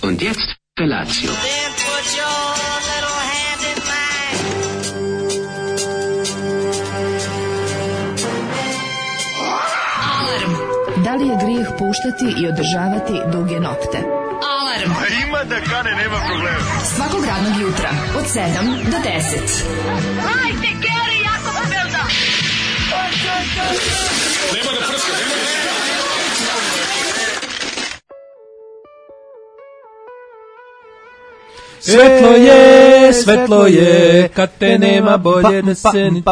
Und jetzt Felatio. Da li je grijeh puštati i održavati duge nokte? Alarm! Ima da kane, nema problema. Svakog radnog jutra, od 7 do 10. Hajde, Geri, jako se velda! Nema da prska, nema da prska. Svetlo je, kad te nema bolje da se ni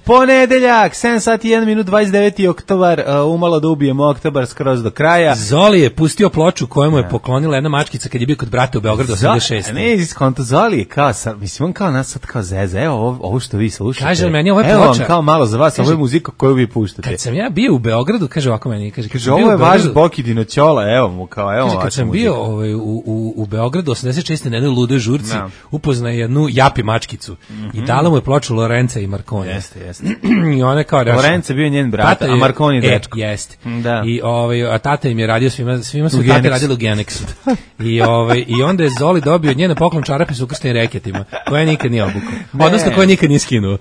Ponedeljak, 7 sati 1 minut 29. oktobar, umalo da ubijemo oktobar skroz do kraja. Zoli je pustio ploču koju mu je poklonila jedna mačkica kad je bio kod brata u Beogradu 86. Ne, iskonto, Zoli je kao, mislim, on kao nas sad kao zeza, evo ovo što vi slušate. Kaže meni, ovo je evo ploča. Evo kao malo za vas, ovo je muzika koju vi puštate. Kad sam ja bio u Beogradu, kaže ovako meni, kaže ovo je vaš Bokidino Ćola, evo mu kao, evo kaže, kad sam bio u Beogradu 86. na jednoj ludoj žurci, upoznaje jednu japi mačkicu i dala mu je ploču Lorenza i Marconi. Jeste. I ona kao Lorenzo bio njen brat, a Marconi dečko. Jeste. Da. I a tata im je radio svima su tate radili u Genexu. I onda je Zoli dobio njena poklon čarape s ukrštenim reketima, koja nikad nije obukao. Odnosno koja nikad nije skinuo.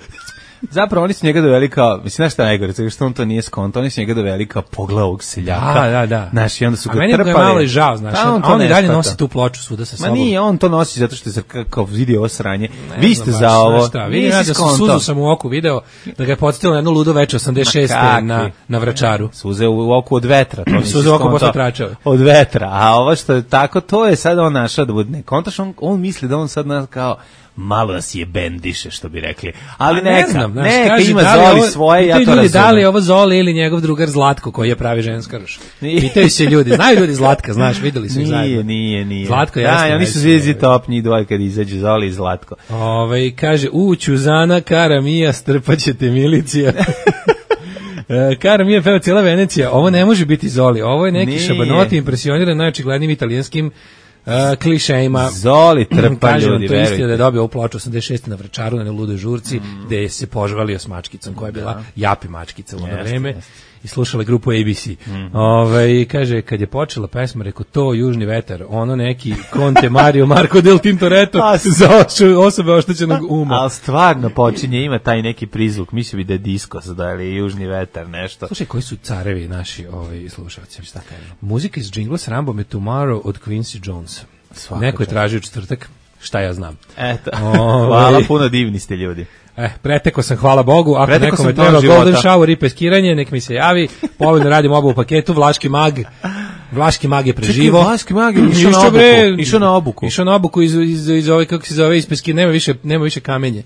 Zapravo oni su njega doveli kao, mislim, znaš šta najgore, zato što on to nije skonto, oni su njega doveli kao pogled ovog seljaka. Da. Znaš, i onda su ga trpali. A meni je malo i žao, znaš, a on i dalje nosi tu ploču svuda sa sobom. Ma nije, on to nosi zato što je kao vidio ovo sranje. Vi ste za ovo. Vidim ja da suzu sam u oku video, da ga je podsjetilo na jednu ludo veče 86. na Vračaru. Suze u oku od vetra. Suze u oku posle tračave. Od vetra, a ovo što je tako, to je sad on našao da bude. Kontaš, on misli da on sad nas kao malo nas je bendiše, što bi rekli. Ali neka ima Zoli svoje, ja to razumem. Da li je ovo Zoli ili njegov drugar Zlatko, koji je pravi ženska ruš? Pitaju se ljudi, znaju ljudi Zlatka, znaš, videli su ih zajedno. Nije. Zlatko jeste. Da, oni su zvijezdi top, njih dvoje kad izađu, Zoli i Zlatko. Kaže, Ćuzana, Kara Mija, strpaćete milicija. Kara Mija peva cijela Venecija, ovo ne može biti Zoli, ovo je neki šabanoti impresioniran najočiglednijim italijanskim klišejima. Zoli trpa ljudi, verujte. To je istina da je dobio ovu ploču 86. na Vračaru na ludoj žurci, gde je se požvalio s mačkicom koja je bila japi mačkica u ono vreme i slušala grupu ABC. Kaže, kad je počela pesma, rekao, to Južni vetar, ono neki Conte Mario Marco del Tintoretto za osobe oštećenog uma. Ali stvarno počinje, ima taj neki prizvuk, mislio bi da je disko sada, ili Južni vetar, nešto. Slušaj, koji su carevi naši slušalci? Šta kažem? Muzika iz džingla s Rambom je Tomorrow od Quincy Jones. Neko je tražio četvrtak, šta ja znam. Eto, hvala, puno divni ste ljudi. Preteko sam, hvala Bogu, ako nekome treba golden shower i peskiranje, nek mi se javi, povoljno radim oba u paketu, Vlaški mag je preživo. Čekaj, Vlaški mag je išao na obuku iz ove, kako se zove, iz peskiranja, nema više kamenje.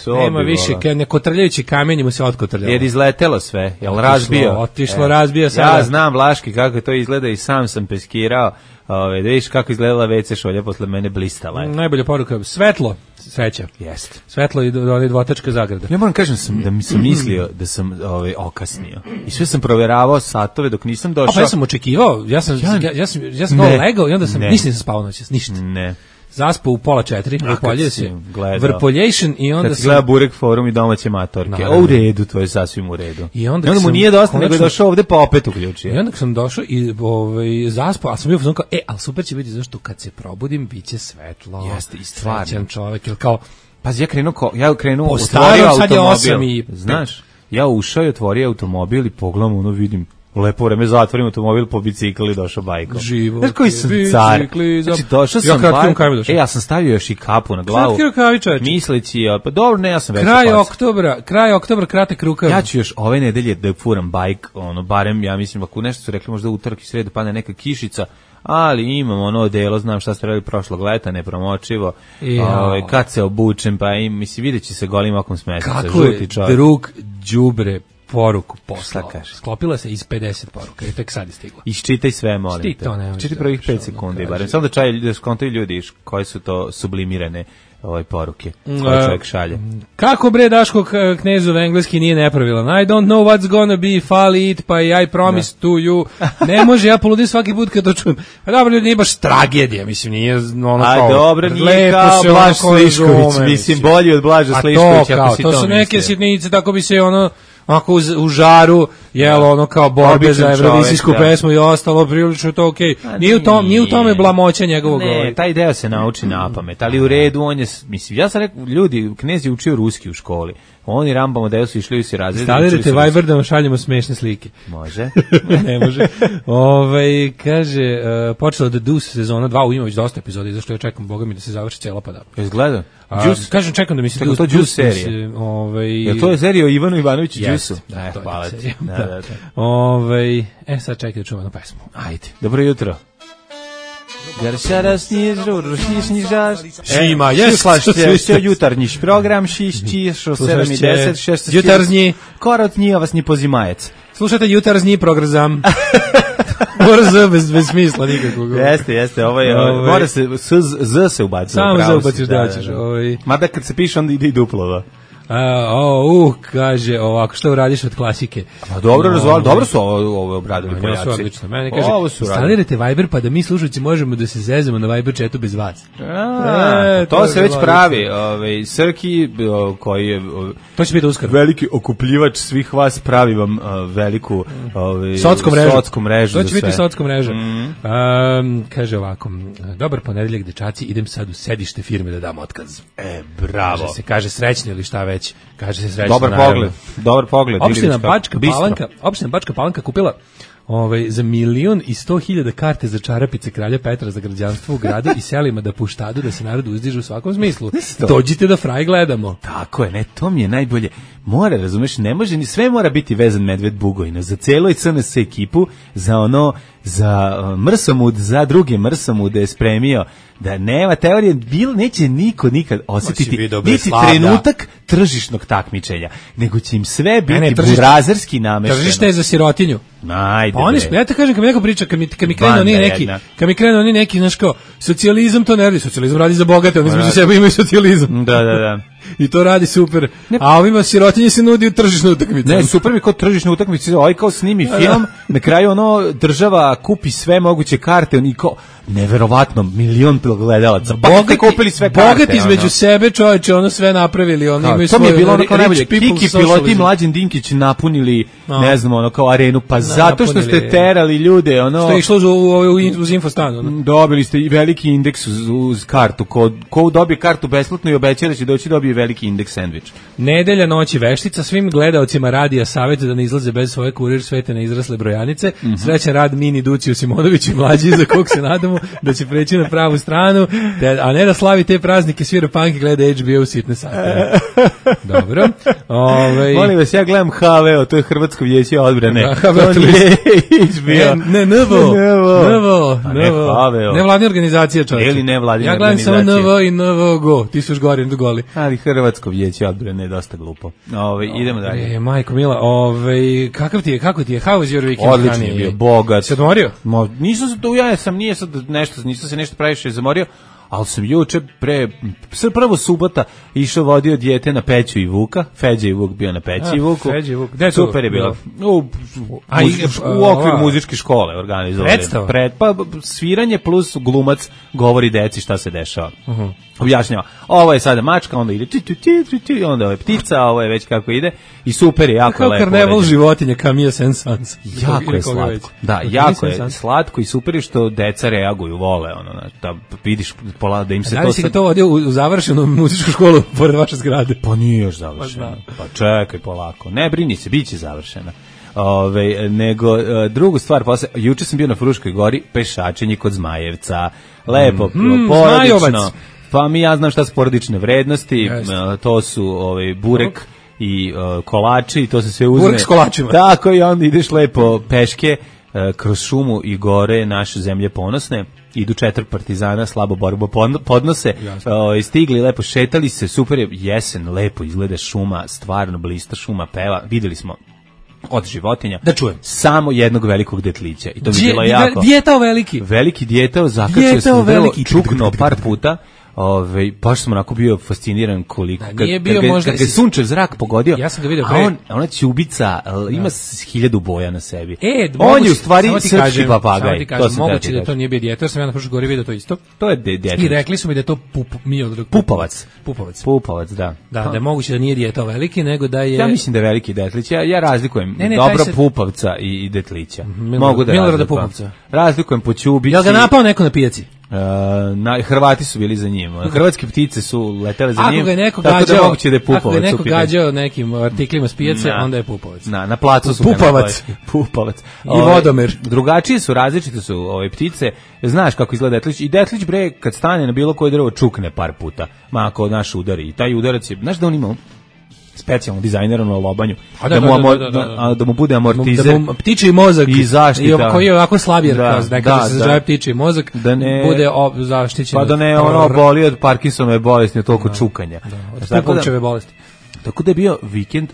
Nema više, nekotrljajući kamenje mu se otkotrljalo. Jer izletelo sve, jel razbio? Otišlo, razbio sada. Ja znam Vlaški kako to izgleda i sam sam peskirao. Da vidiš kako izgledala WC šolja posle mene blistala je. Najbolja poruka, svetlo, sreća. Jeste. Svetlo i dvotačka zagrada. Ja moram kažem da mi sam mislio da sam okasnio. I sve sam proveravao satove dok nisam došao. Ja sam očekivao, ja sam legao i onda sam nisam spavao noćas, ništa. Ne. Zaspao u 3:30, vrpolje se, vrpoljation i onda sam... gleda Burek forum i domaće matorke, u redu, to je sasvim u redu. I onda mu nije dosta, nego je došao ovde pa opet uključio. I onda sam došao i zaspao, ali sam bio fazon kao, ali super će biti zašto kad se probudim, bit će svetlo. Jeste, i stvarno. Srećan čovjek, ili kao... Pazi, ja krenuo, otvorio automobil, znaš, ja ušao i otvorio automobil i pogledam, vidim, lepo vreme, zatvorim automobil, po bicikli i došao bajkom. Živo. Znaš koji sam car? Znači, došao sam bajkom. Ja sam stavio još i kapu na glavu. Kratki rukavi, čovječe. Misleći, pa dobro, ne, ja sam već Kraj oktobra, kratak rukav. Ja ću još ove nedelje da furam bajk, barem, ja mislim, ako nešto su rekli, možda utorak i sredu padne neka kišica, ali imam ono delo, znam šta ste radili prošlog leta, nepromočivo, kad se obučem, pa mislim, vidjet će se golim okom smetica. Kako je drug đubre poruku poslao. Sklopila se iz 50 poruka i tek sad je stigla. Iščitaj sve, molim te. Čitaj prvih 5 sekundi, barem. Samo da skontaju ljudi koji su to sublimirane poruke koje čovjek šalje. Kako bre Daško Knezov engleski nije nepravilan? I don't know what's gonna be, fall it, pa I promise to you. Ne može, ja poludim svaki put kad to čujem. A dobro, ljudi, nije baš tragedija, mislim, nije ono kao... A dobro, nije kao Blaž Slišković, mislim, bolji od Blaža Sliškovića. To su neke sitnice, tako bi se ono... Ako u žaru jel ono kao borbe Običan za evrovizijsku čovek, da. pesmu i ostalo, prilično je to okej. Nije u tome blamoća njegovog. Ne, taj deo se nauči napamet, ali u redu on je, mislim, ja sam rekao, ljudi, knez je učio ruski u školi. Oni Rambamo deo su išli u si razred. Instalirajte Viber da vam šaljemo smešne slike. Može. Ne može. Kaže, počela da Deuce sezona 2, ima već dosta epizoda, zašto ja čekam, boga mi, da se završi cijela pa da. Jesi gledao? Kažem, čekam da mi se Čekam, to Juice serija. Je to je serija o Ivanu Ivanoviću Juiceu? Da, to hvala je ti. serija. Da. Sad čekaj da čujemo jednu pesmu. Ajde. Dobro jutro. Šima, Slušajte jutarnjiš program, 6:10, jutarnji. Korotnji, a vas ni pozimajec. Slušajte jutarnji program. Mora bez smisla nikakvog. Jeste, mora se, z se ubaci. Samo z ubaciš da ćeš. Mada kad se piše, onda ide i duplo. Kaže ovako, što uradiš od klasike? Dobro su ovo obradili Poljaci. Odlično. Mene kaže, instalirajte Viber pa da mi slušalci možemo da se zezemo na Viber chatu bez vas. To se već pravi. Srki, koji je to će biti uskoro. Veliki okupljivač svih vas, pravi vam veliku sotsku mrežu. To će biti sotsku mreža. Kaže ovako, dobar ponedeljak dečaci, idem sad u sedište firme da dam otkaz. Bravo. Kaže srećni ili šta već. Kaže se srećno. Dobar pogled. Opština Bačka Palanka kupila za 1.100.000 karte za čarapice kralja Petra za građanstvo u gradu i selima da puštadu da se narod uzdiže u svakom smislu. Dođite da fraj gledamo. Tako je, to mi je najbolje. Mora, razumeš, ne može ni sve mora biti vezan Medved Bugojna. Za celo CNS ekipu, za Mrsomud, za druge Mrsomude je spremio da nema teorije, neće niko nikad osjetiti niti trenutak tržišnog takmičenja, nego će im sve biti burazerski namešteno. Tržište je za sirotinju. Ajde. Pa ja te kažem, kad mi neko priča, kad mi krenu oni neki, znaš kao, socijalizam to ne radi, socijalizam radi za bogate, oni između sebe imaju socijalizam. Da. I to radi super. A ovima sirotinje se nudi u tržišnu utakmicu. Ne, super mi kao tržišna utakmica, kao snimi film, na kraju država kupi sve moguće karte, oni kao neverovatno, 1.000.000 gledalaca. Kupili sve karte. Bogati između sebe, čoveče, sve napravili, oni imaju svoje. To mi je bilo kao najbolje. Kiki piloti Mlađan Dinkić napunili, ne znam, kao arenu, pa zato što ste terali ljude, što je išlo uz infostan. Dobili ste i veliki indeks uz kartu. Ko dobije kartu besplatno i obeća da će doći, dobije veliki indeks sendvič. Nedelja, noć i veštica, svim gledaocima radija savjeta da ne izlaze bez svoje Kurir svete neizrasle brojanice. Srećan rad Mini Duciju Simonović i mlađi, za kog se nadamo da će preći na pravu stranu, a ne da slavi te praznike, svira punk i gleda HBO u sitne sate. Dobro. Molim vas, ja gledam HVO, to je Hrvatsko vijeće odbrane. HVO HBO. NVO. Nevladna organizacija, čovječe. Ili nevladina ja gledam organizacija. samo NVO i NVO. Ti su još goli. Ali Hrvatsko vijeće odbrane je dosta glupo. Idemo dalje. Majko Mila, kako ti je, how was your weekend? Odlično je bio, bogat. Si odmorio? Nisam se tu, nisam se nešto previše zamorio, ali sam juče prvo subota išao vodio dijete na Peću i Vuka, Feđa i Vuk bio na Peći i Vuku. Super je bilo. U okviru muzičke škole organizovali. Pa sviranje plus glumac govori deci šta se dešava. Objašnjava, ovo je sada mačka, onda ide onda ovo je ptica, ovo je već kako ide i super je, jako je lepo. Kao karneval životinja, Camille Saint-Saëns. Jako je slatko. Da, jako je slatko i super je što deca reaguju, vole, da vidiš da im se to... Da li si ga to vodio u završenu muzičku školu pored vaše zgrade? Pa nije još završeno. Pa čekaj polako. Ne brini se, bit će završena. Nego drugu stvar, juče sam bio na Fruškoj gori, pešačenje kod Zmajevca. Lepo, porodično. Pa ja znam šta su porodične vrednosti, to su burek i kolači, to se sve uzme. Burek s kolačima. Tako, i onda ideš lepo peške kroz šumu i gore naše zemlje ponosne. Idu 4 partizana, slabo borbu podnose, stigli, lepo šetali se, super je, jesen, lepo izgleda šuma, stvarno blista šuma, peva, videli smo od životinja. Da čujem. Samo jednog velikog detlića. I to mi je bilo jako. Djetao veliki. Veliki djetao, zakačio sam vrlo, čuknuo par puta. baš sam onako bio fasciniran koliko. Nije bio možda... Kad ga sunčev zrak pogodio, ja sam ga vidio ona ćubica, ima 1000 boja na sebi. On je u stvari srpski papagaj. Moguće da to nije bio djetor, sam ja na prošloj gori vidio to isto. To je djetor. I rekli su mi da je to Pupavac, da. Da je moguće da nije djeto veliki, nego da je... Ja mislim da je veliki detlić. Ja razlikujem dobro Pupavca i detlića. Mogu da Milorada Pupavca. Razlikujem po ćubici. Jel ga napao neko na pijaci? Hrvati su bili za njim. Hrvatske ptice su letele za njim. Ako ga je neko gađao nekim artiklima s pijace, onda je Pupavac. Na placu su Pupavac. I vodomer. Drugačije su, različite su ove ptice. Znaš kako izgleda detlić. I detlić bre kad stane na bilo koje drvo čukne par puta. Ma ako naš udari. I taj udarac je, znaš da on ima specijalno dizajnirano lobanju, da mu bude amortizer, ptičji mozak i zaštita, koji je ovako slabjer, nekada se zove ptičji mozak, da ne bude zaštićen, pa da ne boli od Parkinsonove bolesti, od toliko čukanja, od Pupovčeve bolesti. Tako da je bio vikend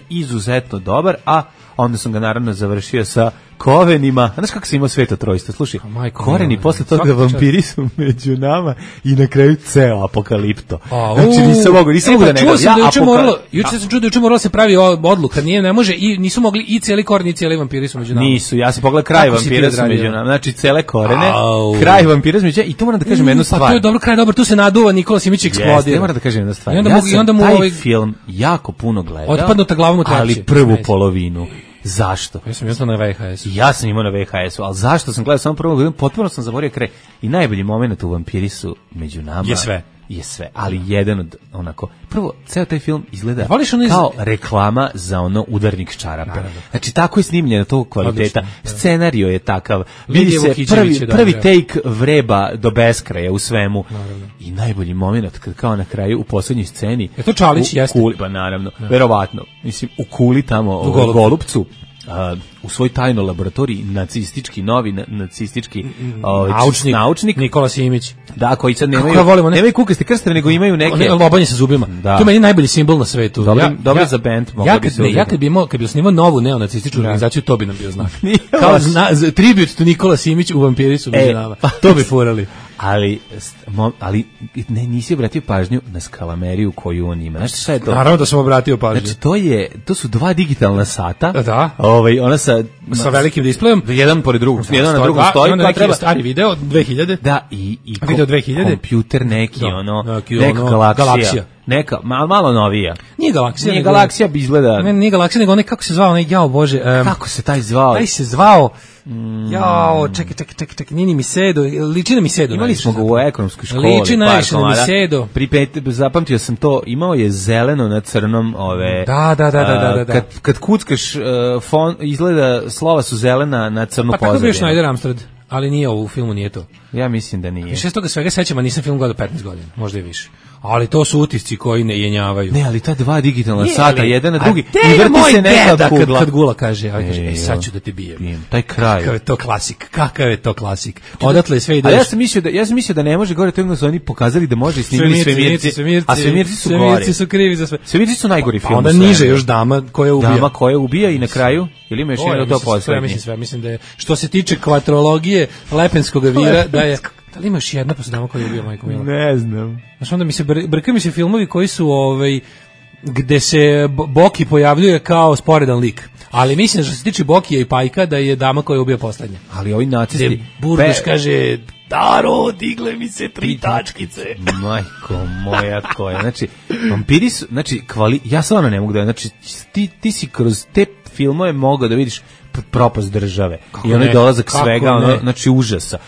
izuzetno dobar, a onda sam ga naravno završio sa Kovenima. Znaš kako se imao Sveto trojstvo? Slušaj, Koreni, posle toga Vampiri su među nama i na kraju ceo Apokalipto. Znači nisam mogu da ne gledam. Juče sam čuo da moralo se pravi odluka, ne može i nisu mogli i cijeli Koren i cijeli Vampiri su među nama. Nisu, ja sam pogledao kraj Vampira su među nama. Znači cele Korene, kraj Vampira su među nama i to moram da kažem jednu stvar. Pa to je dobro, kraj dobar, tu se naduva, Nikola Simić eksplodira. Ja moram da kažem jednu stvar. I onda mu taj film jako puno gledao. Otpadnuta glavom u treći. Ali prvu polovinu. Zašto? Ja sam imao na VHS-u. Ja sam imao na VHS-u, ali zašto sam gledao samo prvu godinu, potpuno sam zaboravio kraj. I najbolji moment u Vampiri su među nama. Je sve, ali jedan od onako, prvo, ceo taj film izgleda kao reklama za ono udarnik čarape. Znači, tako je snimljeno tog kvaliteta. Odlično, scenario je takav. Vidi se prvi take vreba do beskraja u svemu. Naravno. I najbolji moment, kad kao na kraju u poslednjoj sceni. Je to Čalić, jeste? Pa naravno, verovatno. Mislim, u kuli tamo, u Golupcu, u svoj tajnoj laboratoriji nacistički naučnik Nikola Simić. Da, koji sad nemaju kukaste krstave, nego imaju neke lobanje sa zubima. To je meni najbolji simbol na svetu. Dobro za bend. Kad bi snimao novu neonacističku organizaciju, to bi nam bio znak. Kao tribut to Nikola Simić u Vampiri su među nama. To bi furali. Ali nisi obratio pažnju na skalameriju koju on ima. Znaš šta je to? Naravno da sam obratio pažnju. Znači to su dva digitalna sata. Da. Ona sa velikim displejom, jedan pored drugog, jedan na drugom stoji, pa treba stari video 2000. Da, i video 2000. Kompjuter neki, neka galaksija. Neka, malo novija. Nije galaksija bi izgleda. Nije galaksija, nego onaj, kako se zvao, onaj, jao Bože. Kako se taj zvao? Taj se zvao, jao, čekaj, nije ni Misedo, liči na Misedo. Imali smo ga u ekonomskoj školi. Liči najviše na Misedo. Zapamtio sam to, imao je zeleno na crnom ove. Da. Kad kuckaš, izgleda, slova su zelena na crnu pozadinu. Pa tako bio Schneider Amstrad. Ali nije u filmu, nije to. Ja mislim da nije. Više s toga svega sećam, a nisam film gledao 15 godina, možda i više. Ali to su utisci koji ne jenjavaju. Ne, ali ta dva digitalna sata, jedan na drugi, i vrti se neka kugla. Kad Gula kaže, sad ću da te bijem. Taj kraj. Kakav je to klasik. Odatle sve ide. A ja sam mislio da ne može gore, to su oni pokazali da može i snimili Svemirci. A Svemirci su gore. Svemirci su krivi za sve. Svemirci su najgori film. Onda niže još Dama koja ubija i na kraju, ili ima još jedno to poslednje? Mislim da je, što se tiče kvatrologije Lepenskog vira, da je. Da li imaš jedna pa se Dama koja ubija, majko mila? Ne znam. Znaš, onda brkaju mi se filmovi koji su, gde se Boki pojavljuje kao sporedan lik. Ali mislim, što se tiče Bokija i Pajka, da je Dama koja ubija poslednja. Ali ovi nacisti... Gde Burduš kaže, Daro, digle mi se 3 tačkice. Majko moja koja. Znači, Vampiri su, ja stvarno ne mogu da, znači, ti si kroz te filmove mogao da vidiš propast države. I onaj dolazak svega, znači užasa.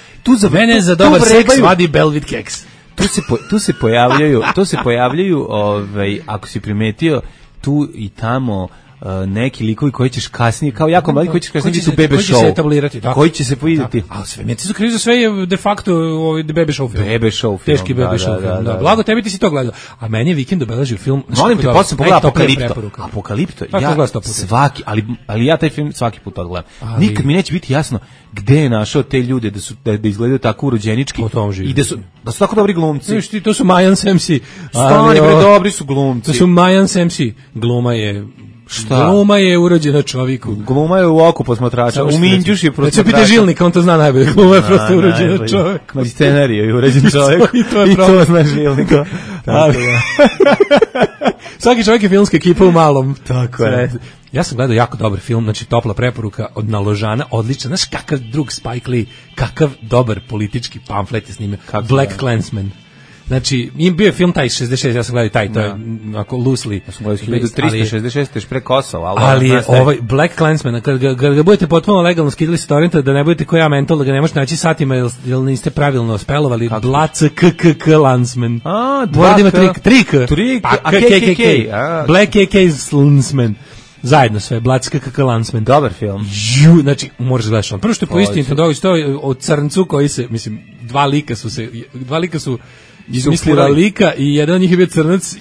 Mene za dobar seks vadi Belvid keks. Tu se pojavljaju, ako si primetio, tu i tamo neki likovi koji ćeš kasnije, kao jako mali, koji ćeš kasnije biti u Bebe Show. Koji će se etablirati, da. Koji će se vidjeti. A Svemirci su krivi za sve, je de facto Bebe Show film. Bebe Show film. Teški Bebe Show film, da. Blago, tebi ti si to gledao. A meni je vikend obeležio film. Molim te, posle pogledaj Apokalipto. Ja svaki, ali ja taj film svaki put odgledam. Nikad mi neće biti jasno gde je našao te ljude da izgledaju tako urođenički i da su tako dobri glumci. To su Majan Semsi. Stani bre, dobri su glumci. To su Majan Semsi. Gluma je Šta? Gluma je urođena čovjeku. Gluma je u oku posmatrača, u minđuš je posmatrača. Neće pite Žilnika, on to zna najbolje. Gluma je prosto urođena čovjeku. Ma scenariju je uređen čovjek. I to zna Žilnika. Svaki čovjek je filmska ekipa u malom. Tako je. Ja sam gledao jako dobar film, znači topla preporuka od Naložana, odličan. Znaš kakav drug Spike Lee, kakav dobar politički pamflet je snimio. Black Klansman. Znači, im bio je film taj 66, ja sam gledao taj, to je ako loosely. Ja sam gledao 1366, još pre Kosova. Ali je ovaj Black Klansman, kad ga budete potpuno legalno skidali sa torrenta, da ne budete ko ja mental, da ga ne možete naći satima, jer niste pravilno spelovali, Black Klansman. Mora da ima trik, a KKK. Black KK Klansman. Zajedno sve, Black Klansman. Dobar film. Znači, možeš gledaš on. Prvo što je po istini, to je o crncu koji se, mislim, dva lika su izmislila lika i jedan od njih je bio crnac,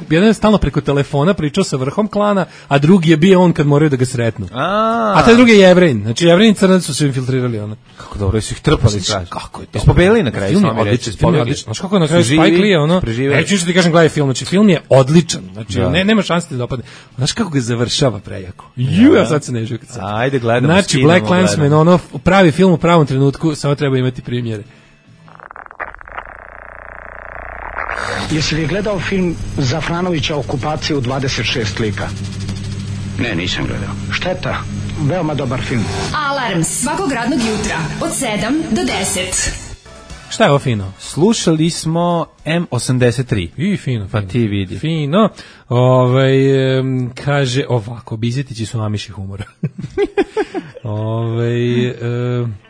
jedan je stalno preko telefona pričao sa vrhom klana, a drugi je bio on kad moraju da ga sretnu. A taj drugi je Jevrin. Znači Jevrin i crnac su se infiltrirali ona. Kako dobro su ih trpali traži. Kako je to? Pobedili na kraju, film je odličan. Znaš kako je na kraju Spike Lee ono? Neću ti kažem gledaj film, znači film je odličan. Znači nema šanse da dopadne. Znaš kako ga završava prejako. Ja sad se ne želim. Ajde gledamo. Znači Black Klansman, ono pravi film u pravom trenutku, samo treba imati premijere. Jesi li gledao film Zafranovića Okupacija u 26 lika? Ne, nisam gledao. Šteta, veoma dobar film. Alarm svakog radnog jutra od 7 do 10. Šta je ovo fino? Slušali smo M83. I fino. Pa ti vidi. Fino. Kaže ovako, Bizetići su namiši humora.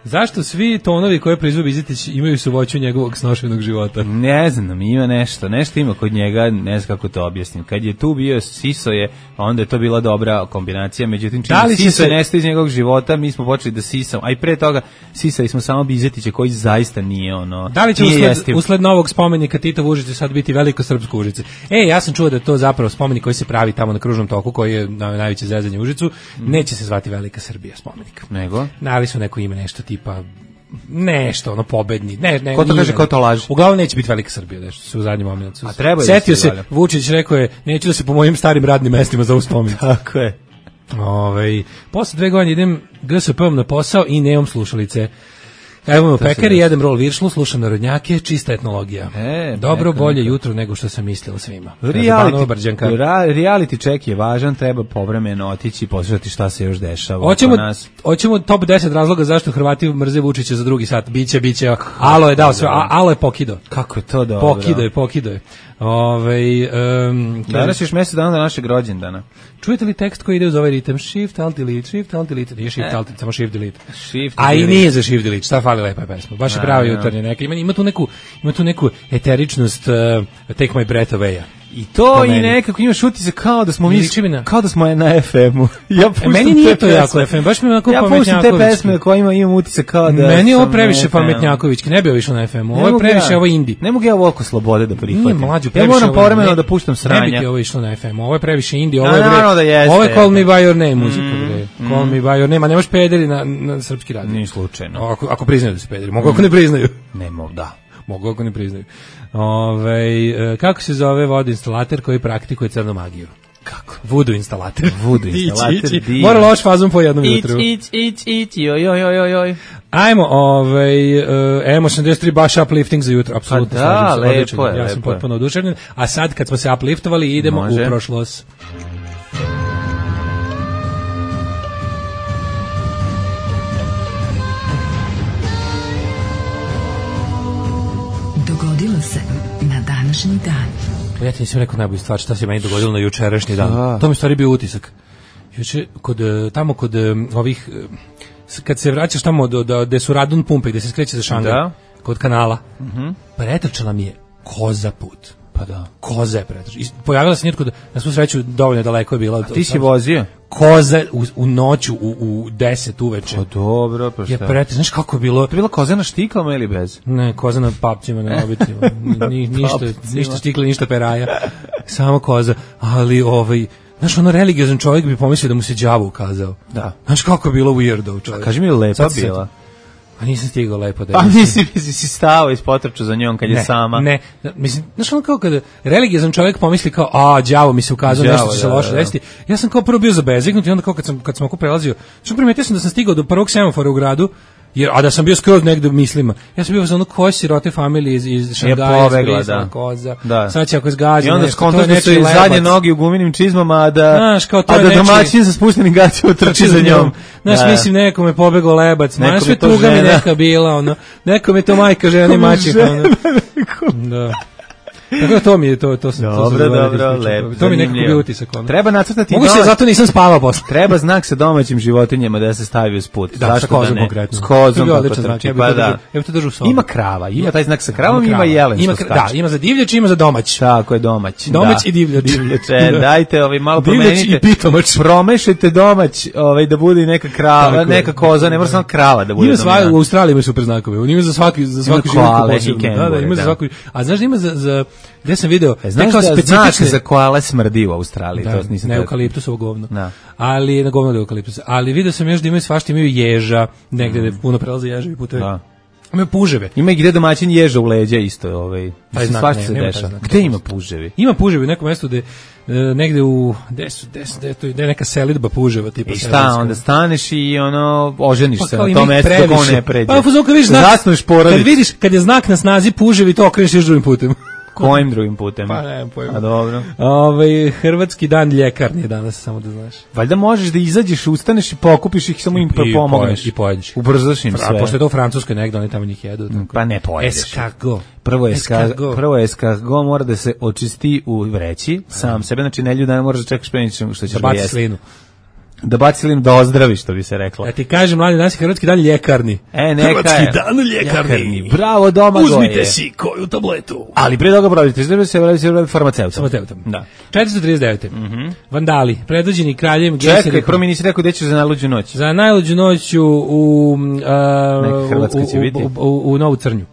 Zašto svi tonovi koje proizvodi Bizetić imaju suvoću njegovog snošenog života? Ne znam, ima nešto ima kod njega, ne znam kako to objasnim. Kad je tu bio Sisoje, onda je to bila dobra kombinacija, međutim čim Sisoje nestaje iz njegovog života, mi smo počeli da sisamo, a i pre toga sisali smo samo Bizetića koji zaista nije ono. Da li će usled novog spomenika Tita u Užice sad biti veliko srpsko Užice? Ja sam čuo da je to zapravo spomenik koji se pravi tamo na Kružnom toku, koji je najveće zezanje u Užicu, neće se zvati Velika Srbija spomenik. Nego? Dali su neko ime, nešto tipa nešto, ono pobedni. Ko to kaže, ko to laže? Uglavnom neće biti Velika Srbija, nešto se u zadnjem momentu. A treba je. Setio se, Vučić rekao je, neću da se po mojim starim radnim mestima za uspomenik. Tako je. Posle 2 godine idem GSP-om na posao i nemam slušalice. Evo u pekari, jedem rol viršlu, slušam narodnjake, čista etnologija. Dobro, bolje jutro nego što sam mislila svima. Reality check je važan, treba povremeno otići i poslušati šta se još dešava. Hoćemo top 10 razloga zašto Hrvati mrze Vučića za drugi sat. Biće. Alo je dao sve, alo je pokido. Kako je to dobro? Pokido je. Danas još mjesec dana do našeg rođendana. Čujete li tekst koji ide uz ovaj ritam? Shift, alt, delete, nije shift, alt, samo shift, delete. A i nije za shift, delete, šta fali lepa pesma. Baš je pravi jutarnje neka. Ima tu neku eteričnost Take My Breath Away-a. I to i nekako imaš utisak kao da smo kao da smo na FM-u. Meni nije to jako FM, baš mi onako pametnjakovički. Ja puštam te pesme kojima imam utisak kao da meni je ovo previše pametnjakovički, ne bi ovo išlo na FM-u. Ovo je previše, ovo indie. Ne mogu ja ovoliko slobode da prihvatim. Nije mlađu, ja moram povremeno da puštam sranja. Ne bi ti ovo išlo na FM-u, ovo je previše indie, ovo je Call Me By Your Name muzika. Call Me By Your Name, a nemaš pederi na srpski radio. Nije slučajno. Ako priznaju da su pederi, mogu ako ne priznaju. Ne mogu, da. Mogu ako ne priznaju. Kako se zove vodoinstalater koji praktikuje crnu magiju? Kako? Voodoo instalater. Mora loš fazom po jednom jutru. Joj. Ajmo, M83 baš uplifting za jutro, apsolutno. Da, lepo je. Ja sam potpuno oduševljen. A sad kad smo se upliftovali idemo u prošlost. Dogodilo se na današnji dan. Ja ti nisam rekao najbolju stvar šta se meni dogodilo na jučerašnji dan. To mi stvari bio utisak. Juče, kod ovih, kad se vraćaš tamo gde su radun pumpe, gde se skreće za Šangaj, kod kanala, pretrčala mi je koza put. Pa da. Koza je pretrčala. Pojavila se nitko, na svu sreću dovoljno daleko je bila. A ti si vozio? Koza u noću u 10 uveče. Pa dobro, pa šta? Je pretrčala, znaš kako je bilo? To je bila koza na štiklama ili bez? Ne, koza na papcima, na obitima. Ništa štikla, ništa peraja. Samo koza, ali znaš, religiozan čovjek bi pomislio da mu se đavo ukazao. Da. Znaš kako je bilo weirdo, čovjek. Kaži mi, lepa bila? A nisam stigao lepo da... Pa si stao iz potrču za njom kad je sama. Ne, mislim, znaš ono kao kada religiozan čovjek pomisli kao, đavo mi se ukazao, nešto će se loše desiti. Ja sam kao prvo bio zabezignut i onda kao kad sam oko prelazio, što primetio sam da sam stigao do prvog semafora u gradu, a da sam bio skroz negde u mislima. Ja sam bio za ono koje sirote familije iz Šangaja, Zbrisla, Koza. Da. Sad će ako zgazi i onda skontaš da su i zadnje noge u guminim čizmama, a da domaćin sa spuštenim gaćima trči za njom. Znaš, mislim, nekome pobegao lebac. Znaš, sve tuga mi neka bila, ono. Nekome to majka, žena i mačika, ono. Da. Tako da to mi je to dobro, lepo. To mi nekako bio utisak. Treba nacrtati mogu se, zato nisam spavao posle. Treba znak sa domaćim životinjama da se stavi uz put. Da, sa kozom konkretno. S kozom, pa da. Ja to držu u sobi. Ima krava, ima taj znak sa kravom, ima jelen što skače. Da, ima za divljač, ima za domać. Tako je, domać. Domać i divljač. Dajte, malo promenite. Promešajte domać, da bude i neka krava, neka koza, ne mora samo krava da bude. Ima sva u Australiji ima super znakove. Ima za svaki životinju posebno. Da, ima za svaku. A znaš da ima za gde sam video, znaš da znak za koale smrdi u Australiji, da, to nisam ne eukaliptusovo govno. Da. Ali na govno da eukaliptus. Ali video sam još da imaju svašta, imaju ježa, negde da puno prelaze ježevi putevi. Da. Imaju puževe. Ima i gde domaćin ježa u leđa isto, svašta se dešava. Gde ima puževi? Ima puževi u nekom mestu gde negde u gde je neka selidba puževa tipa. I šta, onda staneš i oženiš se na tom mestu dok on ne pređe. Pa kad vidiš znak, kad je znak na snazi puževi, to okreneš još drugim putem. Kojim drugim putem? Pa nemam pojma. A dobro. Hrvatski dan ljekarni je danas, samo da znaš. Valjda možeš da izađeš, ustaneš i pokupiš ih, samo im pomogneš. I pojedeš. Ubrzaš im sve. A pošto je to u Francuskoj negdje, oni tamo njih jedu. Tako. Pa ne pojedeš. Escargot. Prvo escargot mora da se očisti u vreći, sam sebe, znači ne ljuda, moraš da čekaš pre što ćeš da jesti. Slinu. Da baci slinu, da ozdravi, što bi se reklo. Ja ti kažem, mladi, danas je Hrvatski dan ljekarni. Hrvatski dan ljekarni. Bravo, Domagoje. Uzmite si koju tabletu. Ali prije toga prodite, se farmaceutom. Da. 439. Vandali, predvođeni kraljem Gejserihom. Čekaj, prvo mi nisi rekao gde ćeš za najluđu noć. Za najluđu noć u Novu Crnju.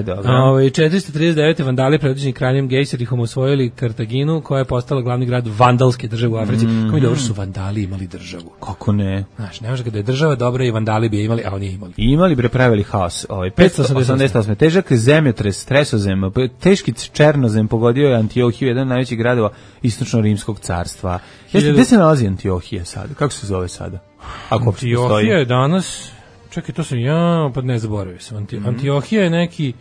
Dobro. 439. Vandali, predvođeni kraljem Gejserihom, osvojili Kartaginu, koja je postala glavni grad vandalske države u Africi. Kako mi dobro su vandali imali državu. Kako ne? Znaš, ne može kada je država dobra i vandali bi je imali, a oni imali. Imali bre pravili haos. 588. Težak zemljotres, stresozem, teški černozem pogodio je Antiohiju, jedan od najvećih gradova istočno-rimskog carstva. Gde se nalazi Antiohija sada? Kako se zove sada? Antiohija je danas, čekaj, to sam pa ne zaboravio sam. Antiohija je neki,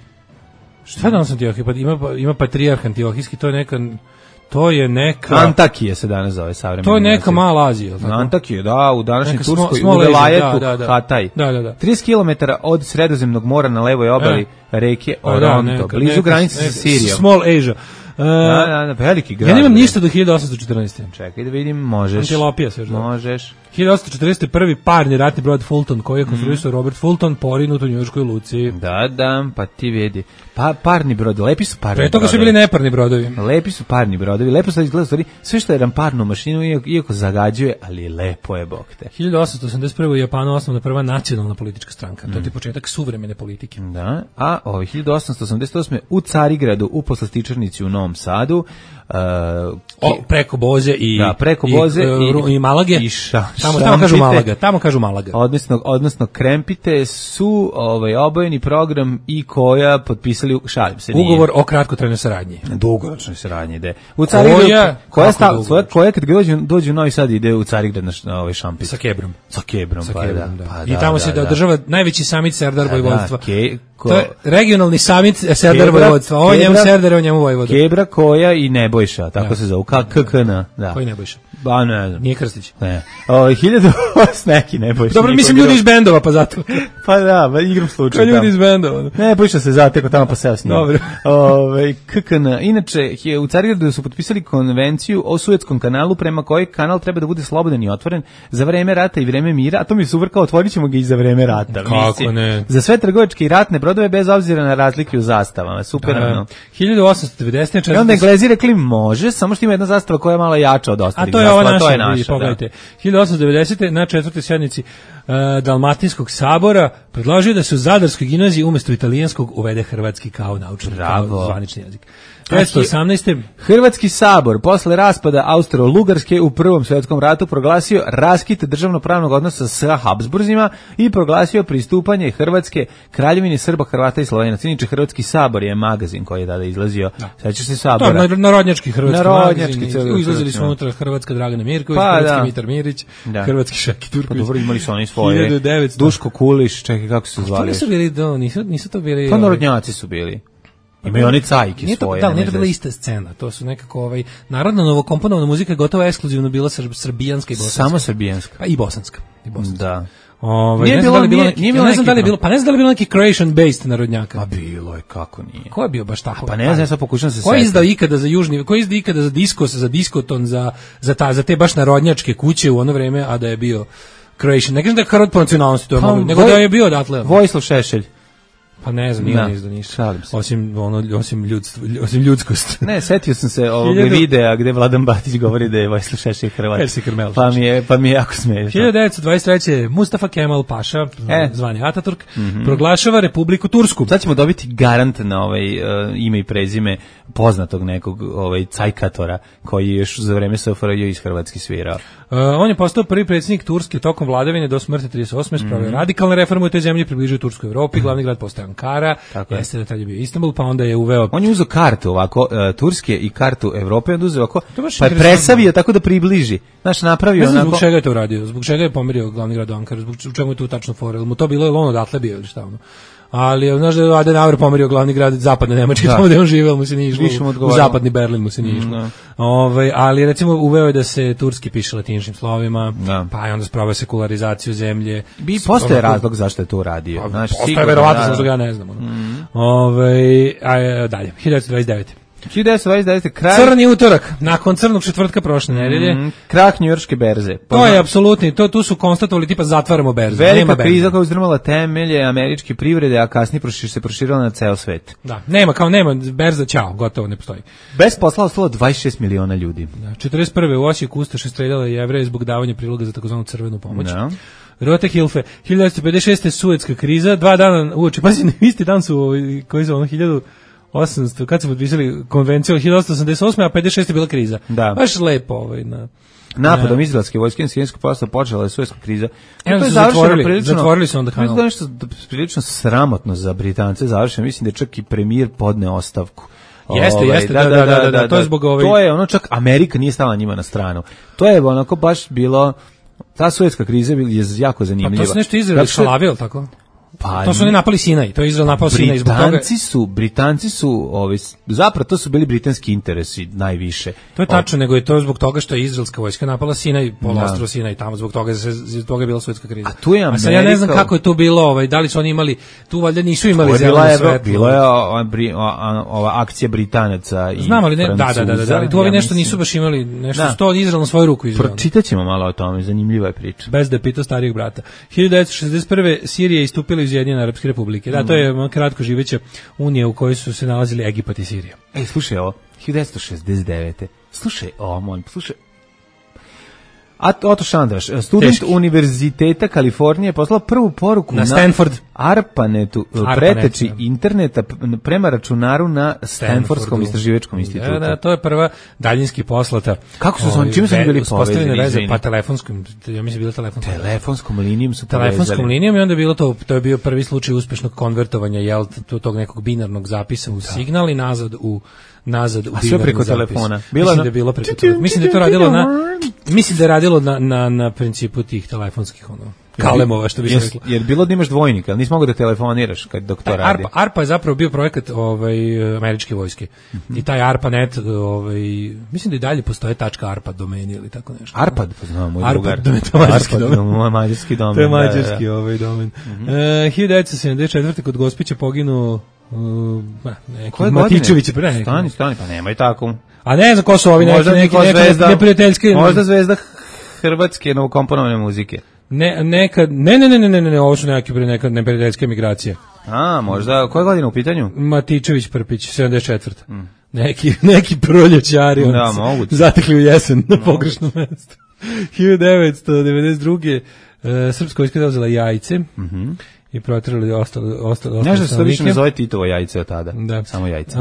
šta je danas Antiohija? Pa ima patrijarh Antiohijski, to je neka... Antakije se danas zove savremeni. To je neka mala Azija. Antakije, da, u današnjoj Turskoj, u Velajetu, Hataj. 30 km od Sredozemnog mora na levoj obali reke Oronto, blizu granice sa Sirijom. Small Asia. Veliki grad. Ja nemam ništa do 1814. Čekaj da vidim, možeš. Antilopija se još da. Možeš. 1840. prvi parni ratni brod Fulton, koji je konstruisao Robert Fulton, porinut u njujorškoj luci. Da, pa ti vidi. Pa parni brod, lepi su parni brodovi. Pre toga su bili neparni brodovi. Lepi su parni brodovi, lepo se izgleda stvari, sve što je ramparnu mašinu, iako zagađuje, ali lepo je, bog te. 1881. u Japanu osnovna prva nacionalna politička stranka, to je početak suvremene politike. Da, a 1888. u Carigradu, u Poslastičarnici u Novom Sadu, preko Boze i Malage. Tamo kažu Malaga. Odnosno Krempite su obojeni program i koja potpisali, šalim se, ugovor o kratkotrajnoj saradnji. Dugoročnoj saradnji ide. U Carigradu koja kad dođe u Novi Sad ide u Carigrad na ovaj šampis. Sa Kebrom. Da. I tamo se održava najveći samit Serdar Vojvodstva. To je regionalni samit Serdar Vojvodstva. Ovo njemu Serdar, ovo njemu Vojvodstva. Kebra, Koja i Nebojša, tako se zove. KKN. Koji Nebojša? Ba, ne znam. Nije Krstić. Ne. 1000 neki Nebojša. Dobro, mislim ljudi iz bendova, pa zato. Pa da, igram slučaj. Kao ljudi iz bendova. Nebojša se zateko tamo pa seo s njim. Dobro. KKN. Inače, u Carigradu su potpisali konvenciju o Suetskom kanalu, prema kojoj kanal treba da bude slobodan i otvoren za vreme rata i vreme mira, a to mi je super, kao otvorit ćemo ga i za vreme rata. Kako ne? Za sve trgovačke i ratne brodove bez obzira na razlike u zastavama. Super. 1890. I onda Englezi rekli može, samo što ima jedna zastava koja je malo jača od ostalih. A to je ova naša, pogledajte. 1890. na četvrtoj sjednici Dalmatinskog sabora predložio da se u Zadarskoj gimnaziji umjesto italijanskog uvede hrvatski kao naučni, kao zvanični jezik. 1918. Hrvatski sabor posle raspada Austro-Ugarske u Prvom svjetskom ratu proglasio raskid državnopravnog odnosa sa Habsburzima i proglasio pristupanje Hrvatske Kraljevini Srba, Hrvata i Slovenaca. Inače, Hrvatski sabor je magazin koji je tada izlazio. Sećaš se sabora? Narodnjački hrvatski magazin. Izlazili su unutra Hrvatska Dragana Mirković, hrvatski Mitar Mirić, hrvatski Šaki Turković. Dobro, imali su oni svoje. Duško Kuliš, čekaj, kako se zvali? Nisu to bili... Pa narodnjaci su bili. Imaju oni cajke svoje. Da, nije to bila ista scena. To su nekako narodna novokomponovana muzika je gotovo ekskluzivno bila srbijanska i bosanska. Samo srbijanska. Pa i bosanska. Da. Ne znam da li je bilo neki Croatian based narodnjaka. Pa bilo je, kako nije. Ko je bio baš tako? Pa ne znam, ja sad pokušam se setiti. Ko je izdao ikada za južni, ko je izdao ikada za diskos, za diskoton, za te baš narodnjačke kuće u ono vreme, a da je bio Croatian. Ne kažem da je Hrvat po nacionalnosti, nego da je bio odatle. Vojislav Šešelj. Pa ne znam, nije izdao ništa. Osim ljudskost. Ne, setio sam se ovog videa gde Vladan Batić govori da je Vojislav Šešelj Hrvat. Pa mi je jako smiješno. 1923. Mustafa Kemal Paša, zvani Ataturk, proglašava Republiku Tursku. Sad ćemo dobiti garant na ime i prezime poznatog nekog cajkatora koji je još za vreme SFRJ iz Hrvatske svirao. On je postao prvi predsjednik Turske tokom vladavine do smrti 38. Spravio radikalne reforme u toj zemlji, približio Tursku Evropi, glavni grad postao Ankara, jeste da tad je bio Istanbul, pa onda je uveo... On je uzeo kartu ovako, Turske i kartu Evrope, onda uzeo ovako, pa je presavio tako da približi. Znaš, napravio onako... Ne znam zbog čega je to uradio, zbog čega je pomerio glavni grad Ankara, zbog čemu je tu tačno fora, mu to bilo je on odatle bio ili šta ono. Ali znaš da je Adenauer pomerio glavni grad zapadne Nemačke, tamo gde on živeo, mu se nije išlo, u zapadni Berlin mu se nije išlo. Ali recimo uveo je da se turski piše latiničnim slovima, pa je onda sproveo sekularizaciju zemlje. Postoje razlog zašto je to uradio. Postoje verovatno, zbog ja ne znam. Dalje, 1929. 1929. kraj... Crni utorak, nakon crnog četvrtka prošle nedelje. Krah njujorške berze. To je apsolutni, tu su konstatovali tipa zatvaramo berzu. Velika kriza koja uzdrmala temelje američke privrede, a kasnije se proširila na ceo svet. Da, nema berza, ćao, gotovo, ne postoji. Bez posla ostalo 26 miliona ljudi. Da, 41. u Osijeku Ustaše streljala Jevreje zbog davanja priloga za takozvanu crvenu pomoć. Da. Rote Hilfe, 1956. Suetska kriza, 2 dana uoči, pazi, isti dan su koji su 1800, kad su potpisali konvenciju 1888. a 56. je bila kriza. Da. Baš lepo napadom izraelske vojske na sirijsko polostrvo počela je Suetska kriza. To je zatvorili su onda kanal. To je nešto prilično sramotno za Britance završeno. Mislim da je čak i premijer podne ostavku. Jeste, da, to je zbog To je ono, čak Amerika nije stala njima na stranu. To je onako baš bilo, ta Suetska kriza je jako zanimljiva. Pa to su nešto Izrael šalavio, tako? Pa to su oni napali Sinaj, to je Izrael napao Sinaj zbog toga. Britanci su zapravo to su bili britanski interesi najviše. To je tačno, nego je to zbog toga što je izraelska vojska napala Sinaj, poluostrvo Sinaj, tamo zbog toga je bila Suetska kriza. A tu je Amerika. Sad ja ne znam kako je to bilo, da li su oni imali, tu valjda nisu imali zeleno svetlo. Bilo je ova akcija Britanaca i znam, ali ne, da, tu ovi nešto nisu baš imali, nešto su to Izrael na svoju ruku izveo. Pročitaćemo malo o tome, zanimljiva je priča. Bez da pita starijeg brata. 1961. Sirija istupila iz Ujedinjene Arapske Republike. Da, to je kratko živeća unija u kojoj su se nalazili Egipat i Sirija. Slušaj ovo, 1969. Slušaj ovo, Otto Šandraš, student Univerziteta Kalifornije, poslao prvu poruku na Stanford ARPANET-u, preteči interneta prema računaru na Stanfordskom istraživačkom institutu. Da, to je prva daljinski poslata. Kako su oni, čime su bili povezani? Pa telefonskom, ja mislim bila telefonskom linijom su povezali. Telefonskom linijom i onda je bilo to je bio prvi slučaj uspešnog konvertovanja tog nekog binarnog zapisa u signal i nazad u sve preko telefona. Mislim da je bilo preko telefona. Mislim da je to radilo na principu tih telefonskih kalemova, što bi se reklo. Jer bilo da imaš dvojnika, ali nisi mogao da telefoniraš dok to radi. ARPA je zapravo bio projekat američke vojske. I taj ARPANET, mislim da i dalje postoje .arpa domeni ili tako nešto. ARPAD, znam, moj drugar. ARPAD, mađarski domen. To je mađarski domen. 1974. kod Gospića poginuo Matičević. Stani, pa nemoj tako. A ne znam ko su ovi neki neprijateljski. Možda zvezda hrvatske novokomponovane muzike. Ne, ovo su neke neprijateljske migracije. Možda, koja godina u pitanju? Matičević Prpić, 74. Neki proljećari zatekli u jesen na pogrešnom mjestu. 1992. Srpska vojska je uzela jajce i proterali ostale Znaš da se to više ne zove Titovo jajce od tada, da. Samo jajce.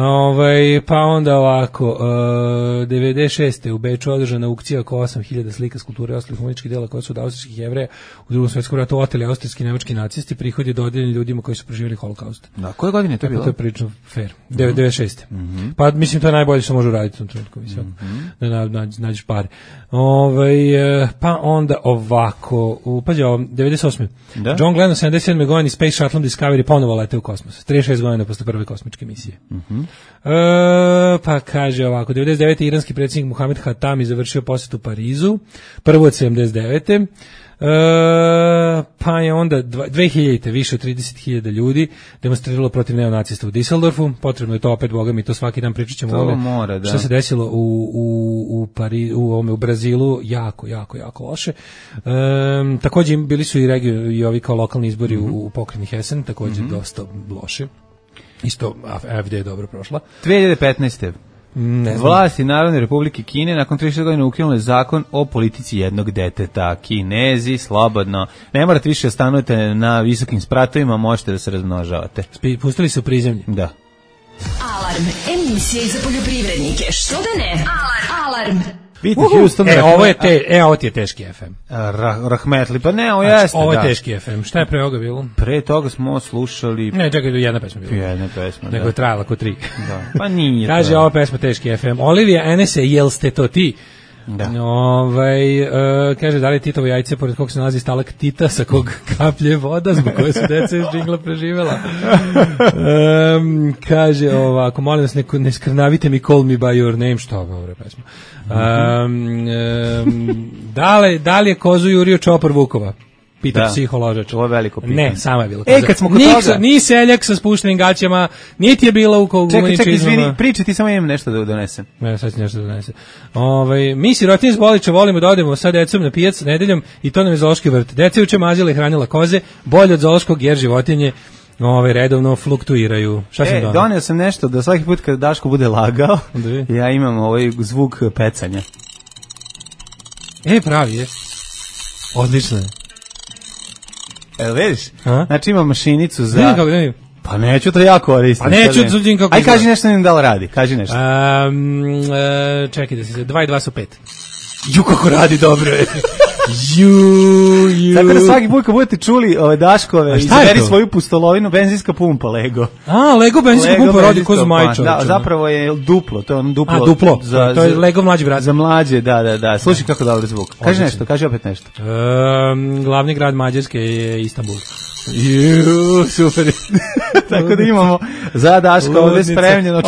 Pa onda ovako, 96. u Beču održana aukcija oko 8000 slika, skulpture i ostalih umetničkih dela koja su od austrijskih Jevreja u Drugom svetskom ratu oteli austrijski i nemački nacisti, prihod je dodeljen ljudima koji su preživjeli holokaust. Da, koje godine to je bilo? To je prilično fair. 96. Pa mislim to je najbolje što može uraditi u tom trenutku, mislim. Da nađeš pare. Pa onda ovako, pađe ovo, 98. Da? John Glenn u 77. godini Space Shuttle Discovery ponovo leteo u kosmos. 36 godina posle prve kosmičke misije. Pa kaže ovako, 99. iranski predsjednik Mohamed Hatami završio posjet u Parizu, prvo od 79. Pa je onda 2000. više od 30.000 ljudi demonstriralo protiv neonacista u Düsseldorfu. Potrebno je to opet, boga mi to svaki dan pričat ćemo o tome šta se desilo u Brazilu, jako loše. Također bili su i ovi kao lokalni izbori u pokrajini Hessen, također dosta loše. Isto AfD je dobro prošla. 2015. Vlasti Narodne Republike Kine nakon 30 godina ukinule zakon o politici jednog deteta. Kinezi, slobodno, ne morate više stanujete na visokim spratovima, možete da se razmnožavate. Pustili su prizemlje. Da. Alarm, emisija za poljoprivrednike, što da ne? Alarm. Houston, ovo ti je teški FM. Rahmetli, pa ne, ovo jeste. Ovo je teški FM. Šta je pre ovoga bilo? Pre toga smo slušali... Ne, čekaj, jedna pesma bila. Jedna pesma, nego je trajala ko 3. Da. Pa nije. Kaže, ova pesma teški FM. Olivija Enese, jel ste to ti? Da. Kaže, da li je Titovo jajce pored kog se nalazi stalaktita sa kog kaplje voda zbog koje su deca iz džingla preživjela. Kaže ovako, molim vas, ne skrnavite mi Call Me By Your Name, što je ovo pesma. Da li je kozu jurio čopor Vukova? Pita psiholožač. Ovo je veliko pitanje. Ne, samo je bilo koza. Kad smo kod toga... Ni seljak sa spuštenim gaćama, niti je bila u komuničizmama. Čekaj, izvini, pričaj, ti samo imam nešto da donesem. Ne, sad ću nešto da donesem. Mi sirotinje iz Boliča volimo da odemo sa decom na pijac nedeljom i to nam je zoološki vrt. Deca juče mazila i hranila koze, bolje od zoološkog jer životinje redovno fluktuiraju. Šta sam donio? Donio sam nešto da svaki put kad Daško bude lagao, ja imam ovaj zvuk pecanja. Pravi je. Odlično je. Vidiš? Znači ima mašinicu za... Vidim. Pa neću to ja koristim. Pa neću vidim kako... Aj, kaži nešto, da li radi, kaži nešto. Čekaj da se... 2 i 2 su 5. Ju, kako radi dobro je. Tako da svaki put kad budete čuli Daškove, izaberi svoju pustolovinu, benzinska pumpa Lego. Lego benzinska pumpa radi ko za majča. Da, zapravo je duplo, to je ono duplo. Duplo, to je Lego mlađi brat. Za mlađe, da. Slušaj kako dobro zvuk. Kaži nešto, kaži opet nešto. Glavni grad Mađarske je Istanbul. Super. Tako da imamo za Daška ovdje spremljeno.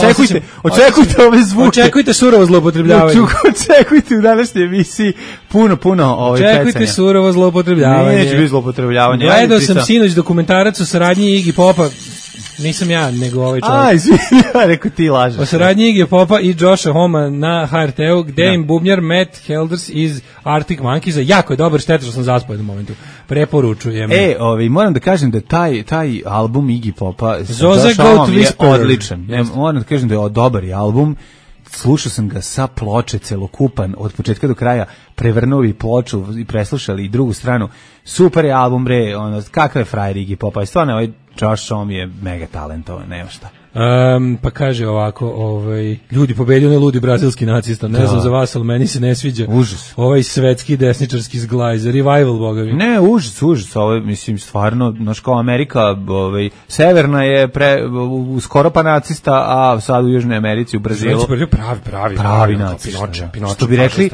Očekujte ove zvuke. Očekujte surovo zloupotrebljavanje. Očekujte u današnjoj emisiji puno pecanja. Očekujte surovo zloupotrebljavanje. Neće biti zloupotrebljavanje. Gledao sam sinoć dokumentarac o saradnji Iggy Popa. Nisam ja, nego ovaj čovjek. Izvini, rekao ti lažeš. O saradnji Iggy Popa i Josha Homa na HRT-u, gde im bubnjar Matt Helders iz Arctic Monkeys, jako je dobar, šteta što sam zaspao u jednom momentu. Preporučujem. Moram da kažem da taj album Iggy Popa Zoza Goat je odličan. Moram da kažem da je dobar album. Slušao sam ga sa ploče celokupan od početka do kraja, prevrnuo i ploču i preslušali i drugu stranu. Super je album, kakav je frajer Iggy Popa, stvarno ovaj Josh Homme je mega talentovan, nema šta. Pa kaže ovako, ljudi pobedio ne ludi brazilski nacista, ne znam za vas, ali meni se ne sviđa. Užas. Ovaj svetski desničarski zglaj, za revival, bogavi. Ne, užas, mislim, stvarno, kao Amerika, severna je skoro pa nacista, a sad u Južnoj Americi, u Brazilu. Pravi nacista. Što bi rekli,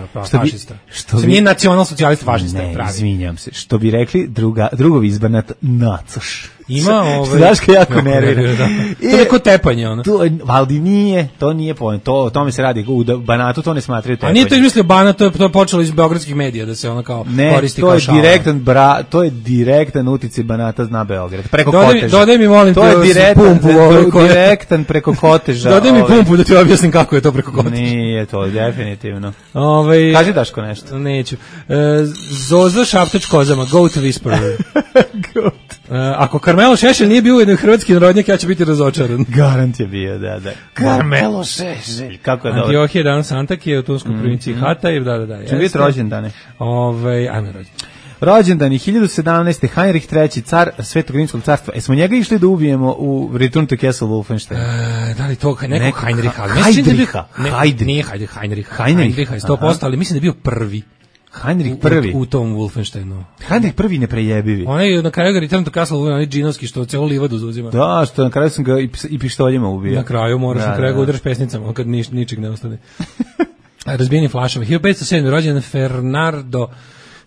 nije nacional socijalista fašista, pravi. Ne, izvinjam se, što bi rekli drugovi izbanat nacoš. Ima Daška jako nervira. To je neko tepanje, ono. Ali nije, to nije point. O tome se radi. U Banatu to ne smatraju tepanje. A nije to izmislio Banat, to je počelo iz beogradskih medija da se ono kao koristi kao šala. Ne, to je direktan uticaj Banata na Beograd. Preko Koteža. Dodaj mi, molim te, pumpu. Direktan preko Koteža. Dodaj mi pumpu da ti objasnim kako je to preko Koteža. Nije to, definitivno. Kaži Daško nešto. Neću. Zoza Šaptač kozama, Goat Whisperer. Ako Karmelo Šešelj nije bio jedan hrvatski narodnjak, ja ću biti razočaran. Garant je bio, da. Karmelo Šešelj, kako je dobro. Antiohije Dan Santak je u Tunskoj provinciji Hatay, da. Će biti rođen dane. Ajme rođen. Rođendan je 1017. Heinrich III, car Svetog rimskog carstva. Smo njega išli da ubijemo u Return to Castle Wolfenstein? Da li to nekog Heinricha? Nije Heinricha je 100%, ali mislim da je bio prvi. Heinrich prvi. U tom Wolfensteinu. Heinrich prvi neprejebivi. On je na kraju ga Return to Castle, onaj džinovski što celu livadu zauzima. Da, što na kraju sam ga i pištoljima ubio. Na kraju moraš na kraju ga udaraš pesnicama, kad ničeg ne ostane. Razbijeni flašove. 1507. rođen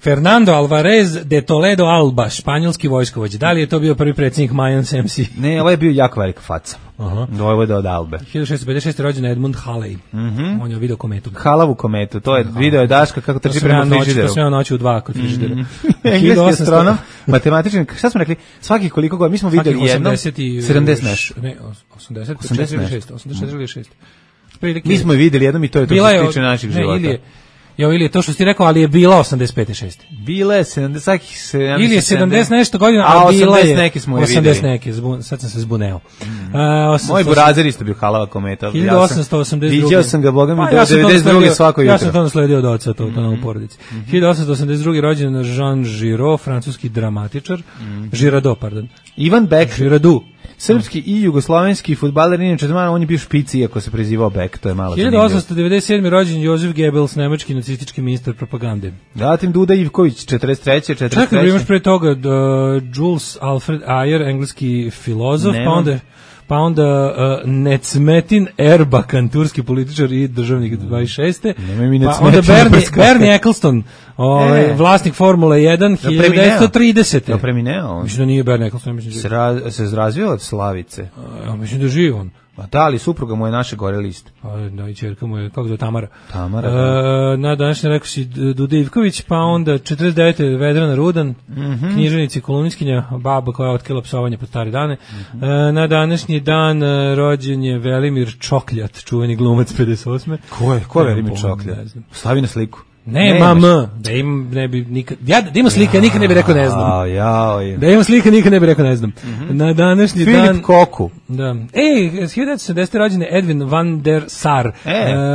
Fernando Alvarez de Toledo Alba, španjolski vojskovođa. Da li je to bio prvi predsjednik Mayans MC? Ne, ovo je bio jako velika faca. Ovo je od Albe. 1656. rođen Edmund Halley. On je video kometu. Halavu kometu, to je video je Daška kako trči prema frižideru. To sve noći u 2 kod frižidera. Engleski astronom, matematičan, šta smo rekli? Svaki koliko godina, mi smo videli jednom 70 nešto. Ne, 84 ili 6. Mi smo je videli jednom i to je to što se tiče naših života. Ili je to što si rekao, ali je bila 85-6. Bila je 70, ili je 70 nešto godina, a bila je 80 neki, sad sam se zbuneo. Moj burazer isto bio halava kometa. 1882. Viđao sam ga, boga mi, 92. svako jutro. Ja sam to nasledio od oca, to na u porodici. 1882. rođen Jean Giraud, francuski dramatičar. Girardot, pardon. Ivan Beck. Girardot. Srpski i jugoslovenski fudbaler, inače on je bio špic, iako se prezivao Beck, to je malo zanimljivo. 1897. rođen Josef Goebbels, nemački nacistički ministar propagande. Zatim Duda Ivković, 43. Čekaj, imaš pre toga Jules Alfred Ayer, engleski filozof, pa onda Necmettin Erbakan, turski političar i državnik 26. Pa onda Bernie Eccleston, vlasnik Formule 1, 1930. Je premineo? Mislim da nije Bernie Eccleston. Se razvio od Slavice? Mislim da živi on. A da, ali supruga mu je naše gore list. Da, i čerka mu je, kako zove, Tamara. Tamara, da. Na današnje rekao si Duda Ivković, pa onda 49. Vedrana Rudan, književnici, kolumnistkinja, baba koja je otkrila psovanje po stare dane. Na današnji dan rođen je Velimir Čokljat, čuveni glumac 58. Ko je Velimir Čokljat? Stavi na sliku. Da im ne bi nikad, da ima slika, nikad ne bi rekao ne znam. Da ima slika, nikad ne bi rekao ne znam. Na današnji dan Filip Koku. Da. 1970. rođen je Edwin van der Sar.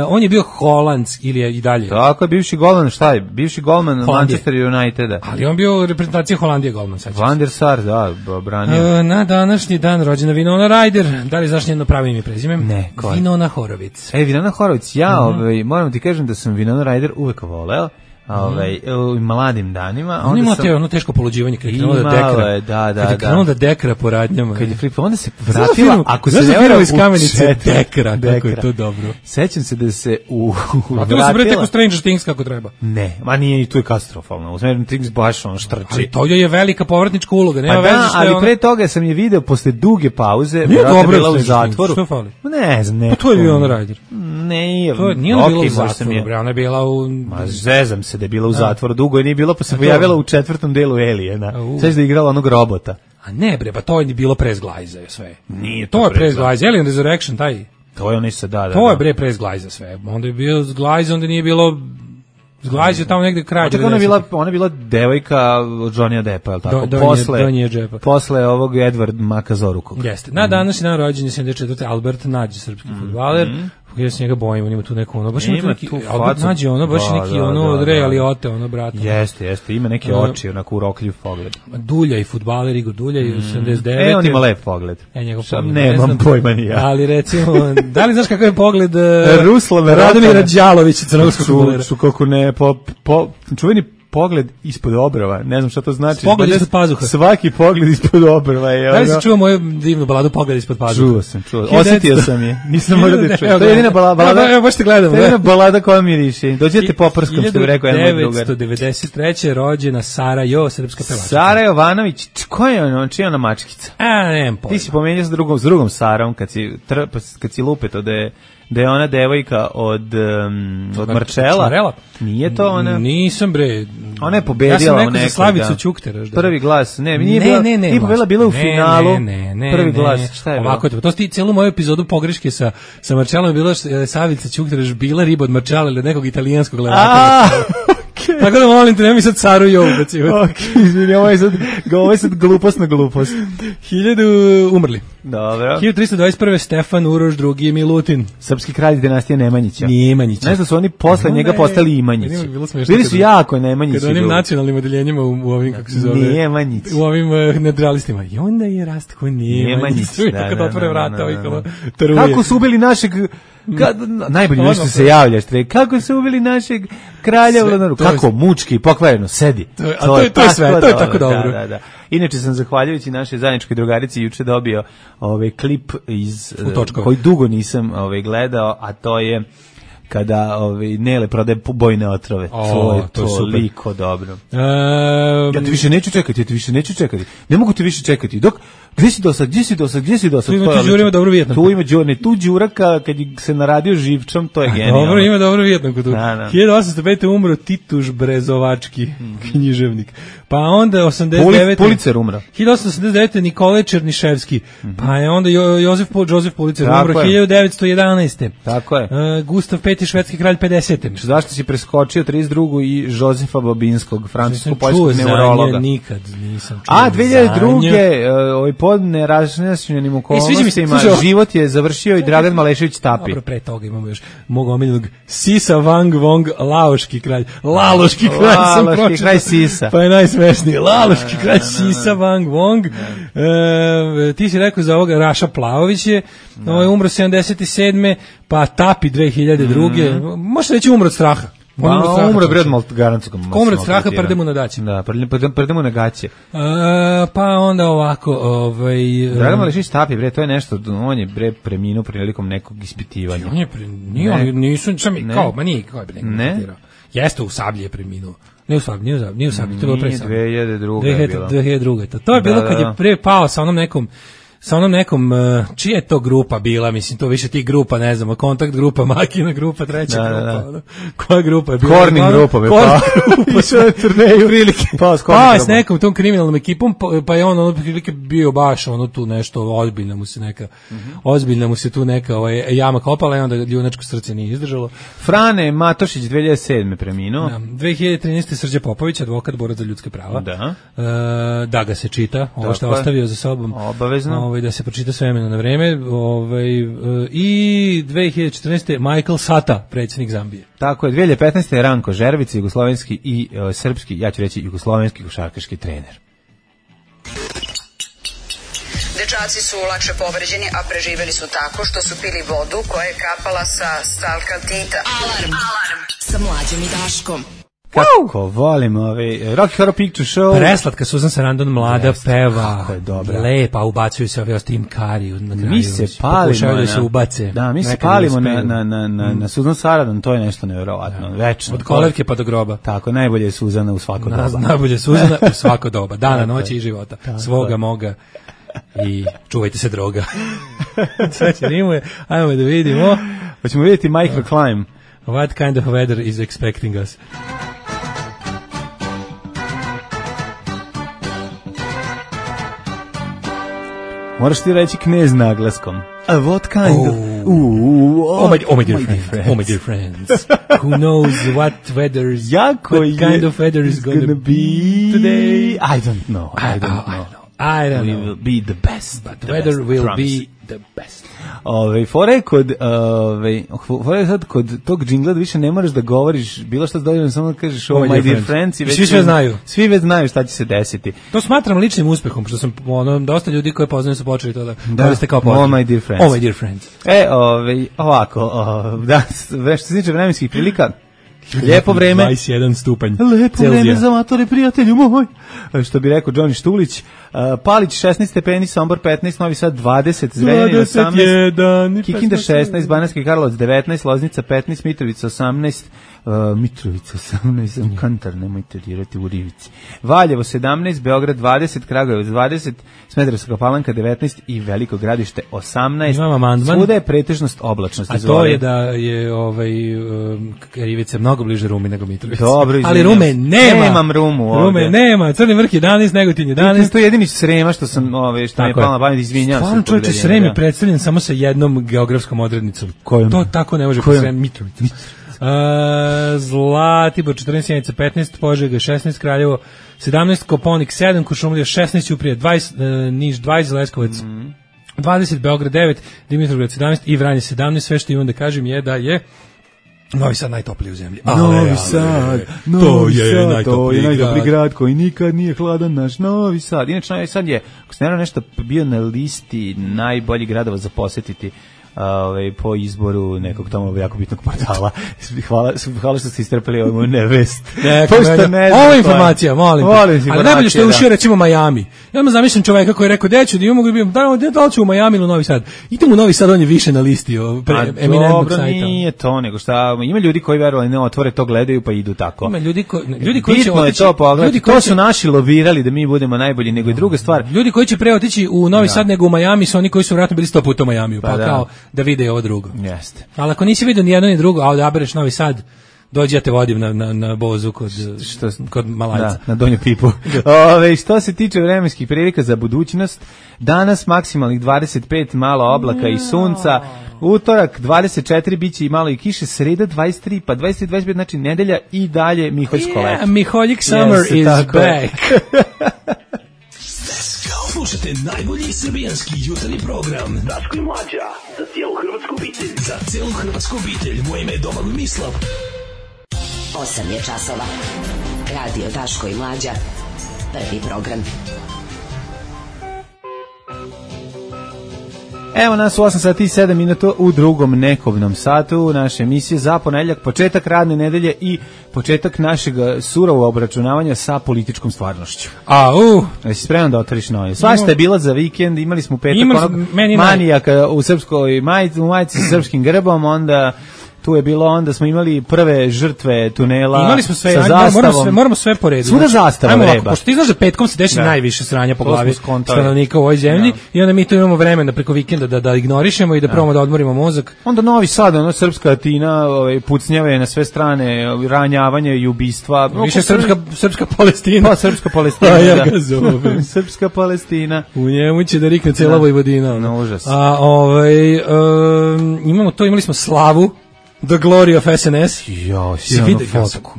On je bio holandski ili je i dalje. Tako je, bivši golman, šta je? Bivši golman Manchester Uniteda. Ali on bio reprezentacija Holandije golman. Van der Sar, da, branio. Na današnji dan rođena Winona Ryder. Da li znaš njeno pravo ime i prezime? Ne, ko je? Winona Horowitz. Winona Horowitz, moram ti kažem da sam Winona Ryder uvek voleo, u mladim danima. On ima ono teško poluđivanje kad je krenuo da dekra. Kad je krenuo da dekra po radnjama. Kad je flipa, onda se vratila, ako se ne vratila iz Kamenice, dekra, kako je to dobro. Sećam se da se a to se vrete ko Stranger Things kako treba. Ne, ma nije, i tu je katastrofalno. U Stranger Things baš on štrči. Ali to je velika povratnička uloga, nema veze što je ali pre toga sam je video posle duge pauze, vjerojatno bila u zatvoru. Što fali? Ne znam, pa to je Winona Ryder. Nije, nije ona bila u zatvoru, ona je bila u... Ma zezam se da je bila u zatvoru dugo i nije bila, pa se pojavila u 4. delu Aliena. Sveći da je igrala onog robota. A ne bre, pa to je bilo pre Zglajza sve. Nije to je pre Zglajza, Alien Resurrection, taj. To je onaj se da. To je bre pre Zglajza sve. Onda je bio Zglajza, onda nije bilo... Zglajz je tamo negde kraj. Ona je bila devojka od Johnny Deppa, je li tako? Posle ovog Edward Makazorukog. Jeste. Na današnji dan rođen je 74. Albert Nađi, srpski fudbaler. Ja se njega bojim, on ima tu neko ono, baš ima neki, Albert Nađi ono, baš neki ono od Ray Liotte, ono, brata. Jeste, ima neke oči, onako urokljiv pogled. Dulja i fudbaler, Igor Dulja i 79. On ima lep pogled. Njegov pogled. Nemam pojma ni ja. Ali recimo, da li znaš kakav je pogled Radomira Đalovića, crnogorskog fudbalera? Su kako ne, čuveni pogled ispod obrva, ne znam šta to znači. Pogled ispod pazuha. Svaki pogled ispod obrva je. Da li si čuo moju divnu baladu Pogled ispod pazuha? Čuo. Osetio sam je. Nisam morao da čuo. To je jedina balada. Evo baš te gledam. To je jedina balada koja miriši. Dođete poprskam, što bi rekao jedan moj drugar. 1993. rođena Sara Jo, srpska pevačica. Sara Jovanović, ko je ona? Čija ona mačkica? Nemam pojma. Ti si pomenio s drugom Sarom kad si lupeto da je ona devojka od Marčela. Nije to ona? Nisam bre. Ona je pobedila nekog. Ja sam rekao za Slavicu Ćuktera. Prvi glas. Ne, nije pobedila, bila u finalu. Prvi glas. Šta je bilo? Ovako, to ti celu moju epizodu pogreške sa Marčelom je bilo Slavica Ćuktera bila riba od Marčela ili nekog italijanskog gledatelja. Tako da molim te, nema mi sad Saru Jo ubacivati. Izvini, ovo je sad glupost na glupost. 1000 umrli. Dobro. 1321. Stefan Uroš II i Milutin. Srpski kralj dinastije Nemanjića. Nemanjića. Ne znam, su oni posle njega postali Imanjići. Bili su jako Nemanjići. Kada onim nacionalnim odeljenjima u ovim, kako se zove, Nemanjići. u ovim nedralistima. I onda je Rastko Nemanjić. Kad otvore vrata, ovih taruje. Kako su ubili našeg... najbolje nešto se javljaš, kako su ubili našeg kralja Vladaru, kako mučki, pokvareno, sedi. To je sve, to je tako dobro. Da. Inače sam zahvaljujući našoj zajedničkoj drugarici juče dobio klip iz koji dugo nisam gledao, a to je kada Nele prodaje bojne otrove. To je toliko dobro. Ja te više neću čekati. Ne mogu te više čekati. Gdje si do sad? Tu ima Đurima dobro Vijetnam. Tu ima tu Đuraka, kad se naradio živčom, to je genijalno. Dobro, ima dobro Vijetnam kod tu. 1805. umro Tituš Brezovački, književnik. Pa onda 89. Pulicer umro. 1889. Nikolaj Černiševski. Pa je onda Josef Pulicer umro 1911. Tako je. Gustav V. švedski kralj 50. Zašto si preskočio 32. i Žozefa Babinskog, francusko-poljskog neurologa? Nikad nisam čuo. A 2002. Pod nerašnjašnjenim okolnostima život je završio i Dragan Malešević Tapi. Dobro, pre toga imamo još mog omiljenog Sisa Wang Wong, Laoški kralj. Laloški kralj sam pročitao. Laloški kralj Sisa. Pa je najsmešniji. Laloški kralj Sisa Wang Wong. Ti si rekao za ovoga Raša Plavović je umro 77. Pa Tapi 2002. Može reći umro od straha. Umro bi odmah garanciju. Umro od straha, prdemu na daće. Da, prdemu na gaće. Pa onda ovako... Dragan Malešić Tapi, bre, to je nešto, on je, bre, preminuo prilikom nekog ispitivanja. On je preminuo, nisu, kao, ma nije, kao je nekog ispitirao. Jeste, u Sablji je preminuo. Nije u Sablji, to je bilo pre Sablji. 2002. je bilo. 2002. To je bilo kad je pre pao sa onom nekom, čija je to grupa bila, mislim, to više tih grupa, ne znam, Kontakt grupa, Makina grupa, treća grupa, koja grupa je bila? Korning grupa, išao je turneju, prilike, pa s nekom tom kriminalnom ekipom, pa je on prilike bio baš tu nešto, ozbiljna mu se tu neka jama kopala i onda ljunačko srce nije izdržalo. Frane Matošić 2007. preminuo. 2013. Srđe Popović, advokat, borac za ljudska prava. Da ga se čita, ovo što je ostavio za sobom. Obavezno. Da se pročita s vremena na vreme. I 2014. Michael Sata, predsjednik Zambije. Tako je, 2015. je Ranko Žervica, jugoslovenski i srpski, ja ću reći jugoslovenski košarkaški trener. Dečaci su lakše povređeni, a preživeli su tako što su pili vodu koja je kapala sa stalkaltita. Alarm sa Mlađom i Daškom. Kako volim Rocky Horror Picture Show. Preslatka Susan Sarandon mlada peva. Kako je dobra. Lepa, ubacuju se ovi Tim Curry na kraju. Mi se palimo da se ubace. Da, mi se palimo na Susan Sarandon, to je nešto nevjerovatno. Večno. Od kolevke pa do groba. Tako, najbolje je Suzana u svako doba. Najbolje je Suzana u svako doba. Dana, noći i života. Svoga, moga. I čuvajte se droga. Sve će rimuje. Ajmo da vidimo. Hoćemo vidjeti Microclimb. What kind of weather is expecting us? Moraš ti reći knez naglaskom. A what kind of... Oh my dear friends. Who knows what kind of weather is gonna be today? I don't know. I don't know. We will be the best. But the weather will be the best. Fore sad kod tog džingla više ne moraš da govoriš bilo šta dovoljno, samo da kažeš oh my dear friends i svi sve znaju. Svi već znaju šta će se desiti. To smatram ličnim uspehom, što sam dosta ljudi koje poznaju su počeli to da koriste kao počet. Oh my dear friends. Oh my dear friends. Ovako, da, što se tiče vremenskih prilika, lijepo vreme. 21 stupanj. Lepo vreme za matore, prijatelju moj. Što bi rekao Johnny Štulić. Palić 16 stepeni, Sombor 15, Novi Sad 20, Zrenjanin 18, Kikinda 16, Banatski Karlovac 19, Loznica 15, Mitrovica 18, Mitrovica 18, Kantar, nemojte dirati u Rivici. Valjevo 17, Beograd 20, Kragujevac 20, Smederevska Palanka 19 i Veliko Gradište 18. Svuda je pretežnost oblačnosti. A to je da je Rivica mnogo bliže Rumi nego Mitrovica. Dobro, ali Rume nema. Nemam Rumu ovdje. Rume nema. Crni vrh 11, Negotin 11. To je jedini Srema što sam što mi je palo na pamet, izvinjavam se. Stvarno čovječe, Srem je predstavljen samo sa jednom geografskom odrednicom. Kojom? To tako ne može po Srem. Mitrovica. Zlatibor 14, Sjenica 15, Požega 16, Kraljevo 17, Koponik 7, Kuršumlija 16, Ćuprija 20, Niš 20, Leskovac 20, Beograd 9, Dimitrovgrad 17 i Vranje 17. Sve što imam da kažem je da je Novi Sad najtopliji u zemlji. Novi Sad, to je najtopliji grad koji nikad nije hladan, naš Novi Sad. Inače, Novi Sad je, ako se nešto bio na listi najboljih gradova za posetiti po izboru nekog tamo jako bitnog portala. Hvala što ste istrpeli ovu nevest. Ova informacija, molim. Ali najbolje što je ušio recimo Miami. Ja zamišljam čoveka koji je rekao, deću, da mogu biti, da li ću u Miami ili u Novi Sad. Idemo u Novi Sad, on je više na listi eminentnog sajta. Dobro, nije to, nego šta, ima ljudi koji verovali ne otvore to, gledaju pa idu tako. Ima ljudi koji će otići, to su naši lovirali da mi budemo najbolji, nego i druga stvar. Ljudi koji će pre otići u Novi Sad nego u Miami su oni koji su vjerojatno bili 100 puta u Miamiju, pa kao da vide ovo drugo. Jeste. Ali ako nisi vidio ni jedno ni drugo, a odabereš Novi Sad, dođi ja te vodim na bozu kod Malajca. Da, na Donju Pipu. Što se tiče vremenskih prilika za budućnost, danas maksimalnih 25, malo oblaka i sunca, utorak 24, biće i malo i kiše, sreda 23, pa 23, znači nedelja i dalje Miholjsko leto. Miholjik summer is back. Slušajte najbolji srbijanski jutarnji program Daško i Mlađa, za cijelu hrvatsku obitelj. Za cijelu hrvatsku obitelj, moje ime je Domagoj Mislav. 8 je časova. Radio Daško i Mlađa, prvi program. Evo nas u 8 sati i 7 minuta u drugom nekobnom satu naše emisije za ponedeljak, početak radne nedelje i početak našeg surovog obračunavanja sa političkom stvarnošću. Jesi spreman da otvoriš novi? Svašta je bila za vikend, imali smo petak onog manijaka u srpskoj majici sa srpskim grbom, onda tu je bilo, onda smo imali prve žrtve tunela. Imali smo sve, sa zastavom. moramo sve po redu. Svuda zastava vreba. Pošto ti znaš da petkom se desi najviše sranja po glavi stanovnika u ovoj zemlji i onda mi tu imamo vremena preko vikenda da ignorišemo i da probamo da odmorimo mozak. Onda Novi Sad, srpska Atina, pucnjave na sve strane, ranjavanje i ubistva. Više srpska Palestina. Pa srpska Palestina. Ja ga zovem. Srpska Palestina. U njemu će da rikne cela Vojvodina. Na užas. Imali smo Slavu, The Glory of SNS. Jo, sjajno fotku.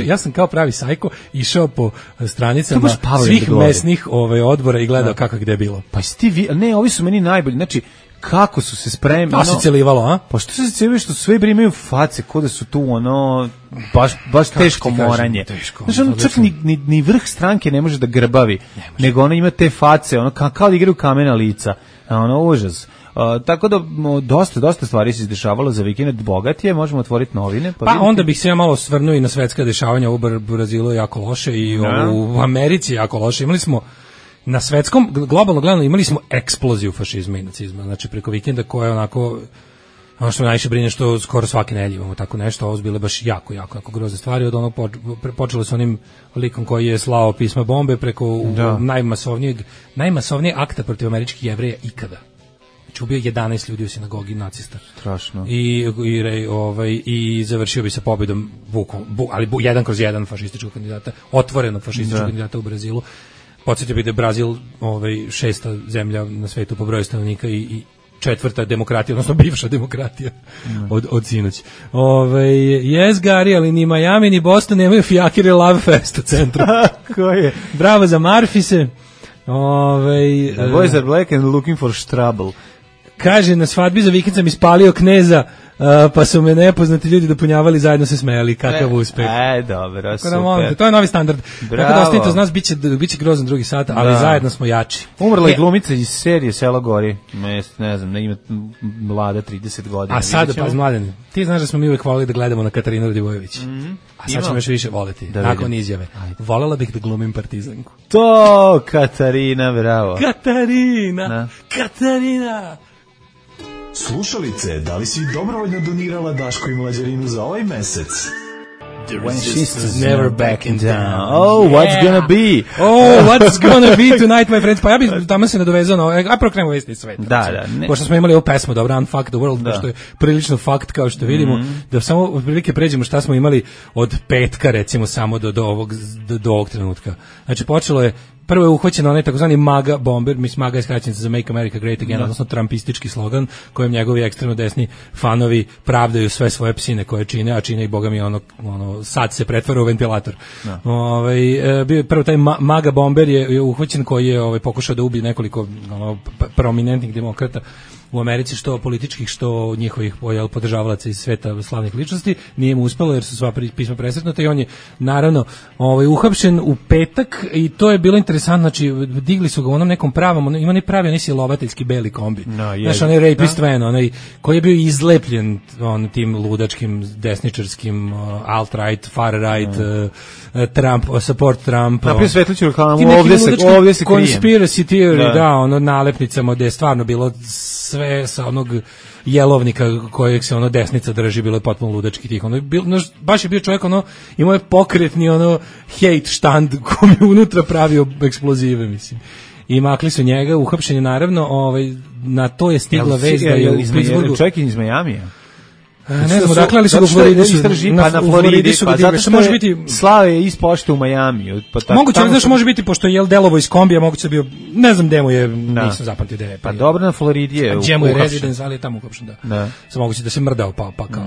Ja sam kao pravi sajko išao po stranicama svih mesnih odbora i gledao kako gde je bilo. Pa ovi su meni najbolji. Znači, kako su se spremili. Pa se celivalo, a? Pa što se celivalo, što sve imaju face, ko da su tu baš teško moranje. Znači, čak ni vrh stranke ne može da grbavi, nego ono ima te face, kao da igraju kamena lica. Užas. Tako da dosta stvari se izdešavalo za vikend, bogat je, možemo otvoriti novine. Pa onda bih se ja malo svrnuo i na svetska dešavanja, u Brazilu je jako loše i u Americi je jako loše. Imali smo na svetskom, globalno gledano, imali smo eksploziju fašizma i nacizma, znači preko vikenda koja je onako, ono što me najviše brine što skoro svake nedelje imamo tako nešto, ovo bile baš jako grozne stvari, od onog počelo s onim likom koji je slao pisma bombe preko najmasovnijeg akta protiv američkih Jevreja ikada. Ubio 11 ljudi u sinagogi nacista. Strašno. I završio bi sa pobjedom ali 1/1 fašističkog kandidata, otvorenog fašističkog kandidata u Brazilu. Podsjetio bih da je Brazil 6. zemlja na svetu po broju stanovnika i 4. demokratija, odnosno bivša demokratija od sinoć. Yes, Gary, ali ni Miami ni Boston nemaju fijakire Love Fest u centru. Ko je? Bravo za Marfise. Boys are black and looking for trouble. Kaže, na svadbi za vikend sam ispalio kneza, pa su me nepoznati ljudi dopunjavali, zajedno se smejali, kakav uspeh. Dobro, super. To je novi standard. Tako da ostanite uz nas, bit će grozan drugi sat, ali zajedno smo jači. Umrla je glumica iz serije Selo gori, ne znam, ima mlada 30 godina. A sada, pa Mladen, ti znaš da smo mi uvek volili da gledamo na Katarinu Radivojević. A sad ćemo još više voliti, nakon izjave. Volela bih da glumim partizanku. To, Katarina, bravo. Katarina! Slušalice, da li si dobrovoljno donirala Daško i Mlađarinu za ovaj mesec? When she's never backing down. Oh, what's gonna be? What's gonna be tonight, my friends? Pa ja bih tamo se nadovezao a prvo krenemo vesti sveta. Da. Pošto smo imali ovu pesmu, dobro, Unfuck the World, pošto je prilično fakt, kao što vidimo, da samo otprilike pređemo šta smo imali od petka, recimo, samo do ovog trenutka. Znači, počelo je prvo je uhvaćen onaj takozvani MAGA bomber, MAGA je skraćenica za Make America Great Again, odnosno trumpistički slogan kojem njegovi ekstremno desni fanovi pravdaju sve svoje psine koje čine, a čine i boga mi ono sad se pretvara u ventilator. Bio je prvo taj MAGA bomber je uhvaćen koji je pokušao da ubije nekoliko prominentnih demokrata u Americi, što političkih, što njihovih podržavalaca iz sveta slavnih ličnosti. Nije mu uspelo jer su sva pisma presretnuta i on je naravno uhapšen u petak i to je bilo interesantno, znači digli su ga u onom nekom pravom, ima ne pravi onaj silovateljski beli kombi. Znaš, onaj rapist van, onaj koji je bio izlepljen tim ludačkim desničarskim alt-right, far-right, Trump, support Trump. Naprijed svetliću reklamu, ovdje se krijem. Conspiracy theory, nalepnicama gde je stvarno bilo sve sa onog jelovnika kojeg se desnica drži, bilo je potpuno ludački tih. Baš je bio čovjek, imao je pokretni hate štand koji je unutra pravio eksplozive, mislim. I makli su njega, uhapšen je naravno, na to je stigla vest da je u Pittsburghu. Čovjek iz Majamija. Ne znam, dakle, ali su ga u Floridi na Floridi, pa zato što može biti slave je iz pošte u Majamiju. Moguće, znaš, može biti, pošto je delovo iz kombija, moguće bio, ne znam gde mu je, nisam zapamtio gde je. Pa dobro, na Floridi je uhapšen. Gde mu je rezidens, ali je tamo uhapšen, da. Sam moguće da se mrdao, pa kao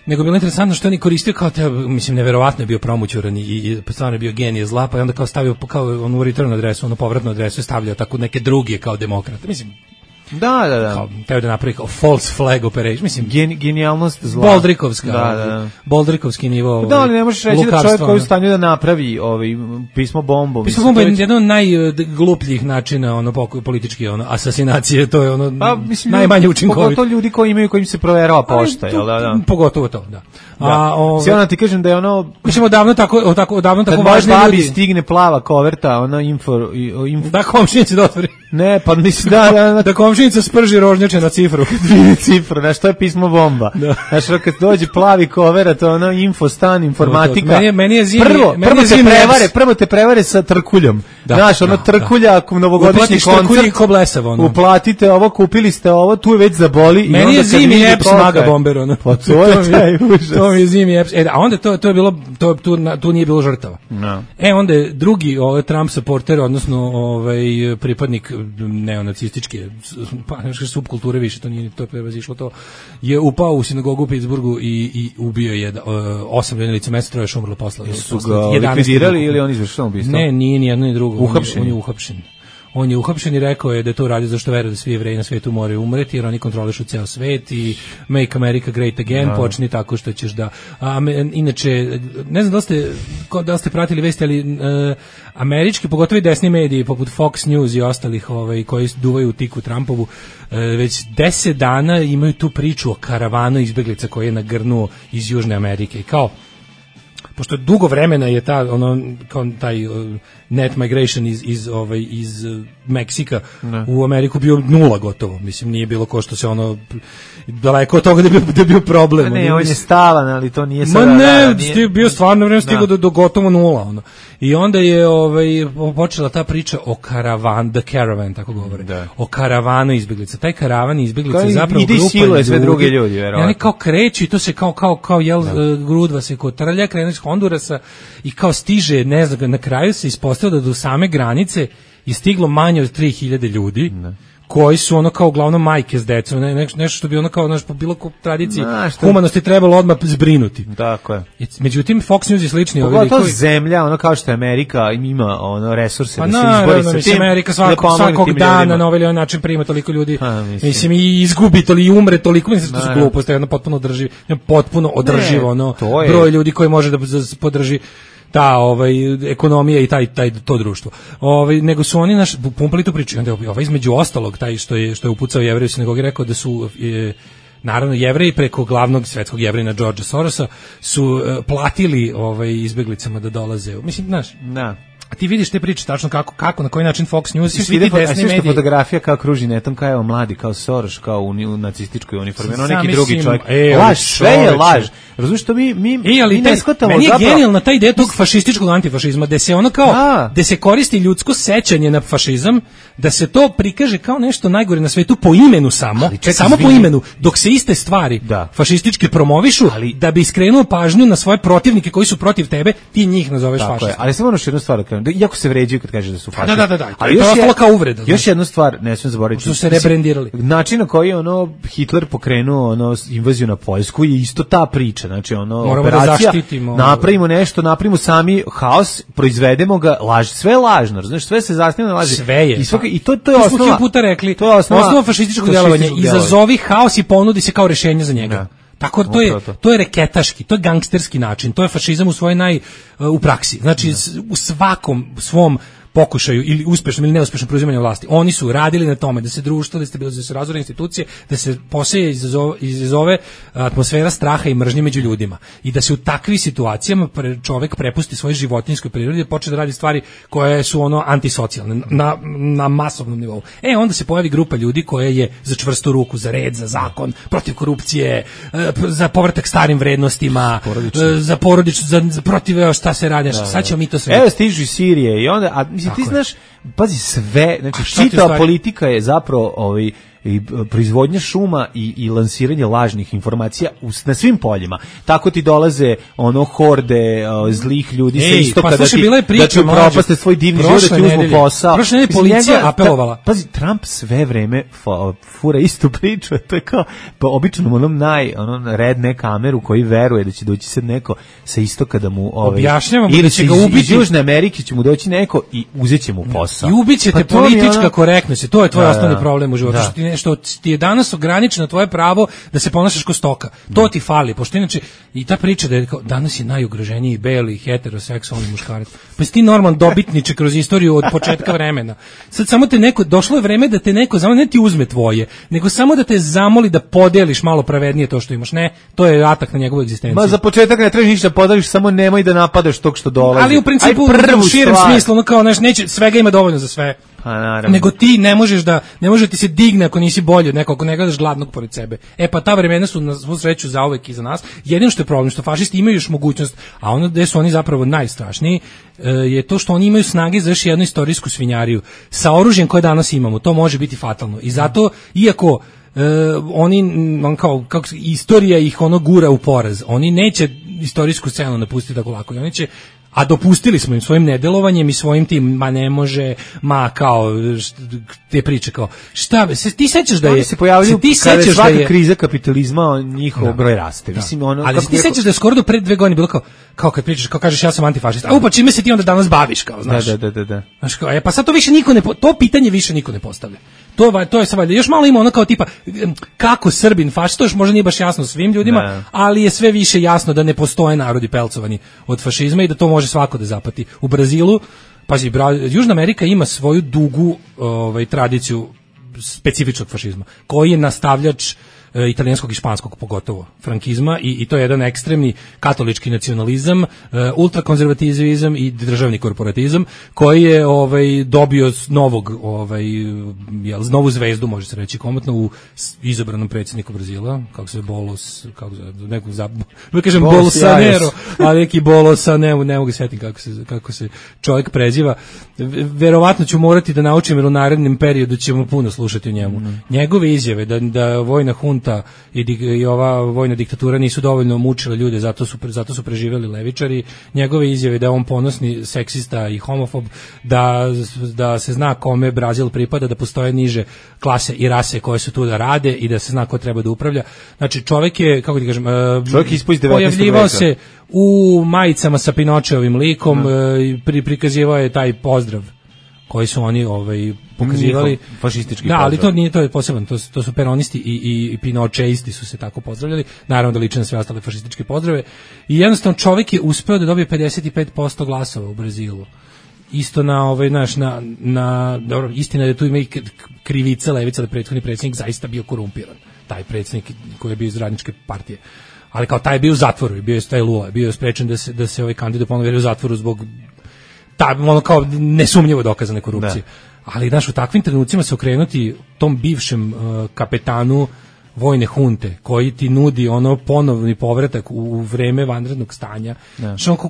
nego je bilo interesantno što on je koristio kao mislim, neverovatno je bio promućuran i stvarno je bio genije zla, pa je onda kao stavio kao onu return adresu, povratnu adresu, stavljao tako neke druge kao demokrate, mislim. Da. Kao, teo da napravi kao false flag operation, mislim. Genijalnost zla. Boldrikovska. Boldrikovski nivo. Da, ali ne možeš reći da čovjek koji je u stanju da napravi pismo bombu. Pismo bomba je jedan od najglupljih načina politički asasinacije, to je najmanje učinkovito. Pogotovo ljudi kojim se proverava pošta, jel da? Pogotovo to, da. Sjena ti kažem da je mislim, odavno tako važni ljudi. Babi stigne plava koverta, info. Da, komšinica da otvori. Ne, pa mislim, da komšinica sprži rožnjače na cifru. Cifru, znaš, to je pismo bomba. Znaš, kad dođe plavi kovera, to je info, stan, informatika. Meni je zimi. Prvo te prevare sa trkuljom. Znaš, trkulja, novogodišnji koncert. Uplatite ovo, kupili ste ovo, tu je već zaboli. Meni je zimi Eps Maga Bomber. Pa to je taj užas. To mi je zimi Eps. A onda to je bilo, tu nije bilo žrtava. Onda je drugi Trump supporter, odnosno pripadnik neonacističke subkulture, više to nije, to je prevazišlo to, je upao u sinagogu u Pittsburghu i ubio je 8 ljudi na licu mesta, 3 još umrlo posle. Su ga likvidirali ili on izvršio ubistvo? Ne, nije ni jedno ni drugo. Uhapšen. On je uhapšen. On je uhapšen i rekao je da to radi zašto veruje da svi Jevreji na svetu moraju umreti, jer oni kontrolišu ceo svet i Make America Great Again počni tako što ćeš da... inače, ne znam da li ste pratili vesti, ali američki, pogotovo i desni mediji, poput Fox News i ostalih koji duvaju u tiku Trumpovu, već 10 dana imaju tu priču o karavanu izbeglica koji je nagrnuo iz Južne Amerike. I kao, pošto dugo vremena je taj net migration iz Meksika u Ameriku bio 0 gotovo. Mislim, nije bilo ko što se daleko od toga da je bio problem. Ne, on je stalan, ali to nije sada. Ne, bio stvarno vreme stigao do gotovo 0. I onda je počela ta priča o the caravan, tako govore. O karavanu izbeglica. Taj karavan izbeglica je zapravo grupa ljudi. Siluje sve druge ljudi, verovatno. Oni kao kreću i to se kao grudva se kotrlja, krene iz Hondurasa i kao stiže, ne znam, na kraju se ispostavilo da do same granice je stiglo manje od 3000 ljudi. Koji su kao uglavnom majke s decom, nešto što bi kao po bilo ko tradiciji humanosti trebalo odmah zbrinuti. Tako je. Međutim, Fox News i slični pogotovo zemlja, kao što je Amerika, ima resurse da se izbori sa tim. Amerika svakog dana na ovaj način prima toliko ljudi. Mislim, i izgubi toliko, i umre toliko, mislim da su gluposti, potpuno održivo broj ljudi koji može da podrži ta ekonomija i to društvo. Nego su oni pumpali tu priču. Onda između ostalog taj što je upucao Jevreju u sinagogi rekao da su naravno Jevreji preko glavnog svetskog Jevrejina Georgea Sorosa su platili izbeglicama da dolaze. Mislim, znaš. A ti vidiš te priče tačno kako na koji način Fox News i svi ti desni mediji. Fotografija kao kruži netom, kao evo mladi, kao Soros, kao u nacističkoj uniformi, neki drugi čovjek. Laž, sve je laž. Razumiješ što mi ne shvatamo. Meni je genijalna ta ideja tog fašističkog antifašizma, da se da se koristi ljudsko sećanje na fašizam, da se to prikaže kao nešto najgore na svetu po imenu samo po imenu, dok se iste stvari fašistički promovišu, da bi skrenuo pažnju na svoje protivnike koji su protiv tebe, ti njih nazoveš fašistom. Ali samo još jednu stvar iako se vređaju kad kaže da su fašisti. Da. Ali to je kao uvreda. Još jednu stvar, ne smijem zaboraviti. Što se rebrendirali. Način na koji je Hitler pokrenuo invaziju na Poljsku je isto ta priča. Znači moramo operacija, da zaštitimo. Napravimo nešto, napravimo sami haos, proizvedemo ga, sve je lažno, znaš, sve se zasniva na laži. Sve je. I to je osnova. Smo puta rekli. To je osnova fašističkog djelovanja. Izazovi haos i ponudi se kao rješenje za njega. Da. Tako to je reketaški, to je gangsterski način, to je fašizam u svojoj u praksi. Znači u svakom svom pokušaju ili uspešnom ili neuspešnom preuzimanju vlasti. Oni su radili na tome da se društvo, da se razore institucije, da se poseje izazove atmosfera straha i mržnje među ljudima. I da se u takvim situacijama čovjek prepusti svojoj životinjskoj prirodi, da počne da radi stvari koje su antisocijalne na masovnom nivou. Onda se pojavi grupa ljudi koja je za čvrstu ruku, za red, za zakon, protiv korupcije, za povratak starim vrednostima, za porodično, za protiv šta se radi. Sad ćemo mi to sve. Evo stižu iz Sirije i onda ti znaš, pazi sve, znači čitava politika je zapravo i proizvodnja šuma i lansiranje lažnih informacija na svim poljima. Tako ti dolaze horde zlih ljudi sa istoka da ti upropaste svoj divni život, da ti uzmu posao. Prošle nedelje policija apelovala. Pazi, Trump sve vreme fura istu priču, to je kao običnom redne kameru koji veruje da će doći sad neko sa istoka da mu objašnjavamo da će ga ubiti. Iz Južne Amerike će mu doći neko i uzet će mu posao. I ubićete politička korektnost, to je tvoj osnovni problem u životu. Što ti je danas ograničeno tvoje pravo da se ponašaš kao stoka. To ti fali, pošto inače i ta priča da je danas je najugroženiji beli heteroseksualni muškarac. Pa si ti normalno dobitniče kroz istoriju od početka vremena. Sad samo došlo je vreme da te neko ne ti uzme tvoje, nego samo da te zamoli da podeliš malo pravednije to što imaš. Ne, to je atak na njegovu egzistenciju. Ma za početak ne trebaš ništa podeliš, samo nemoj da napadaš tog što dolazi. Ali u principu u širem smislu, kao neće, svega ima dovoljno za sve. Nego ti ne može ti se digne ako nisi bolji od nekog, ako ne gledaš gladnog pored sebe. Pa ta vremena su na svu sreću zauvek iza nas. Jedino što je problem, što fašisti imaju još mogućnost, a ono gde su oni zapravo najstrašniji, je to što oni imaju snage za još jednu istorijsku svinjariju. Sa oružjem koje danas imamo, to može biti fatalno. I zato, iako istorija ih gura u poraz, oni neće istorijsku scenu napustiti tako lako. I oni će, a dopustili smo im svojim nedelovanjem i svojim tim, ne može, kao te priče kao, šta, ti sećaš da je... Oni se pojavljaju kada je svaka kriza kapitalizma, njihov broj raste. Mislim, ali ti sećaš da je skoro do pre 2 godine bilo kao kad pričaš, kao kažeš ja sam antifašista, pa čime se ti onda danas baviš, kao, znaš. Da. Znaš, kao, pa sad to više to pitanje više niko ne postavlja. To je sad valjda, još malo ima kao tipa, kako Srbin fašist, to još možda nije baš jasno svim ljudima, ali je sve više jasno da ne postoje narodi pelcovani od fašizma i da to može svako da zapati. U Brazilu, pazi, Južna Amerika ima svoju dugu tradiciju specifičnog fašizma, koji je nastavljač italijanskog i španskog pogotovo frankizma i to je jedan ekstremni katolički nacionalizam, ultrakonzervativizam i državni korporatizam koji je dobio novu zvezdu, može se reći komotno, u izabranom predsjedniku Brazila, kako se Bolsonaro, ali neki Bolsonaro, ne mogu sjetiti kako se čovjek preziva. Verovatno ću morati da naučim, jer u narednom periodu ćemo puno slušati o njemu. Njegove izjave da vojna hunta i ova vojna diktatura nisu dovoljno mučile ljude, zato su preživjeli levičari. Njegove izjave da je on ponosni seksista i homofob, da se zna kome Brazil pripada, da postoje niže klase i rase koje su tu da rade i da se zna ko treba da upravlja. Znači čovjek je, kako ti kažem, pojavljivao se u majicama sa Pinočeovim likom, prikazivao je taj pozdrav koji su oni pokazivali, fašistički pozdrav. Da, ali to nije, to je poseban, to su peronisti i pinočeisti su se tako pozdravljali, naravno da liče na sve ostale fašističke pozdrave. I jednostavno čovjek je uspeo da dobije 55% glasova u Brazilu. Isto dobro, istina je da tu ima i krivica levica, da prethodni predsjednik zaista bio korumpiran. Taj predsjednik koji je bio iz Radničke partije. Ali kao taj je bio u zatvoru i bio je taj Lula, bio je sprečen da se kandidat ponovo u zatvoru zbog kao nesumnjivo dokazane korupcije. Da. Ali u takvim trenucima se okrenuti tom bivšem kapetanu vojne hunte koji ti nudi ponovni povratak u vreme vanrednog stanja.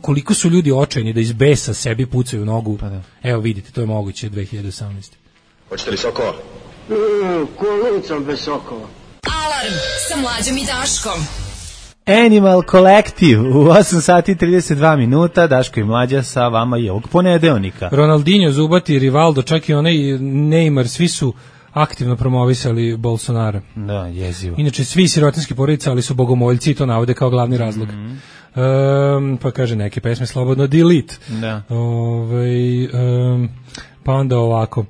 Koliko su ljudi očajni da iz besa sebi pucaju nogu. Evo vidite, to je moguće 2018. Hoćete li sokova? Kolicom bez sokova. Alarm sa Mlađom i Daškom. Animal Collective u 8 sati 32 minuta, Daško i Mlađa sa vama i ovog ponedeljnika. Ronaldinho, Zubati, Rivaldo, čak i onaj Neymar, svi su aktivno promovisali Bolsonara. Da, jezivo. Inače, svi sirotinski porodice, ali su bogomoljci i to navode kao glavni razlog. Pa kaže neke pesme slobodno delete. Da. Pa onda ovako.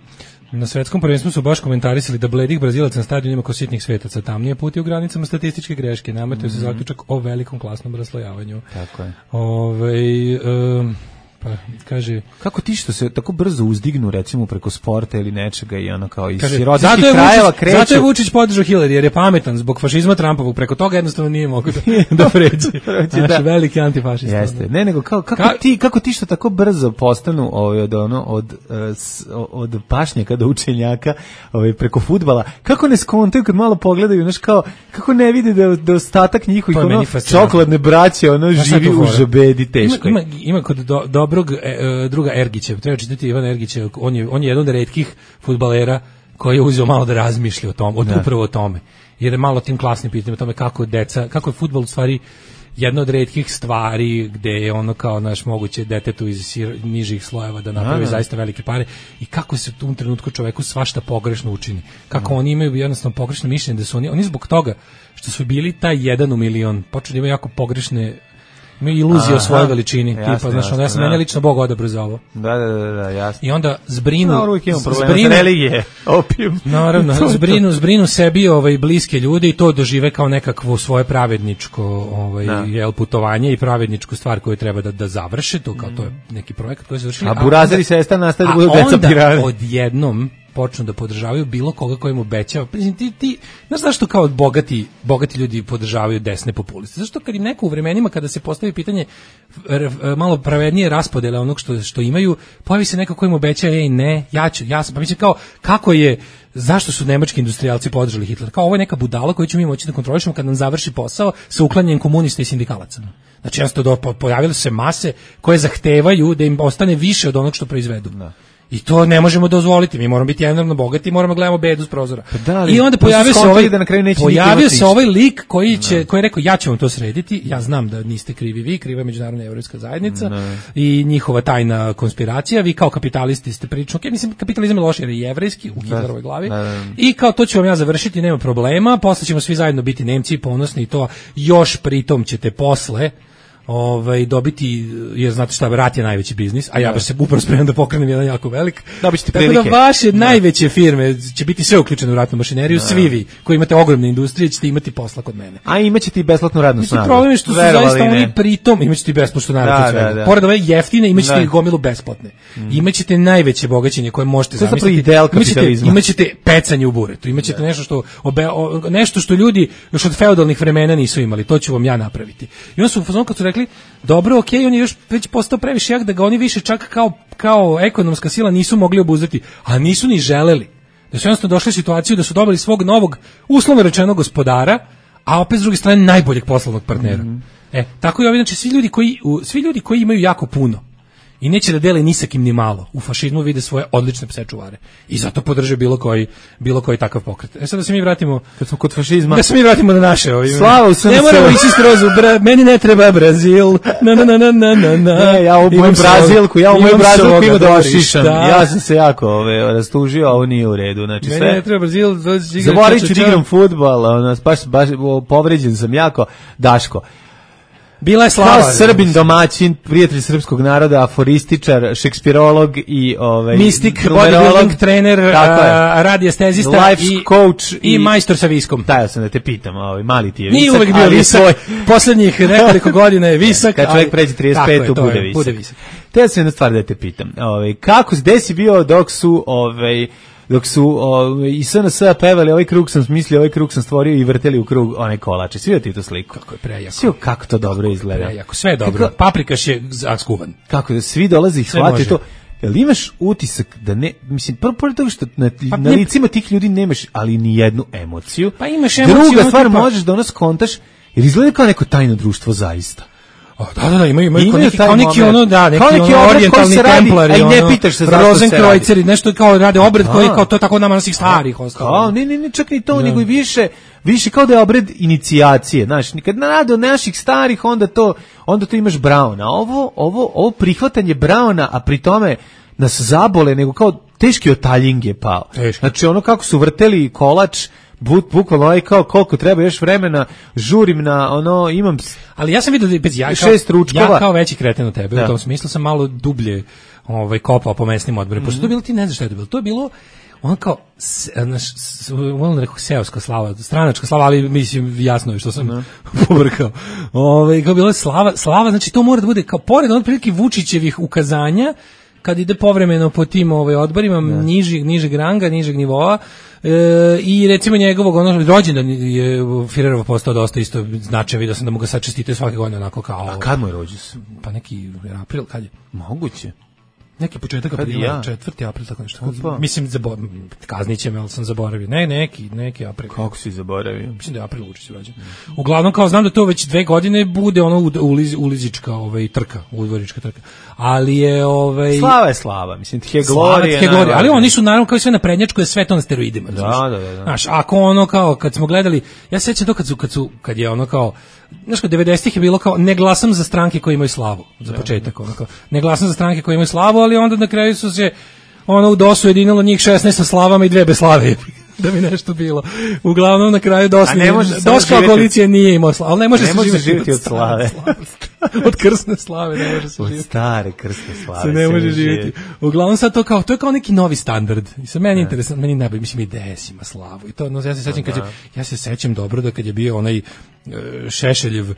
Na svetskom prvenstvu su baš komentarisali da bledih Brazilaca na stadionima kao sitnih svetaca. Tamnije puti u granicama statističke greške. Nametaju se zaključak o velikom klasnom raslojavanju. Tako je. Pa kaže, kako ti što se tako brzo uzdignu recimo preko sporta ili nečega i ono kao iz kaže, sirotinskih krajeva kreću. Zato je Vučić podržao Hillary jer je pametan zbog fašizma Trumpovog, preko toga jednostavno nije mogao da pređe. Znači veliki antifašista. Jeste. Ne, nego kako ti što tako brzo postanu od pašnjaka do učenjaka, preko fudbala. Kako ne skontaju kad malo pogledaju, znaš, kao kako ne vide da ostatak njihovih čokoladne braće živi u žabedi teško. Ima kod dobrog druga Ergića, treba čitati Ivan Ergića, on je jedan od retkih fudbalera koji je uzeo malo da razmišlja o tom, upravo o tome. Jer je malo tim klasnim pitanjima o tome kako je fudbal u stvari jedna od retkih stvari gde je ono kao naš moguće detetu iz nižih slojeva da napravi zaista velike pare i kako se u tom trenutku čoveku svašta pogrešno učini. Kako oni imaju jednostavno pogrešno mišljenje da su oni zbog toga što su bili taj 1 u milion, počeli da imaju jako pogrešne iluzije o svojoj veličini, jasne, tipa, znaš, ja sam mene lično Bog odabrao za ovo. Da, jasno. I onda zbrinu... uvijek imam problema s religije, opijum. Naravno, zbrinu sebi bliske ljude i to dožive kao nekakvo svoje pravedničko putovanje i pravedničku stvar koju treba da završe, to kao to je neki projekat koji se završili. A burazeri sestra nastaje da budu deca pirani. A onda odjednom počnu da podržavaju bilo koga koji im obećava. Ti znaš zašto kao bogati ljudi podržavaju desne populiste? Zašto kad im neko u vremenima kada se postavi pitanje malo pravednije raspodele onog što imaju, pojavi se neko koji im obećava pa mislim kao kako je, zašto su nemački industrijalci podržali Hitlera? Kao ovo je neka budala koju ćemo mi moći da kontrolišemo kad nam završi posao sa uklanjanjem komunista i sindikalaca. Znači jednostavno pojavile se mase koje zahtevaju da im ostane više od onog što proizvedu. I to ne možemo dozvoliti, mi moramo biti enormno bogati i moramo gledamo bedu s prozora. I onda pojavio se ovaj lik koji je rekao ja ću vam to srediti, ja znam da niste krivi vi, kriva je međunarodna evropska zajednica i njihova tajna konspiracija, vi kao kapitalisti ste prilično, mislim kapitalizam je loš jer je jevrejski u Hitlerovoj glavi i kao to ću vam ja završiti, nema problema, posle ćemo svi zajedno biti Nemci i ponosni i to još pritom ćete posle dobiti, jer znate šta, rat je najveći biznis, a ja baš se upravo spremam da pokrenem jedan jako velik. Tako da vaše najveće firme će biti sve uključene u ratnu mašineriju, svi vi koji imate ogromne industrije ćete imati posla kod mene. A imaćete i besplatnu radnu snagu. Problem je što su zaista oni pritom, imaćete i besplatnu radnu. Pored ove jeftine, imaćete i gomilu besplatne. Imaćete najveće bogaćenje koje možete zamisliti. Imaćete pecanje u buretu, imaćete nešto što ljudi još od feudalnih vremena nisu imali, to ću vam ja napraviti. I on su kad su rekli, dobro, okej, on je još već postao previše jak da ga oni više čak kao ekonomska sila nisu mogli obuzdati, a nisu ni želeli. Da su jednostavno došli u situaciju da su dobili svog novog, uslovno rečeno, gospodara, a opet s druge strane najboljeg poslovnog partnera. Tako je znači svi ljudi koji imaju jako puno i neće da dele ni sa kim ni malo, u fašizmu vide svoje odlične pse čuvare i zato podrže bilo koji takav pokret. Sad da se mi vratimo, kad smo kod fašizma, da se mi vratimo na naše Slava u SNS. Ne moramo ići skroz meni ne treba Brazil. Ja u moju Brazilku ima da šišam. Ja sam se jako rastužio, ovo nije u redu. Znači meni ne treba Brazil, zaboravit ću da igram fudbal, baš povređen sam jako. Daško, bila je Slava. Kao Srbin domaćin, prijatelj srpskog naroda, aforističar, šekspirolog i mistik, bodybuilding trener, radiestezista life coach i majstor sa viskom. Tajao sam da te pitam, mali ti je visok. Nije uvek bio visok, poslednjih nekoliko godina je visok. Kad čovjek pređe 35, bude visok. Te sam jedna stvar da te pitam. Gde si bio dok su i SNS pevali ovaj krug sam smislio, ovaj krug sam stvorio i vrteli u krug one kolače. Svi ti tu sliku. Kako je prejako. Svi kako to dobro izgleda. Prejako, sve je dobro. Paprikaš je skuvan. Kako da svi dolaze i shvate to. Jel imaš utisak da ne, mislim, pored toga što na licima tih ljudi nemaš, ali ni jednu emociju. Pa imaš emociju. Druga stvar, možeš da ono skontaš, jer izgleda kao neko tajno društvo zaista. Da, imaju kao neki ono, neki orijentalni templari, a i ne pitaš se zašto se Rozenkreuzeri, nešto kao rade obred koji kao to tako nama naših starih ostalo. Ne, čak ni to, nego i više kao da je obred inicijacije, znaš, kad narade od naših starih, onda to imaš Brauna. Ovo prihvatanje Brauna, a pri tome nas zabole, nego kao teški otaljing je pao. Znači ono kako su vrteli kolač, bukvalno kao koliko treba još vremena, žurim na ono, imam. Ali ja sam vidio da ja 6 ručkova. Ja kao veći kreten od tebe, u tom smislu sam malo dublje kopao po mesnim odborima. Pošto to je bilo, ti ne znaš šta je to bilo. To je bilo ono kao on rekao seoska slava, stranačka slava, ali mislim jasno je što sam pobrkao. Kao bila slava, znači to mora da bude kao pored onog prilike Vučićevih ukazanja kad ide povremeno po tim odborima nižeg ranga, nižeg nivoa, i recimo njegovog rođendan je Firerov postao dosta isto značajan, vidio sam da mu ga sad čestitaju svake godine onako kao. A kad mu je rođendan? Pa neki april, kad je? Moguće. Neki početak aprila, 4. april, tako nešto. Mislim, kazniće me, ali sam zaboravio. Neki april. Kako si zaboravio? Mislim da je april Vučić rođen. Uglavnom, kao znam da to već 2 godine bude ono ulizička trka, udvorička trka. Ali je Slava je slava, mislim, tih je glorija. Ali oni su naravno kao i sve na prednjačku, je sve to na steroidima. Da. Znaš, ako ono kao, kad smo gledali, ja se sjećam to kad je ono kao, znaš, kod 90-ih je bilo kao, ne glasam za stranke koje imaju slavu, za početak, ono kao, ne glasam za stranke koje imaju slavu, ali onda na kraju su se, u DOS-u jedinilo njih 16 sa slavama i 2 bez slave, da bi nešto bilo. Uglavnom na kraju DOS kao koalicija nije imao slavu, ali ne može se živjeti od slave. Od krsne slave ne može se živjeti. Od stare krsne slave se ne može živjeti. Uglavnom sad to je kao neki novi standard. I sad meni je interesantno, meni najbolje, mislim, IDS ima slavu. I to, ja se sećam dobro da kad je bio onaj Šešeljev,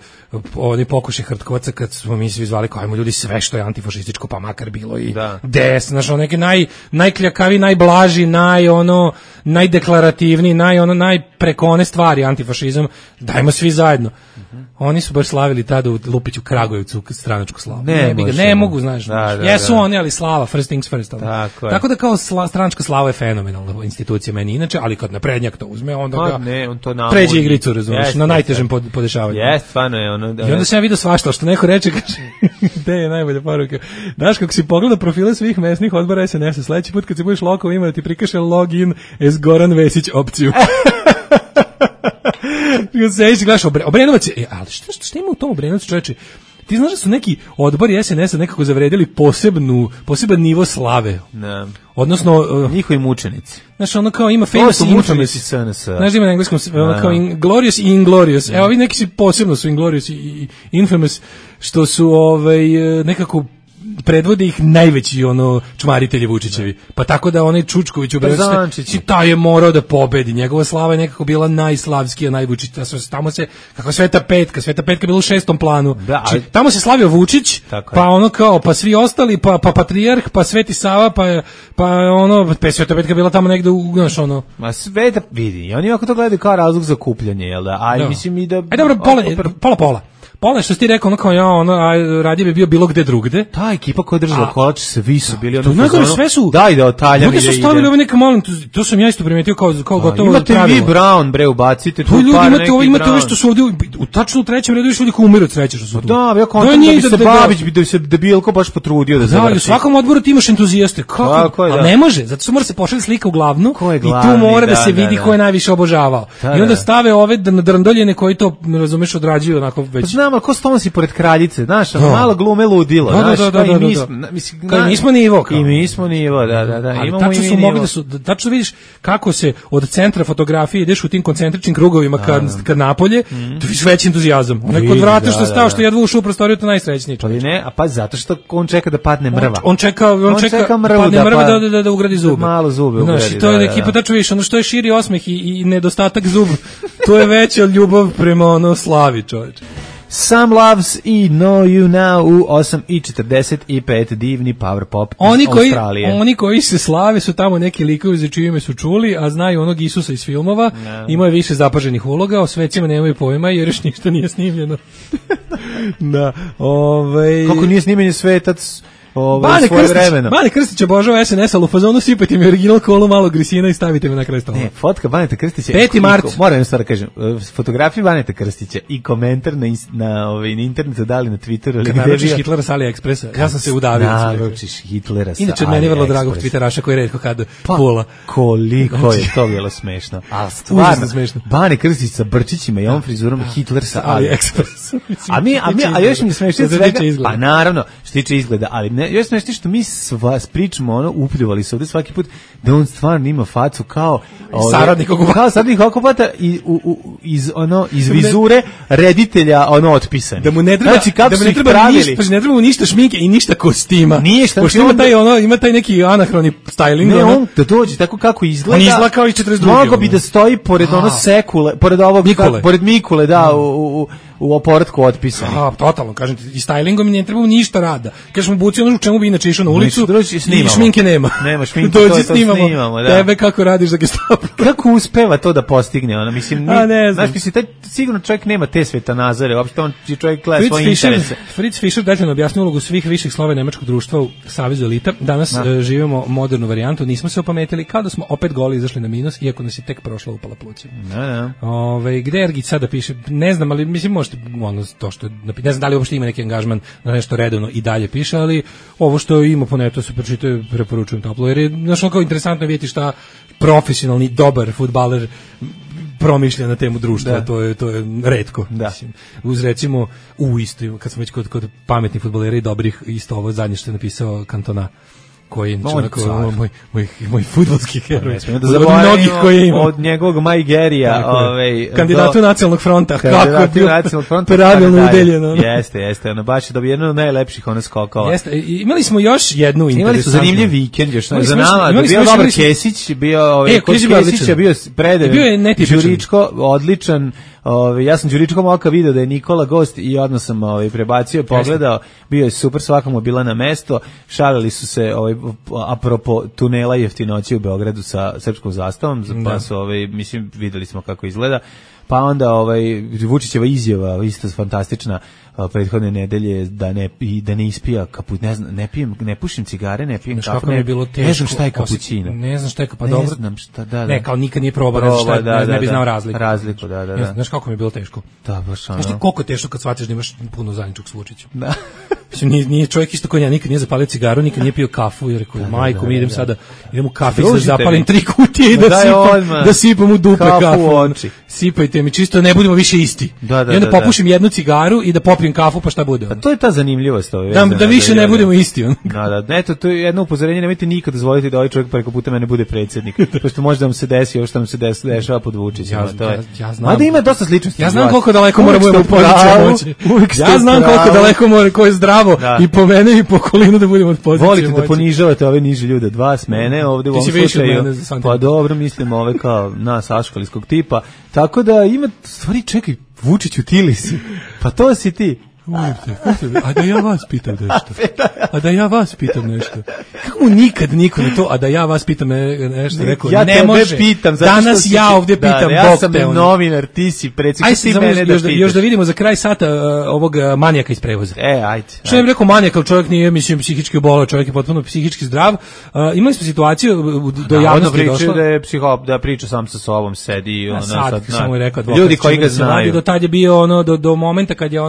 onaj pokušaj Hrtkovaca, kad smo mi svi zvali kao, ajmo ljudi, sve što je antifašističko, pa makar bilo i DS, znaš, neke najkljakavi, najblaži, najdeklarativniji, najpreko one stvari antifašizam, dajmo svi zajedno. Oni su baš slavili tada u Lupiću Kragujevcu stranačku slavu. Ne mogu, znaš. Jesu oni, ali slava, first things first. Tako da kao stranačka slava je fenomenalna institucija meni inače, ali kad naprednjak to uzme, onda ga pređe igricu, razumiješ, na najtežem podešavanju. Stvarno je ono. I onda sam ja vidio svašta, što neko reče, kaže, gde je najbolja poruka. Znaš, kako si pogleda profile svih mesnih odbora SNS-a, sledeći put kad se budeš lokal ima da ti prikaže login as Goran Vesić opciju. Sediš i gledaš Obrenovac, ali šta ima u tom Obrenovcu, čoveče? Ti znaš da su neki odbori SNS-a nekako zavredili poseban nivo slave. Ne. Odnosno njihovi mučenici. Znaš, ono kao ima famous i infamous. Znaš, ima na engleskom kao glorious i inglorious. Evo, ovi neki su posebno su inglorious i infamous, što su nekako predvode ih najveći čmaritelji Vučićevi. Pa tako da onaj Čučković u Beogradu, taj je morao da pobedi. Njegova slava je nekako bila najslavskija, najvučić. Tamo se, kako Sveta petka bila u 6. planu. Tamo se slavio Vučić, pa svi ostali, pa patrijarh, pa Sveti Sava, pa Sveta petka bila tamo negde Ma Sveta, vidi, oni ako to gledaju kao razlog za kupljanje, jel da? Aj, mislim i da. Aj dobro, pola. Pola što si ti rekao, radije bi bio bilo gde drugde. Ta ekipa koja je držala kolač, svi su bili sve su. Daj da otaljam. Mnogi su stavili ove neka malo, to sam ja isto primetio kao gotovo imate pravilo. Imate vi Brown, bre, ubacite tu par neki Brown. Imate ove što su ovdje, tačno u 3. redu još ljudi koji umiru od sreće što su tu. Da, ja kontam da bi se Babić, da bi se Debilko baš potrudio da završi. Da, u svakom odboru ti imaš entuzijaste. Kako? A ne može, zato što mora se pošalje slika u glavnu i tu mora da se vidi ko je najviše obožavao. I onda stave ove drndoljene koji to, razumeš, odrađuju onako već. Znam, al ko stonosi pored kraljice, znaš, malo glume ludilo, znaš, kao mi smo nivo. I mi smo nivo, da. Ali tačno su mogli da su, tačno vidiš kako se od centra fotografije ideš u tim koncentričnim krugovima kad napolje, to vidiš veći entuzijazam. Onaj kod vrata što stao, što jedva ušao u prostoriju, to najsrećniji. Pa ne, a pa zato što on čeka da padne mrva. On čeka padne mrva da ugradi zube. Malo zube ugradi. Znaš, to je ekipa, tačno vidiš, ono što je širi osmeh i nedostatak zuba, to je veća ljubav prema slavi, čoveče. Some Loves i Know You Now u 8:45, divni power pop iz Australije. Oni koji se slave su tamo neki likovi za čije ime su čuli, a znaju onog Isusa iz filmova, imaju više zapaženih uloga, o svecima nemaju pojma jer još ništa nije snimljeno. Da, Kako nije snimljen Svetac svoje vremena. Bane Krstić obožava SNS, ali u fazonu sipajte mi original kolu, malo grisina i stavite me na kraj stola. Ne, fotka Baneta Krstića. 5. mart. Moram jednu stvar da kažem. Fotografije Baneta Krstića i komentar na internetu, dali na Twitteru. Kad naručiš Hitlera sa AliExpressa, ja sam se udavio. Naručiš Hitlera sa AliExpressa. Inače, meni je vrlo drago Twitteraša koji redko kad pula. Koliko je to bilo smešno. A stvarno, Bane Krstić sa brčićima i ovom frizurom, Hitler sa AliExpressa. A još mi je smešno svega. Pa naravno, što tiče izgleda, ali još smešno što mi pričamo, upljuvali se ovde svaki put, da on stvarno ima facu kao saradnik okupata i iz vizure reditelja otpisan. Da mu ne treba, znači, kako da mu ne treba ništa, ne treba mu ništa šminke i ništa kostima. Ništa. Pošto ima taj neki anahroni styling. Ne, on da dođe tako kako izgleda. On izgleda kao i 42. Mogo bi da stoji pored sekule, pored ovog pored Mikule, da, u oporatku otpisani. Totalno, kažem ti, i stylingom ne treba ništa rada. Kažeš mu buci ono u čemu bi inače išao na ulicu i šminke nema. Nema šminke, dođi to snimamo, da. Tebe kako radiš za Gestapo. Kako uspeva to da postigne? Mislim, znaš, taj sigurno čovjek nema te svetonazore, uopšte on čovjek gleda svoje interese. Fritz Fischer detaljno objasnio ulogu svih viših slojeva nemačkog društva u Savezu elita. Danas živimo modernu varijantu, nismo se opametili, kao da smo opet goli izašli na minus, iako nas je tek prošla upala pluća. Gde Ergić sada piše? Ne znam, ali mislim možete to što ne znam da li uopšte ima neki angažman na nešto redovno i dalje piše, ali ovo što ima po netu se pročitaju, preporučujem toplo, jer je kao interesantno vidjeti šta profesionalni dobar fudbaler promišlja na temu društva, to je retko. Mislim. Uz recimo isto, kad smo već kod pametnih fudbalera i dobrih, isto ovo zadnje što je napisao Cantona, koji je moj fudbalski heroj. Od njegovog Majgerija, kandidatu nacionalnog fronta, kako je bio pravilno udeljeno. Jeste, baš je dobio jedno od najlepših skokova. Jeste, imali smo još jednu interesantnu. Imali su zanimljiv vikend još za nama, bio dobar Kesić, kod Kesića bio predev, Đuričko, odličan. Ja sam Đuričkom oka video da je Nikola gost i odmah sam prebacio, pogledao, bio je super, svakamo bila na mesto, šalili su se apropo tunela jeftinoći u Beogradu sa srpskom zastavom, pa su mislim videli smo kako izgleda. Pa onda Vučićeva izjava isto fantastična prethodne nedelje da ne ispija kaput, ne pušim cigare, ne pijem kafu, ne znam šta je kapućino. Ne znam šta je kapućino, pa dobro. Ne znam šta, da. Ne, kao nikad nije probao, ne bi znao razliku. Razliku, da. Znaš kako mi je bilo teško? Da, baš ono. Znaš ti koliko je teško kad shvatiš da imaš puno zajedničkog s Vučićem? Da. Mislim, nije čovjek isto koji ja, nikad nije zapalio cigaru, nikad nije pio kafu, jer rekao, majko, mi idem u kafić da zapalim 3 kutije i da sipam u dupe kafu. Sipajte mi, čisto ne budemo više isti. I onda popušim jednu cigaru i da popijem kafu, pa šta bude? Pa to je ta zanimljivost. Da više ne budemo isti. Da, eto, to je jedno upozorenje, nemojte nikad dozvoliti da ovaj čovjek preko puta mene bude predsjednik. Pošto može da mu se desi ovo što nam se dešava pod Vučićem. Mada ima dosta sličnosti. Ja znam koliko daleko mora budemo u pozicije moći. Ja znam koliko daleko mora, ko je zdravo i po mene i po okolinu da budemo od pozicije moći. Volite da ponižavate ove niže ljude od vas, mene, ovde u ovom slučaju. Pa dobro, mislim ove kao nas aškalijskog tipa. Tako da ima stvari, čekaj, Vučiću, ti li si? Pa to si ti. A da ja vas pitam nešto. Kako mu nikad niko ne to, a da ja vas pitam nešto, rekao, ja ne može. Pitam, danas ja ovdje pitam, ja sam novinar, ti si predsjednik, ti mene da pitaš. Još da vidimo za kraj sata ovog manijaka iz prevoza. Ajde. Što je rekao manijak, ali čovjek nije, mislim, psihički obolao, čovjek je potpuno psihički zdrav. Imali smo situaciju do javnosti došla. Da priča sam sa sobom, sedi. Ljudi koji ga znaju. Do tad je bio do momenta kad je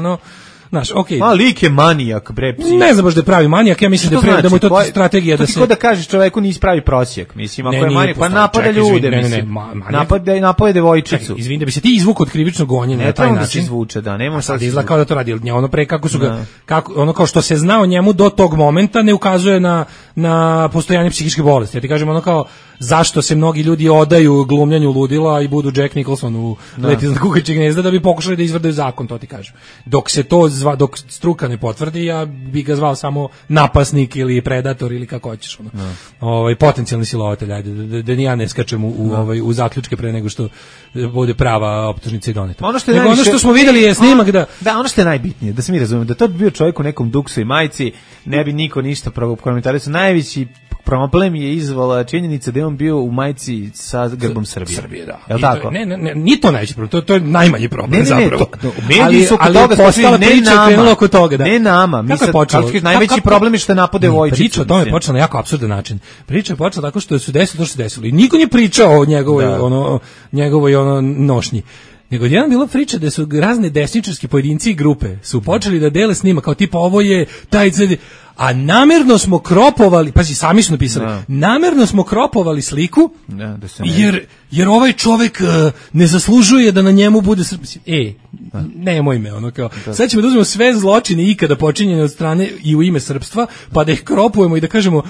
znaš, okej. Ma lik je manijak, bre, psi. Ne znam baš da je pravi manijak, ja mislim da mu je to strategija da se... To ti da kažeš čovjeku nisi pravi prosjek, mislim, ako je manijak, pa napada ljude, mislim. Napada devojčicu. Izvini, da bi se ti izvukao od krivičnog gonjenja na taj način. Ne treba da se izvuče, da, nema sad izgleda kao da to radi, ono pre kako su ga, ono kao što se znao njemu do tog momenta ne ukazuje na postojanje psihičke bolesti. Ja ti kažem, ono kao, zašto se mnogi ljudi odaju glumljanju ludila i budu Jack Nicholson u Leti iznad kukačjeg gnezda da bi pokušali da izvrdaju zakon, to ti kažem. Dok struka ne potvrdi, ja bih ga zvao samo napasnik ili predator ili kako hoćeš. Potencijalni silovatelj, ajde, da ni ja ne skačem u zaključke pre nego što bude prava optužnica i doneta. Ono što smo vidjeli je snimak da... Da, ono što je najbitnije, da se mi razumemo, da to bi bio čovjek u nekom duksu i majici, ne bi niko ništa prokomentarisao. Najveći problem je izvala činjenica da je on bio u majici sa grbom Srbije. Srbije, da. Je li tako? Ne, nije to najveći problem, to je najmanji problem zapravo. Mediji su oko toga postala priča krenula oko toga, da. Ne nama, mi sad, najveći problem je što je napade Vojčić. Priča o tome je počela na jako apsurdan način. Priča je počela tako što su desilo to što se desilo. I niko nije pričao o njegovoj nošnji. Nego jedan bila priča da su razne desničarske pojedinci i grupe su počeli da dele s njima kao tipa ovo je taj a namerno smo kropovali, pazi, sami su napisali, namerno smo kropovali sliku jer ovaj čovjek ne zaslužuje da na njemu bude nemoj me, ono kao, sad ćemo da uzmemo sve zločine ikada počinjene od strane i u ime srpstva, pa da ih kropujemo i da kažemo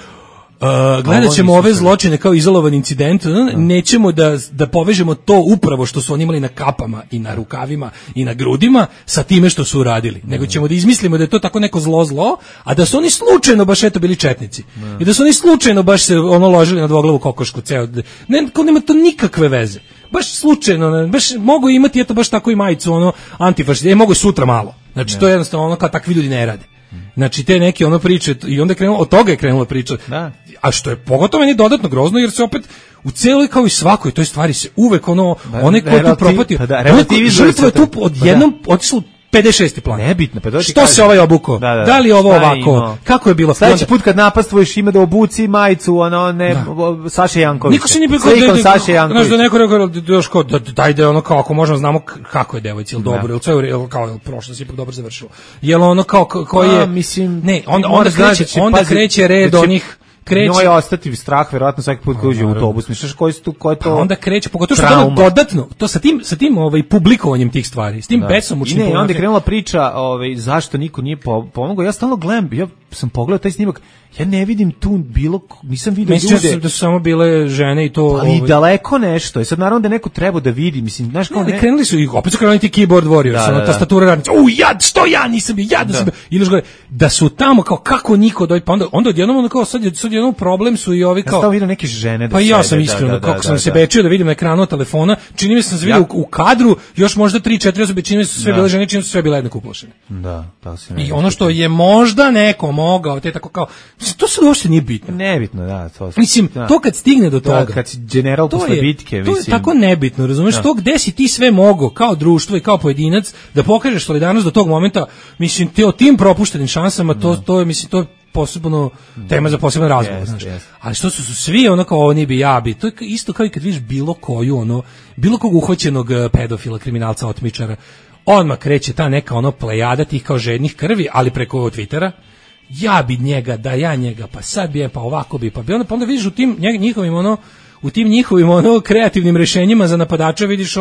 gledat ćemo ove zločine kao izolovan incident, nećemo da povežemo to upravo što su oni imali na kapama i na rukavima i na grudima sa time što su uradili, nego ćemo da izmislimo da je to tako neko zlo, a da su oni slučajno baš eto bili četnici i da su oni slučajno baš se ložili na dvoglavu kokošku ceo, nema to nikakve veze, baš slučajno, baš mogu imati eto baš tako i majicu antifašista, mogu sutra malo, znači to je jednostavno kao takvi ljudi ne rade. Znači te neke priče i onda je krenulo, od toga je krenula priča. Da. A što je pogotovo meni dodatno grozno jer se opet u celoj kao i svakoj toj stvari se uvek onaj ko je tu propatio, žrtva je tu odjednom otišlo 56. plan. Nebitno, pa što se ovaj obuko? Da li je ovo ovako? Kako je bilo? Sljedeći put kad napastvuješ ima da obuci majicu, Saše Jankovića. Niko se nije bilo Saše Jankovića. Znaš da neko rekao daj da kao ako možemo znamo kako je devojci, ili dobro, ili sve kao prošlo se ipak dobro završilo. Jel kao koji je mislim onda kreće red onih njoj ostati strah verovatno svaki put kad uđe u autobus. Misliš ko je to? Onda kreće, pogotovo što je dodatno, to sa tim publikovanjem tih stvari, s tim besomučnim. I onda je krenula priča zašto niko nije pomogao. Ja stalno gledam, ja sam pogledao taj snimak, ja ne vidim tu nisam vidio ljude. Mislim da su samo bile žene i to... Ali daleko nešto. I sad naravno da neko treba da vidi. Mislim, znaš kao krenuli su, opet su krenuli ti keyboard warriors, tastatura radnica. Što ja nisam bio, ja da sam bio. Ili gore, da su tamo kao kako niko dojde, pa onda odjednom kao sad jednom problem su i ovi kao... Ja sam vidio neke žene da pa ja sam iskreno, kako sam se bečio da vidim na ekranu telefona, čini mi se se vidio u kadru, još možda 3-4 osobe, čini mi se sve bile žene, čini mi se sve bile jednako uplašene. Da, tako se i ono što je možda neko mogao, te tako kao, to se uopšte nije bitno. Nebitno, da. Mislim, to kad stigne do toga. Kad si general posle bitke, mislim. To je tako nebitno, razumeš, to gde si ti sve mogao, kao društvo i kao pojedinac, da pokažeš solidarnost do tog momenta, mislim, o tim propuštenim šansama, to je, mislim, to je posebno tema za poseban razgovor, znaš. Ali što su svi kao oni bi, ja bi, to je isto kao i kad vidiš bilo kog uhvaćenog pedofila, kriminalca, otmičara, odmah kreće ta neka plejada tih kao žednih krvi, ali preko Twittera, ja bi njega, da ja njega, pa sad bi pa ovako bi, pa bi onda vidiš u tim njihovim kreativnim rješenjima za napadača vidiš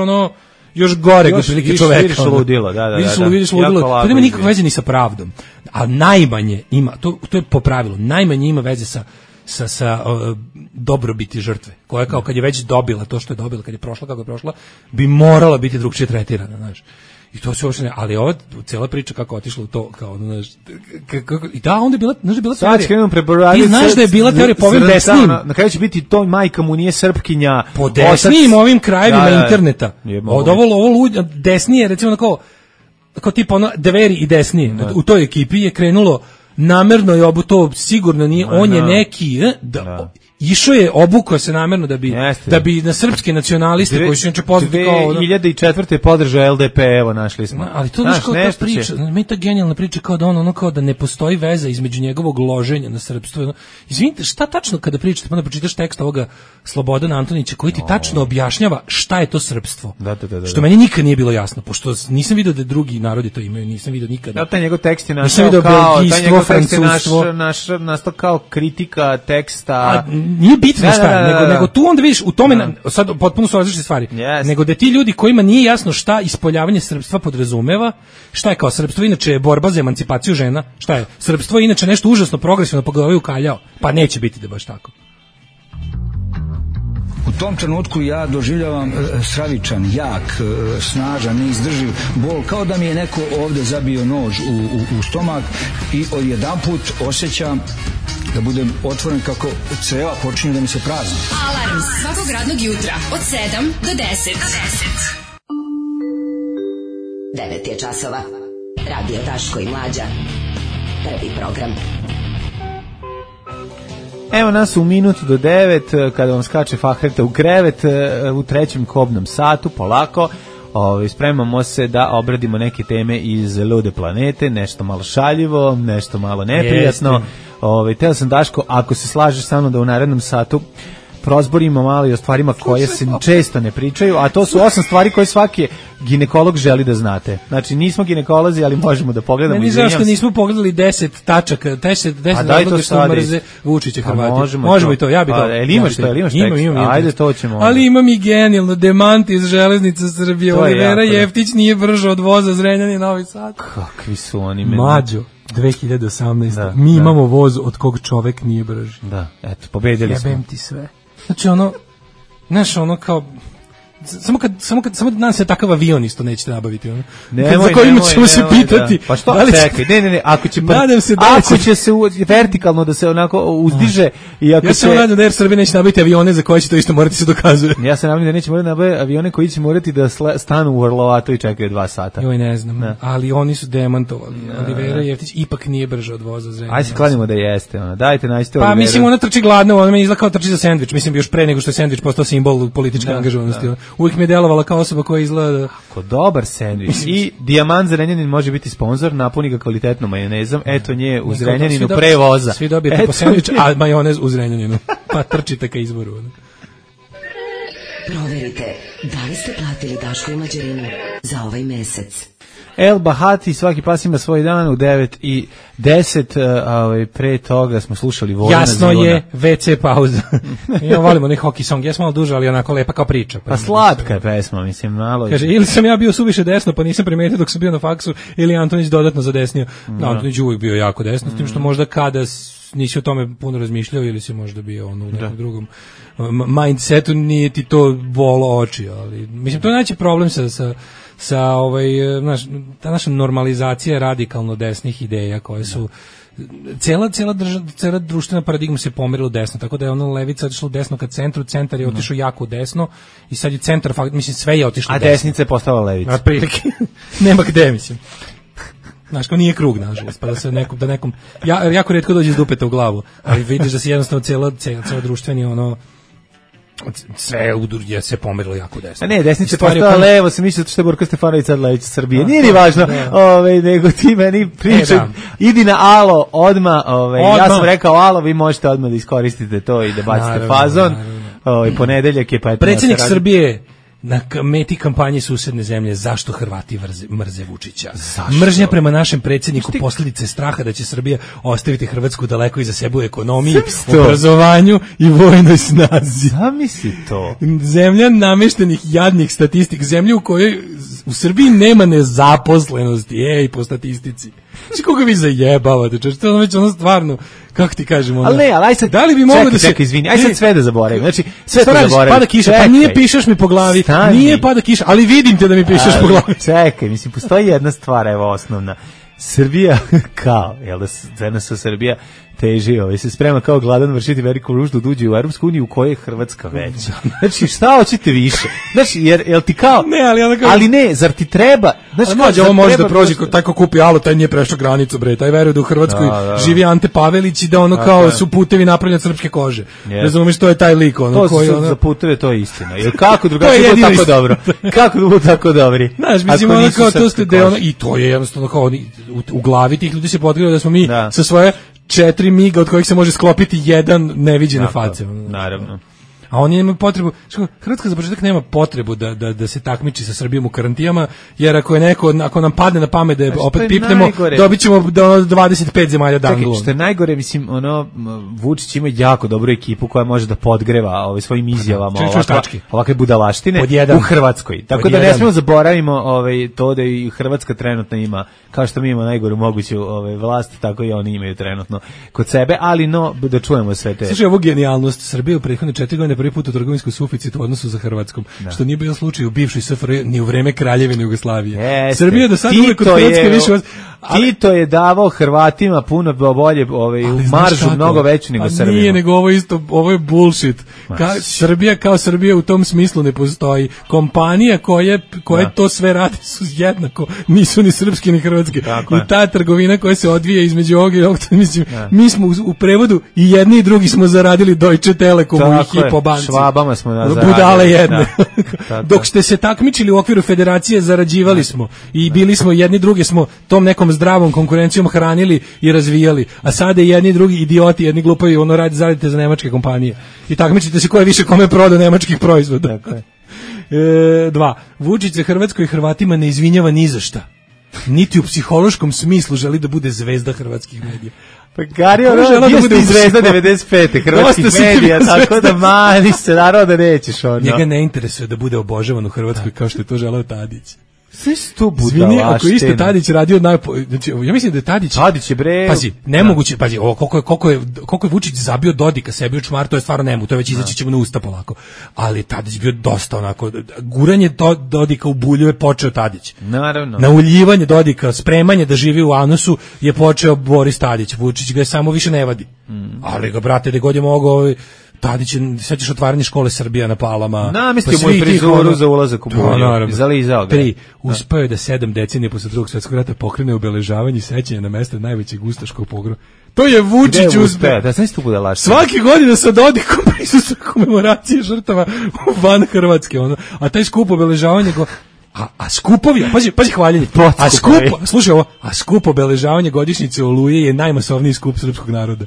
još gore otprilike čoveka. Vidiš ludilo, da. Vidiš ludilo. To nema nikakve veze ni sa pravdom. A najmanje ima, to je po pravilu, najmanje ima veze sa dobrobiti žrtve, koja kao kad je već dobila to što je dobila, kad je prošla kako je prošla, bi morala biti drugčije tretirana, znaš. I to se uopšte ne, ali ova cijela priča kako otišla u to, kao i da, onda je bila teorija. Ti znaš da je bila teorija po ovim desnim. Na kraju će biti to majka mu nije Srpkinja. Po desnim ovim krajevima interneta. Od ovo desnije, recimo kao tipa Dveri i desnije. U toj ekipi je krenulo namerno je to sigurno nije, on je neki, išao je obukao se namjerno da bi na srpske nacionaliste koji su inače poznati kao 2004. podržao LDP, evo našli smo. Ali to znaš kao ta priča, meni ta genijalna priča kao da kao da ne postoji veza između njegovog loženja na srpstvo. Izvinite, šta tačno kada pričate, pa onda pročitaš tekst ovoga Slobodana Antonića koji ti tačno objašnjava šta je to srpstvo. Što meni nikad nije bilo jasno, pošto nisam vidio da drugi narodi to imaju, nisam vidio nikada. Taj njegov tekst je nastao kao kritika teksta. Nije bitno šta, nego tu onda vidiš u tome, sad potpuno su različite stvari, nego da ti ljudi kojima nije jasno šta ispoljavanje srpstva podrazumeva, šta je kao srpstvo, inače je borba za emancipaciju žena, šta je srpstvo, inače nešto užasno progresivno pa ga ovaj ukaljao, pa neće biti da baš tako. U tom trenutku ja doživljavam stravičan, jak, snažan, neizdrživ bol, kao da mi je neko ovde zabio nož u stomak i odjedanput osjećam da budem otvoren kako creva počinju da mi se prazni. Alarm svakog radnog jutra od 7 do 10. 9 je časova. Radio Daško i Mlađa. Prvi program. Evo nas u minutu do 9, kada vam skače Fahreta u krevet, u trećem kobnom satu, polako, spremamo se da obradimo neke teme iz lude planete, nešto malo šaljivo, nešto malo neprijatno. Teo sam, Daško, ako se slažeš sa mnom da u narednom satu prozborimo malo i o stvarima koje se često ne pričaju, a to su 8 stvari koje svaki ginekolog želi da znate. Znači, nismo ginekolozi, ali možemo da pogledamo. Meni zašto nismo pogledali 10 tačaka, 10 razloga što mrze Vučića Hrvati. Možemo i to, ja bi to. Imaš tekst? Ajde, to ćemo. Ali imam i genijalno, demant iz Železnica Srbije. Olivera Jeftić nije brža od voza Zrenjanin Novi Sad. Kakvi su oni. Mađo. 2018. Mi imamo voz od kog čovek nije brži. Da, eto, pobedili smo. Jebem ti sve. Znači ono kao samo da nam se takav avion isto nećete nabaviti, ono. Za kojim ćemo se pitati. Da. Pa što? Čekaj, ne, ako će se vertikalno da se onako uzdiže i ako ja se nadam da Air Srbija neće nabaviti avione za koje će to isto morati se dokazuje. Ja se nadam da neće morati nabaviti avione koji će morati da stanu u Orlovatu i čekaju 2 sata. Joj, ne znam, ali oni su demantovali. Olivera Jeftić ipak nije brža od voza Zrenjanina. Ajde se kladimo da jeste, ono. Dajte, nađite Olivera. Pa mislim, ona trči gladno, ona meni izgleda kao trči za sendvič. Mislim, još pre nego što je sendvič postao simbol političke angažovanosti. Uvijek mi je delovala kao osoba koja izgleda... Ako dobar sendvič. I Dijamant Zrenjanin može biti sponzor, napuni ga kvalitetnom majonezom. Eto nje u Zrenjaninu pre voza. Svi dobijete po sendvič, a majonez u Zrenjaninu. Pa trčite ka izboru. Proverite, da li ste platili Daško i Mlađarinu za ovaj mesec. El Bahati, svaki pas ima svoj dan u 9:10, pre toga smo slušali Vojna Jasno Zvona. Je, WC pauza. Ja volimo onaj hockey song, ja sam malo duža, ali onako lepa kao priča. Pa slatka je pesma, mislim, malo. Kaže, ili sam ja bio suviše desno, pa nisam primetio dok sam bio na faksu, ili Antonić dodatno zadesnio. Antonić uvijek bio jako desno, s tim što možda kada nisi o tome puno razmišljao ili si možda bio u nekom drugom mindsetu, nije ti to bolo oči, ali mislim, to je najveći problem sa ta naša normalizacija radikalno desnih ideja koje su cela društvena paradigma se pomerila u desno, tako da je ono levica otišla u desno ka centru, centar je otišao jako u desno i sad je centar, mislim, sve je otišlo u desno. A desnica je postala levica. Na prilike. Nema gde, mislim. Znaš, kao nije krug, nažalost, pa da se nekom jako retko dođe iz dupeta u glavu, ali vidiš da se jednostavno cijela društveni sve udurje se pomerilo jako desno. A ne, desnica je postala levo, se misli što je Borko Stefanović sad lević Srbije. Nije ni važno, nego ti meni pričaj, idi na alo, odmah, ja sam rekao alo, vi možete odmah da iskoristite to i da bacite fazon. Ponedeljak je, pa eto. Predsjednik Srbije na meti kampanje susedne zemlje zašto Hrvati mrze Vučića. Zašto? Mržnja prema našem predsjedniku posljedice straha da će Srbija ostaviti Hrvatsku daleko iza sebe u ekonomiji, obrazovanju i vojnoj snazi. Zamisli to. Zemlja nameštenih jadnih statistik, zemlja u kojoj u Srbiji nema nezaposlenosti, po statistici. Znači, koga vi zajebavate, češ, to je već ono stvarno, kako ti kažemo, ali ne, ali aj sad, da li bi moglo da se... Čekaj, izvini, aj sad sve da zaboravim, znači, sve to zaboravim. Pada kiša, pa nije pišeš mi po glavi, nije pada kiša, ali vidim te da mi pišeš po glavi. Čekaj, mislim, postoji jedna stvar, evo, osnovna. Srbija, kao, jel da ZNS Srbija teži, se sprema kao gladan vršiti veliku ruždu da uđe u Europsku uniju u kojoj je Hrvatska veća. Znači, šta hoćete više? Znači, jel ti kao... Ne, ali ne, zar ti treba... Znači, mlađe, ovo može da prođe, taj ko kupi alo, taj nije prešao granicu, bre, taj veruje da u Hrvatskoj živi Ante Pavelić i da ono kao su putevi napravljeni od srpske kože. Razumiješ, to je taj lik, ono koji... To za puteve, to je istina. Jer kako drugačije bilo tako dobro? Kako bilo tako dobri? Znaš, mislim, ono kao to ste, i to je jednostavno kao, u glavi tih ljudi se potkrilo da smo mi sa svoje 4 miga od kojih se može sklopiti jedan neviđene face. Naravno. A oni nemaju potrebu, Hrvatska za početak nema potrebu da se takmiči sa Srbijom u karantijama, jer ako nam padne na pamet da opet pipnemo, dobit ćemo 25 zemalja dangulom. Što je najgore, mislim, Vučić ima jako dobru ekipu koja može da podgreva svojim izjavama ovakve budalaštine u Hrvatskoj. Tako da ne smemo zaboravimo to da i Hrvatska trenutno ima, kao što mi imamo najgoru moguću vlast, tako i oni imaju trenutno kod sebe, ali da čujemo sve te. Slušaj, ovu genijalnost Srbije u prethodne 4 godine prvi put u trgovinskom suficitu u odnosu sa Hrvatskom, što nije bio slučaj u bivšoj SFRJ ni u vreme Kraljevine Jugoslavije. Srbija do sada uvek od Hrvatske više... Tito je davao Hrvatima puno bolje maržu, mnogo veću nego Srbima. Nije, nego ovo je bullshit. Srbija kao Srbija u tom smislu ne postoji. Kompanija koje to sve rade su jednako, nisu ni srpski ni hrvatski. I ta trgovina koja se odvija između ovog i ovog, mislim, mi smo u prevodu i jedni i drugi smo zaradili Deutsche Telekomu i Hypo banci. Švabama smo zaradili. Budale jedne. Dok ste se takmičili u okviru federacije, zarađivali smo i bili smo jedni drugi, smo tom nekom zdravom konkurencijom hranili i razvijali, a sada jedni drugi idioti, jedni glupavi, zaradite za nemačke kompanije i takmičite se ko je više kome prodao nemačkih proizvoda. Tako je. 2. Vučić se Hrvatskoj i Hrvatima ne izvinjava ni za šta. Niti u psihološkom smislu želi da bude zvezda hrvatskih medija. Pa Gari, bio ste zvezda 95. hrvatskih medija, tako da mani se, naravno da nećeš ono. Njega ne interesuje da bude obožavan u Hrvatskoj kao što je to želeo Tadić. Sve su to budalaštine. Zvini, ako isto Tadić radio znači, ja mislim da je Tadić je bre. Pazi, nemoguće, pazi, ovo koliko je Vučić zabio Dodika sebi u čmar, to je stvarno nemu, to već izaći ćemo na usta polako. Ali Tadić bio dosta onako, guranje Dodika u bulju je počeo Tadić. Naravno. Nauljivanje Dodika, spremanje da živi u anusu je počeo Boris Tadić. Vučić ga samo više ne vadi. Ali ga, brate, da god je mogao Tadić, sećaš otvaranje škole Srbija na Palama. Namestio mu frizuru za ulazak u bulju. Zalizao ga. 3. Uspeo je da 7 decenija posle Drugog svjetskog rata pokrene obeležavanje i sećanje na mesto najvećeg ustaškog pogroma. To je Vučić uspeo. Da, sad tu bude laž. Svake godine sa Dodikom prisustvuje komemoracije žrtava van Hrvatske. A taj skup obeležavanje A skupovi, pazi hvaljenje. Slušaj ovo, skup obeležavanje godišnjice Oluje je najmasovniji skup srpskog naroda.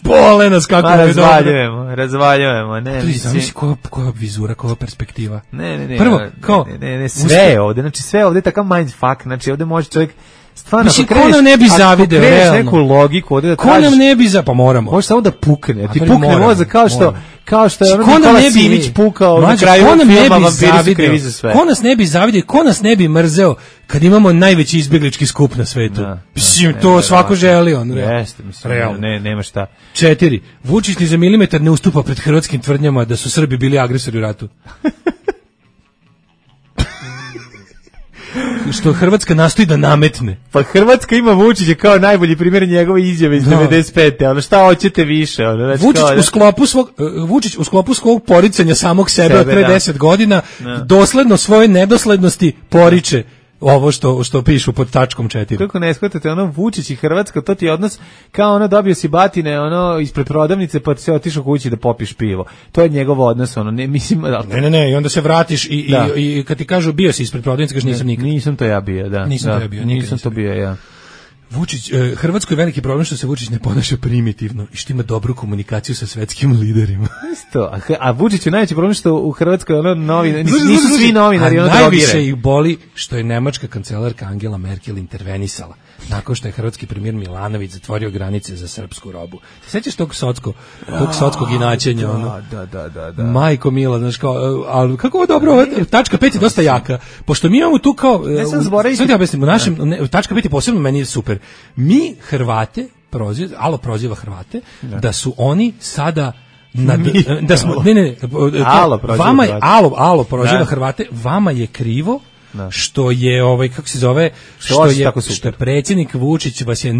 Bole nas kako je dobro. Razvaljujemo, ne. Zamisli koja vizura, koja perspektiva. Ne. Prvo, kao sve ovde, znači sve ovde je takav mindfuck, znači ovde može čovjek stvarno, mislim, ko nam ne bi zavideo, realno. Neku logiku ovde da ko nam ne bi pa moramo. Može samo da pukne, ti pukne mozak kao što je ono Nikola Simić pukao na kraju filma Vampiri su krivi za sve. Ko nas ne bi zavidio, ko nas ne bi mrzeo kad imamo najveći izbeglički skup na svetu. Mislim, to svako želi, on. Jeste, mislim, nema šta. 4. Vučić ni za milimetar ne ustupa pred hrvatskim tvrdnjama da su Srbi bili agresori u ratu. Što Hrvatska nastoji da nametne. Pa Hrvatska ima Vučića kao najbolji primjer njegove izjave iz 95. Ono šta hoćete više? Vučić u sklopu svog poricanja samog sebe od pre 10 godina dosledno svoje nedoslednosti poriče ovo što pišu pod tačkom 4. Kako ne shvatate, Vučić i Hrvatska, to ti je odnos kao dobio si batine ispred prodavnice pa se otišao kući da popiš pivo. To je njegov odnos, ne mislim... Ne, i onda se vratiš i kad ti kažu bio si ispred prodavnice, kažeš nisam nikad. Nisam to ja bio, da. Nisam to bio ja. Vučić, Hrvatskoj je veliki problem što se Vučić ne ponaša primitivno i što ima dobru komunikaciju sa svetskim liderima. Isto, a Vučić je najveći problem što u Hrvatskoj nisu svi novinari drogirani. Najviše ih boli što je nemačka kancelarka Angela Merkel intervenisala nakon što je hrvatski premijer Milanović zatvorio granice za srpsku robu. Se sećaš tog sotskog inačenja? Da. Majko mila, znaš kao, ali kako ovo dobro, tačka 5 je dosta jaka, pošto mi imamo tu kao, sad ja objasnim, tačka 5 je posebno meni je super. Mi Hrvate proziva Hrvate da su oni sada Alo proziva Hrvate, vama je krivo što je kako se zove, što je predsjednik Vučić vas je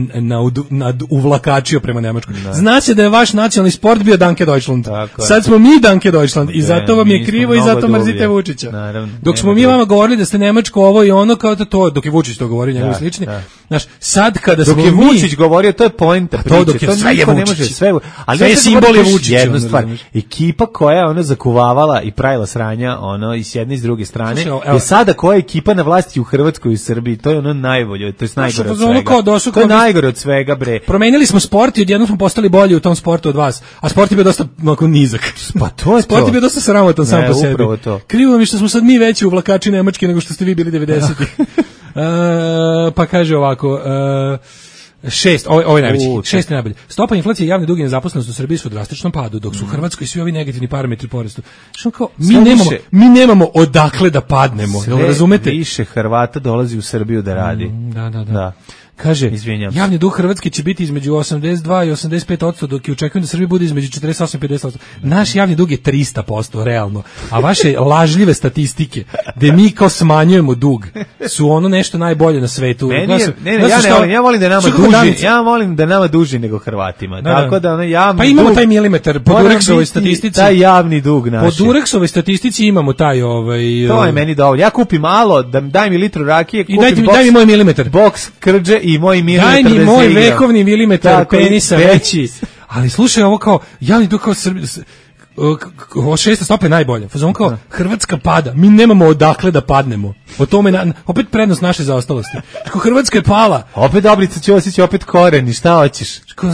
uvlakačio prema Nemačkoj. Zna se da je vaš nacionalni sport bio Danke Deutschland. Sad smo mi Danke Deutschland i zato vam je krivo i zato mrzite Vučića. Dok smo mi vama govorili da ste Nemačko ovo i ono kao to, dok je Vučić to govorio njegovi slični. Znaš, sad kada smo mi... Dok je Vučić govorio, to je poenta priče. To sve je Vučić. Sve je simbol je Vučić. Jednu stvar. Ekipa koja je zakuvavala i pravila sranja i s jedne i s druge strane. I sada koja ekipa na vlasti u Hrvatskoj i u Srbiji, to je najbolje, to je najgore od svega. To je najgore od svega, bre. Promenili smo sport i odjednom smo postali bolji u tom sportu od vas, a sport je bio dosta nizak. Pa to je sport je bio dosta sramotan sam po sebi. Krivo mi što smo sad mi veći uvlakači nemački nego što ste vi bili 90-ih. Pa kaže ovako... 6, ovo je najveći. 6 je najbolji. Stopa inflacije i javni dug i nezaposlenost u Srbiji su u drastičnom padu, dok su u Hrvatskoj svi ovi negativni parametri porastu. Što kao mi nemamo odakle da padnemo, razumete? Više Hrvata dolazi u Srbiju da radi. Da. kaže, Izvinjam. javni dug Hrvatske će biti između 82 i 85%, dok je očekujem da Srbija bude između 48 i 50%. Naš javni dug je 300%, realno. A vaše lažljive statistike, gde mi kao smanjujemo dug, su ono nešto najbolje na svetu. Ja volim da nama duži, ja volim da nama duži nego Hrvatima. Tako da ono javni pa imamo dug, taj milimetar po Durexovoj statistici. Taj javni dug naš. Po Durexovoj statistici imamo taj to je meni dovoljno. Ja kupim malo, daj mi litru rakije, kupim daj mi moj milimetar. Boks krđe i moj milimetar. Daj mi moj vekovni milimetar penisa veći. Ali slušaj, ovo kao javni dug kao Srbija, o 600 stope najbolje. Fazon kao Hrvatska pada, mi nemamo odakle da padnemo. O tome opet prednost naše zaostalosti. Kao Hrvatska je pala. Opet Dobrica Ćosić, opet koreni, šta hoćeš?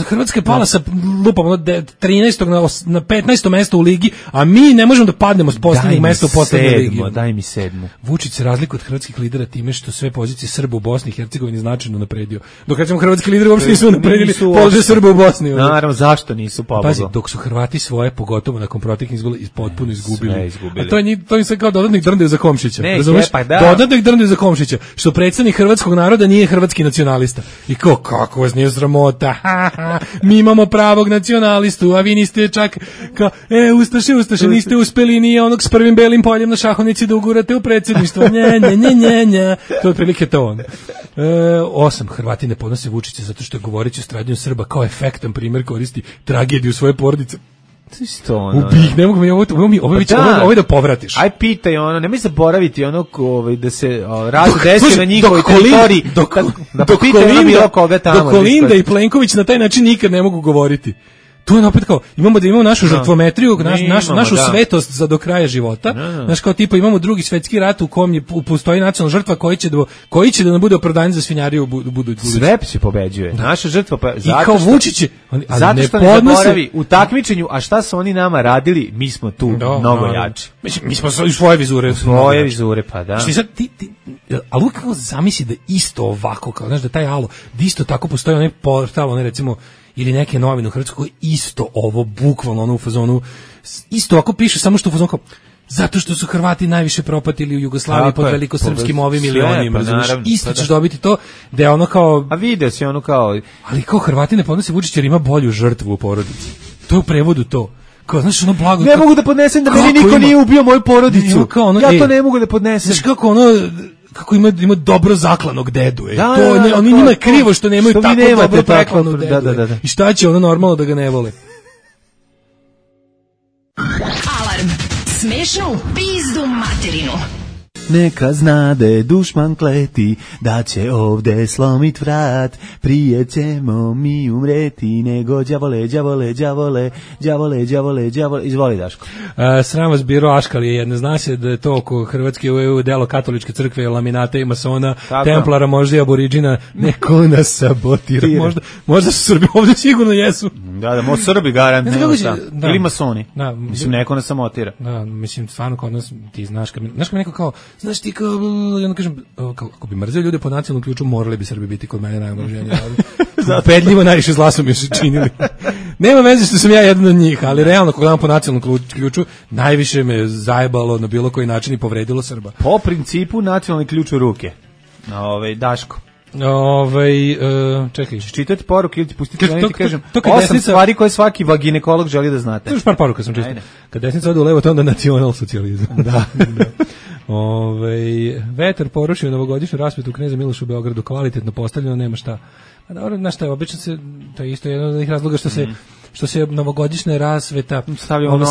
Hrvatska je pala sa lupom 13. na 15. mesto u ligi, a mi ne možemo da padnemo s poslednjeg mesta u poslednjoj ligi. Daj mi 7. Vučić se razlikuje od hrvatskih lidera time što sve pozicije Srba u Bosni i Hercegovini značajno napredio. Dok recimo hrvatski lideri uopšte nisu napredili položaj Srba u Bosni. Naravno, zašto nisu pobogli? Pazi, dok su Hrvati svoje, pogotovo nakon proteklih izbora, potpuno izgubili. A to im se kao dodatnih drndaju za Komšića. Dodatnih drndaju za Komšića, što predstavnik hrvatskog naroda nije hrvatski nacionalista. I kako vas nije sramota? Mi imamo pravog nacionalistu, a vi niste čak kao, Ustaše, niste uspeli ni onog s prvim belim poljem na šahovnici da ugurate u predsjedništvo. Nje. To je otprilike to on. 8. Hrvati ne podnose Vučića zato što je govoreći o stradanju Srba kao efektan primjer koristi tragediju svoje porodice. Ubih, ne mogu mi ovo da povratiš. Aj pitaj ono, nemoj zaboraviti ono da se rad desi na njihovoj teritoriji. Dok Kolinda i Plenković na taj način nikad ne mogu govoriti. To je opet kao, imamo našu žrtvometriju, našu svetost za do kraja života. Znaš, kao tipa imamo drugi svetski rat u kom postoji nacionalna žrtva koji će da nam bude opravdanje za svinjariju u budućnosti. Sve se pobeđuje. Naša žrtva i kao Vučić zato što ne zaboravi u takmičenju, a šta su oni nama radili, mi smo tu mnogo jači. Mi smo svoje vizure. Svoje vizure, pa da. Što sad ali kako zamisli da isto ovako, kao znaš da taj alo, da isto tako postoji onaj portal, onaj recimo ili neke novine u Hrvatskoj isto ovo bukvalno ono u fazonu isto ovako piše, samo što u fazonu kao zato što su Hrvati najviše propatili u Jugoslaviji pod velikosrpskim ovim milionima, isto ćeš dobiti to da je ono kao, a video si ono kao, ali kao Hrvati ne podnose Vučić jer ima bolju žrtvu u porodici, to je u prevodu to. Kao, znaš, ono blago, ne mogu da podnesem da meni niko nije ubio moju porodicu, ja to ne mogu da podnesem. Znaš kako ono, kako ima dobro zaklanog dedu. Oni njima je krivo što nemaju što tako dobro zaklanog dedu. Da. I šta će ono normalno da ga ne vole? Alarm. Smešno u pizdu materinu. Neka znade dušman kleti da će ovde slomit vrat, prije ćemo mi umreti nego đavole. Izvoli, Daško. Sram vas biro Aškalije jedne, zna se da je to oko Hrvatske u delo katoličke crkve, laminata i masona, templara, možda i aboriđina, neko nas sabotira. Možda su Srbi, ovdje sigurno jesu. Da, Srbi garant, ili masoni. Mislim, neko nas samotira. Da, mislim, stvarno kod nas, ti znaš kad mi neko kao, znaš ti kao, ja kažem, kako bi mrzeo ljude po nacionalnom ključu, morali bi Srbi biti kod mene najomraženiji. Pedljivo najviše zla su mi još činili. Nema veze što sam ja jedan od njih, ali realno, kako gledam po nacionalnom ključu, najviše me zajebalo na bilo koji način i povredilo Srba. Po principu nacionalni ključ u ruke. Daško. Čekaj. Čitati poruke ili ti pustiti da ti kažem 8 stvari koje svaki ginekolog želi da znate. Još par poruka sam čitao. Kad desnica ode u levo, to onda nacional socijalizam. Da. Vetar porušio novogodišnju rasvetu Kneza Miloša u Beogradu, kvalitetno postavljeno, nema šta. Pa dobro, znaš šta je, obično se, to je isto jedan od njih razloga što se novogodišnja rasveta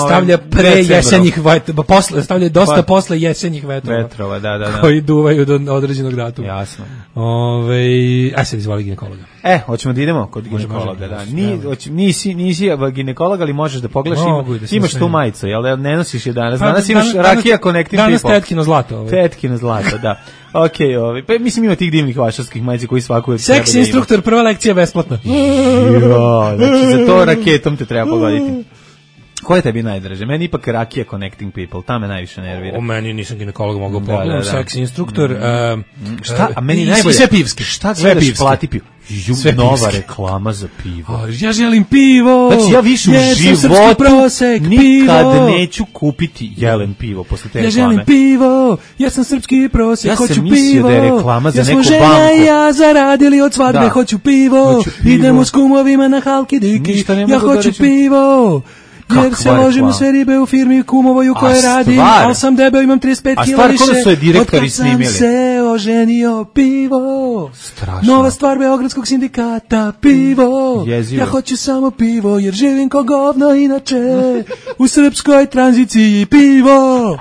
stavlja pre jesenjih vetrova, stavlja dosta posle jesenjih vetrova. Da. Koji duvaju do određenog datuma. Jasno. Sad izvoli ginekologa. Hoćemo da idemo kod ginekologa, da. Nisi ginekolog, ali možeš da pogledaš, imaš tu majicu, jel ne nosiš je danas? Danas imaš Rakija Connecting People. Danas tetkino zlato. Tetkino zlato, da. Pa mislim ima tih divnih vašarskih majica koji svaku... Seks instruktor, prva lekcija besplatna. Znači za to raketom te treba pogoditi. Ko je tebi najdraže? Meni ipak Rakija Connecting People, ta me najviše nervira. O meni nisam ginekolog, mogu pogledam, seks instruktor. Šta? A meni najbolje. Sve pivski. Šta gledaš, plati pivo? Nova reklama za pivo. Ja želim pivo. Znači ja više u životu nikad neću kupiti jelen pivo posle te reklame. Ja želim pivo, ja sam srpski prosek, hoću pivo. Ja sam mislio da je reklama za neku banku. Ja smo žena i ja zaradili od svadbe, hoću pivo. Idemo s kumovima na Halki Diki, ja hoću pivo. Jer se ložimo sve ribe u firmi kumovoj u kojoj radim, ali sam debel, imam 35 kila više. A stvar, direktori snimili? Od kad sam se oženio, pivo. Strašno. Nova stvar Beogradskog sindikata, pivo. Jezivo. Ja hoću samo pivo, jer živim ko govno inače. U srpskoj tranziciji, pivo.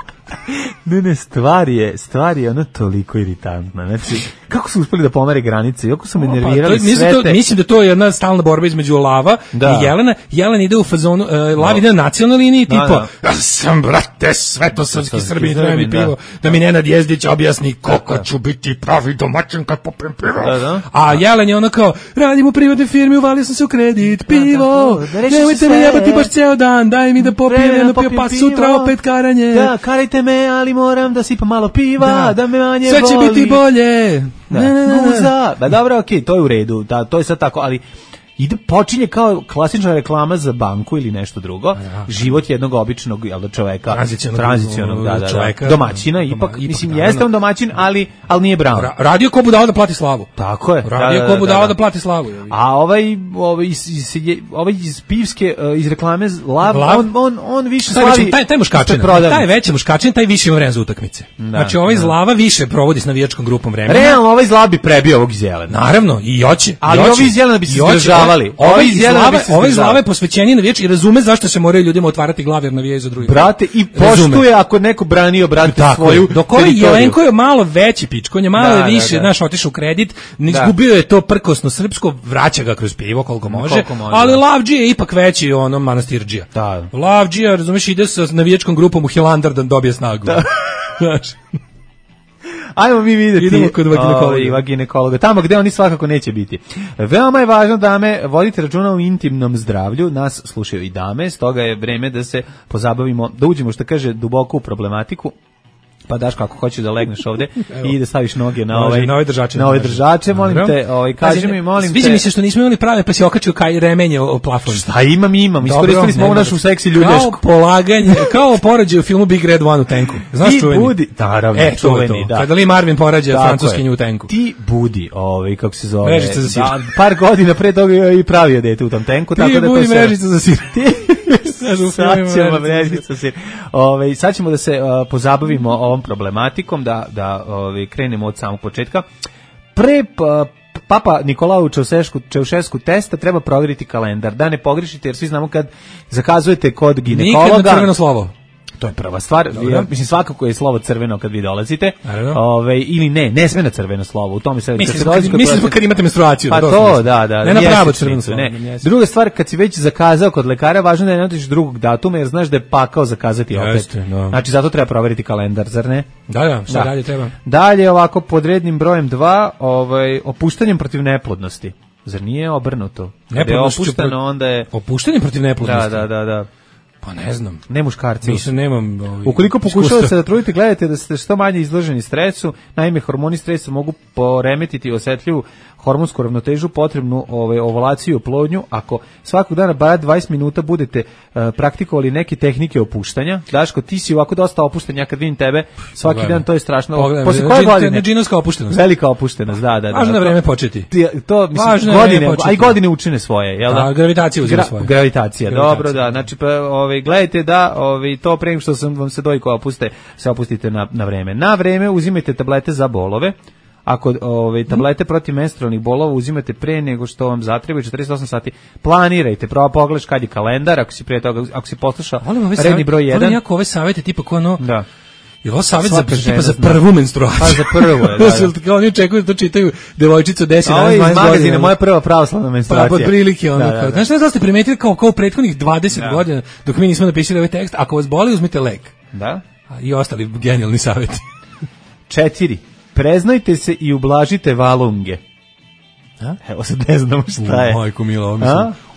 Ne, stvar je ono toliko iritantna. Znači, kako su uspeli da pomere granice? Iako su me nervirali sve te... Mislim da to je jedna stalna borba između Lava i Jelena. Jelena ide u fazonu, Lav ide na nacionalnoj liniji, tipa, ja sam, brate, svetosrpski Srbi, treba mi pivo, da mi Nenad Jezdić objasni kako ću biti pravi domaćin kad popijem pivo. A Jelen je ono kao, radim u privatnoj firmi, uvalio sam se u kredit, pivo, nemojte mi jebati baš ceo dan, daj mi da popijem jedno pivo, pa sutra opet karanje. Da, karajte me, ali moram da sipam malo piva, da me manje sve će biti bolje. Guza. Ba dobro, okej, to je u redu, da, to je sad tako, ali počinje kao klasična reklama za banku ili nešto drugo. Život jednog običnog čoveka, tranzicionog čoveka, domaćina, ipak mislim jeste on domaćin, ali nije Brown. Radio ko budala da plati slavu. Tako je. Radio ko budala da plati slavu. A ovaj iz pivske iz reklame Lav, on više slavi. Taj muškačin, taj veći muškačin, taj više ima vremena za utakmice. Znači ovaj iz Lava više provodi s navijačkom grupom vremena. Realno ovaj iz Lava bi prebio ovog iz Jelena. Naravno, i hoće. Ali ovi iz Jelena bi se izdržavali. Ovaj iz Lave posvećeniji navijač i razume zašto se moraju ljudima otvarati glave jer navijaju za druge. Brate, i poštuje ako neko branio svoju dok ovaj Jelenko je malo veći pičk, on je malo više, znaš, otišao u kredit, izgubio je to prkosno srpsko, vraća ga kroz pivo koliko može, ali Lavdžija je ipak veći ono manastirđija. Lavdžija, razumeš, ide sa navijačkom grupom u Hilandar da dobije snagu. Znaš. Ajmo mi vidjeti. Idemo kod ginekologa. Tamo gde oni svakako neće biti. Veoma je važno, dame, vodite računa o intimnom zdravlju. Nas slušaju i dame, stoga je vreme da se pozabavimo, da uđemo, što kaže, duboko u problematiku. Pa Daško, ako hoćeš da legneš ovde i da staviš noge na ove držače, molim te, kaži mi, molim te. Sviđa mi se što nismo imali prave, pa si okačio kaj remenje o plafon. Šta imam, iskoristili smo ovu našu seksi ljudješku. Kao polaganje, kao porađaj u filmu Big Red One u tenku. Znaš čuveni? Budi, naravno, čuveni, da. Kada Lee Marvin porađa francuskinju u tenku. Ti budi, kako se zove. Mrežica za sir. Par godina pre toga je i pravio dete u tom tenku, tako da to budi mrežica za sir. Sad ćemo da se pozabavimo ovom problematikom, da krenemo od samog početka. Pre Papa Nikolaju Čaušesku testa treba provjeriti kalendar, da ne pogrešite, jer svi znamo kad zakazujete kod ginekologa. Nikad na crveno slovo. To je prva stvar. Mislim, svakako je slovo crveno kad vi dolazite. Ili ne sme na crveno slovo. U tome se mislim kad imate menstruaciju. Pa to, da. Ne na pravo crveno slovo. Druga stvar, kad si već zakazao kod lekara, važno je da ne otiš drugog datuma, jer znaš da je pakao zakazati opet. Znači, zato treba provjeriti kalendar, zar ne? Da, šta dalje treba? Dalje, ovako, pod rednim brojem 2, opuštanjem protiv neplodnosti. Zar nije obrnuto? Kada je opušteno, onda je... Opuštanjem protiv neplodnosti? Da. Pa ne znam. Ne muškarci. Mislim, nemam ukoliko pokušavate da trudite, gledajte da ste što manje izloženi stresu. Naime, hormoni stresa mogu poremetiti osetljivu hormonsku ravnotežu, potrebnu ovulaciju i oplodnju. Ako svakog dana bar 20 minuta budete praktikovali neke tehnike opuštanja. Daško, ti si ovako dosta opušten, ja kad vidim tebe svaki dan, to je strašno. Posle koje godine? Džinovska opuštenost. Velika opuštenost, da. Važno na vreme početi. To, mislim, godine učine svoje, jel da? Gravitacija uzima svoje. Gravitacija, dobro, da. Znači, gledajte da to pre nego što vam se dojko opuste, se opustite na vreme. Na vreme uzimajte tablete za bolove. Ako tablete protiv menstrualnih bolova uzimate pre nego što vam zatrebaju 48 sati, planirajte, pogledaš kad je kalendar, ako si poslušao redni broj 1. Volim jako ove savjete, tipa ko ono... Da. Je ovo savjet za prvu menstruaciju? Pa za prvu je, da. Oni očekuju da to čitaju devojčice od 10, 11 godina. Ovo je iz magazina, moja prva pravoslavna menstruacija. Pa pod prilike ono. Znaš da ste primetili kao u prethodnih 20 godina, dok mi nismo napisali ovaj tekst, ako vas boli, uzmite lek. Da. I ostali genijalni savjeti. 4. Preznajte se i ublažite valunge. Evo sad ne znamo šta je. Majko milo,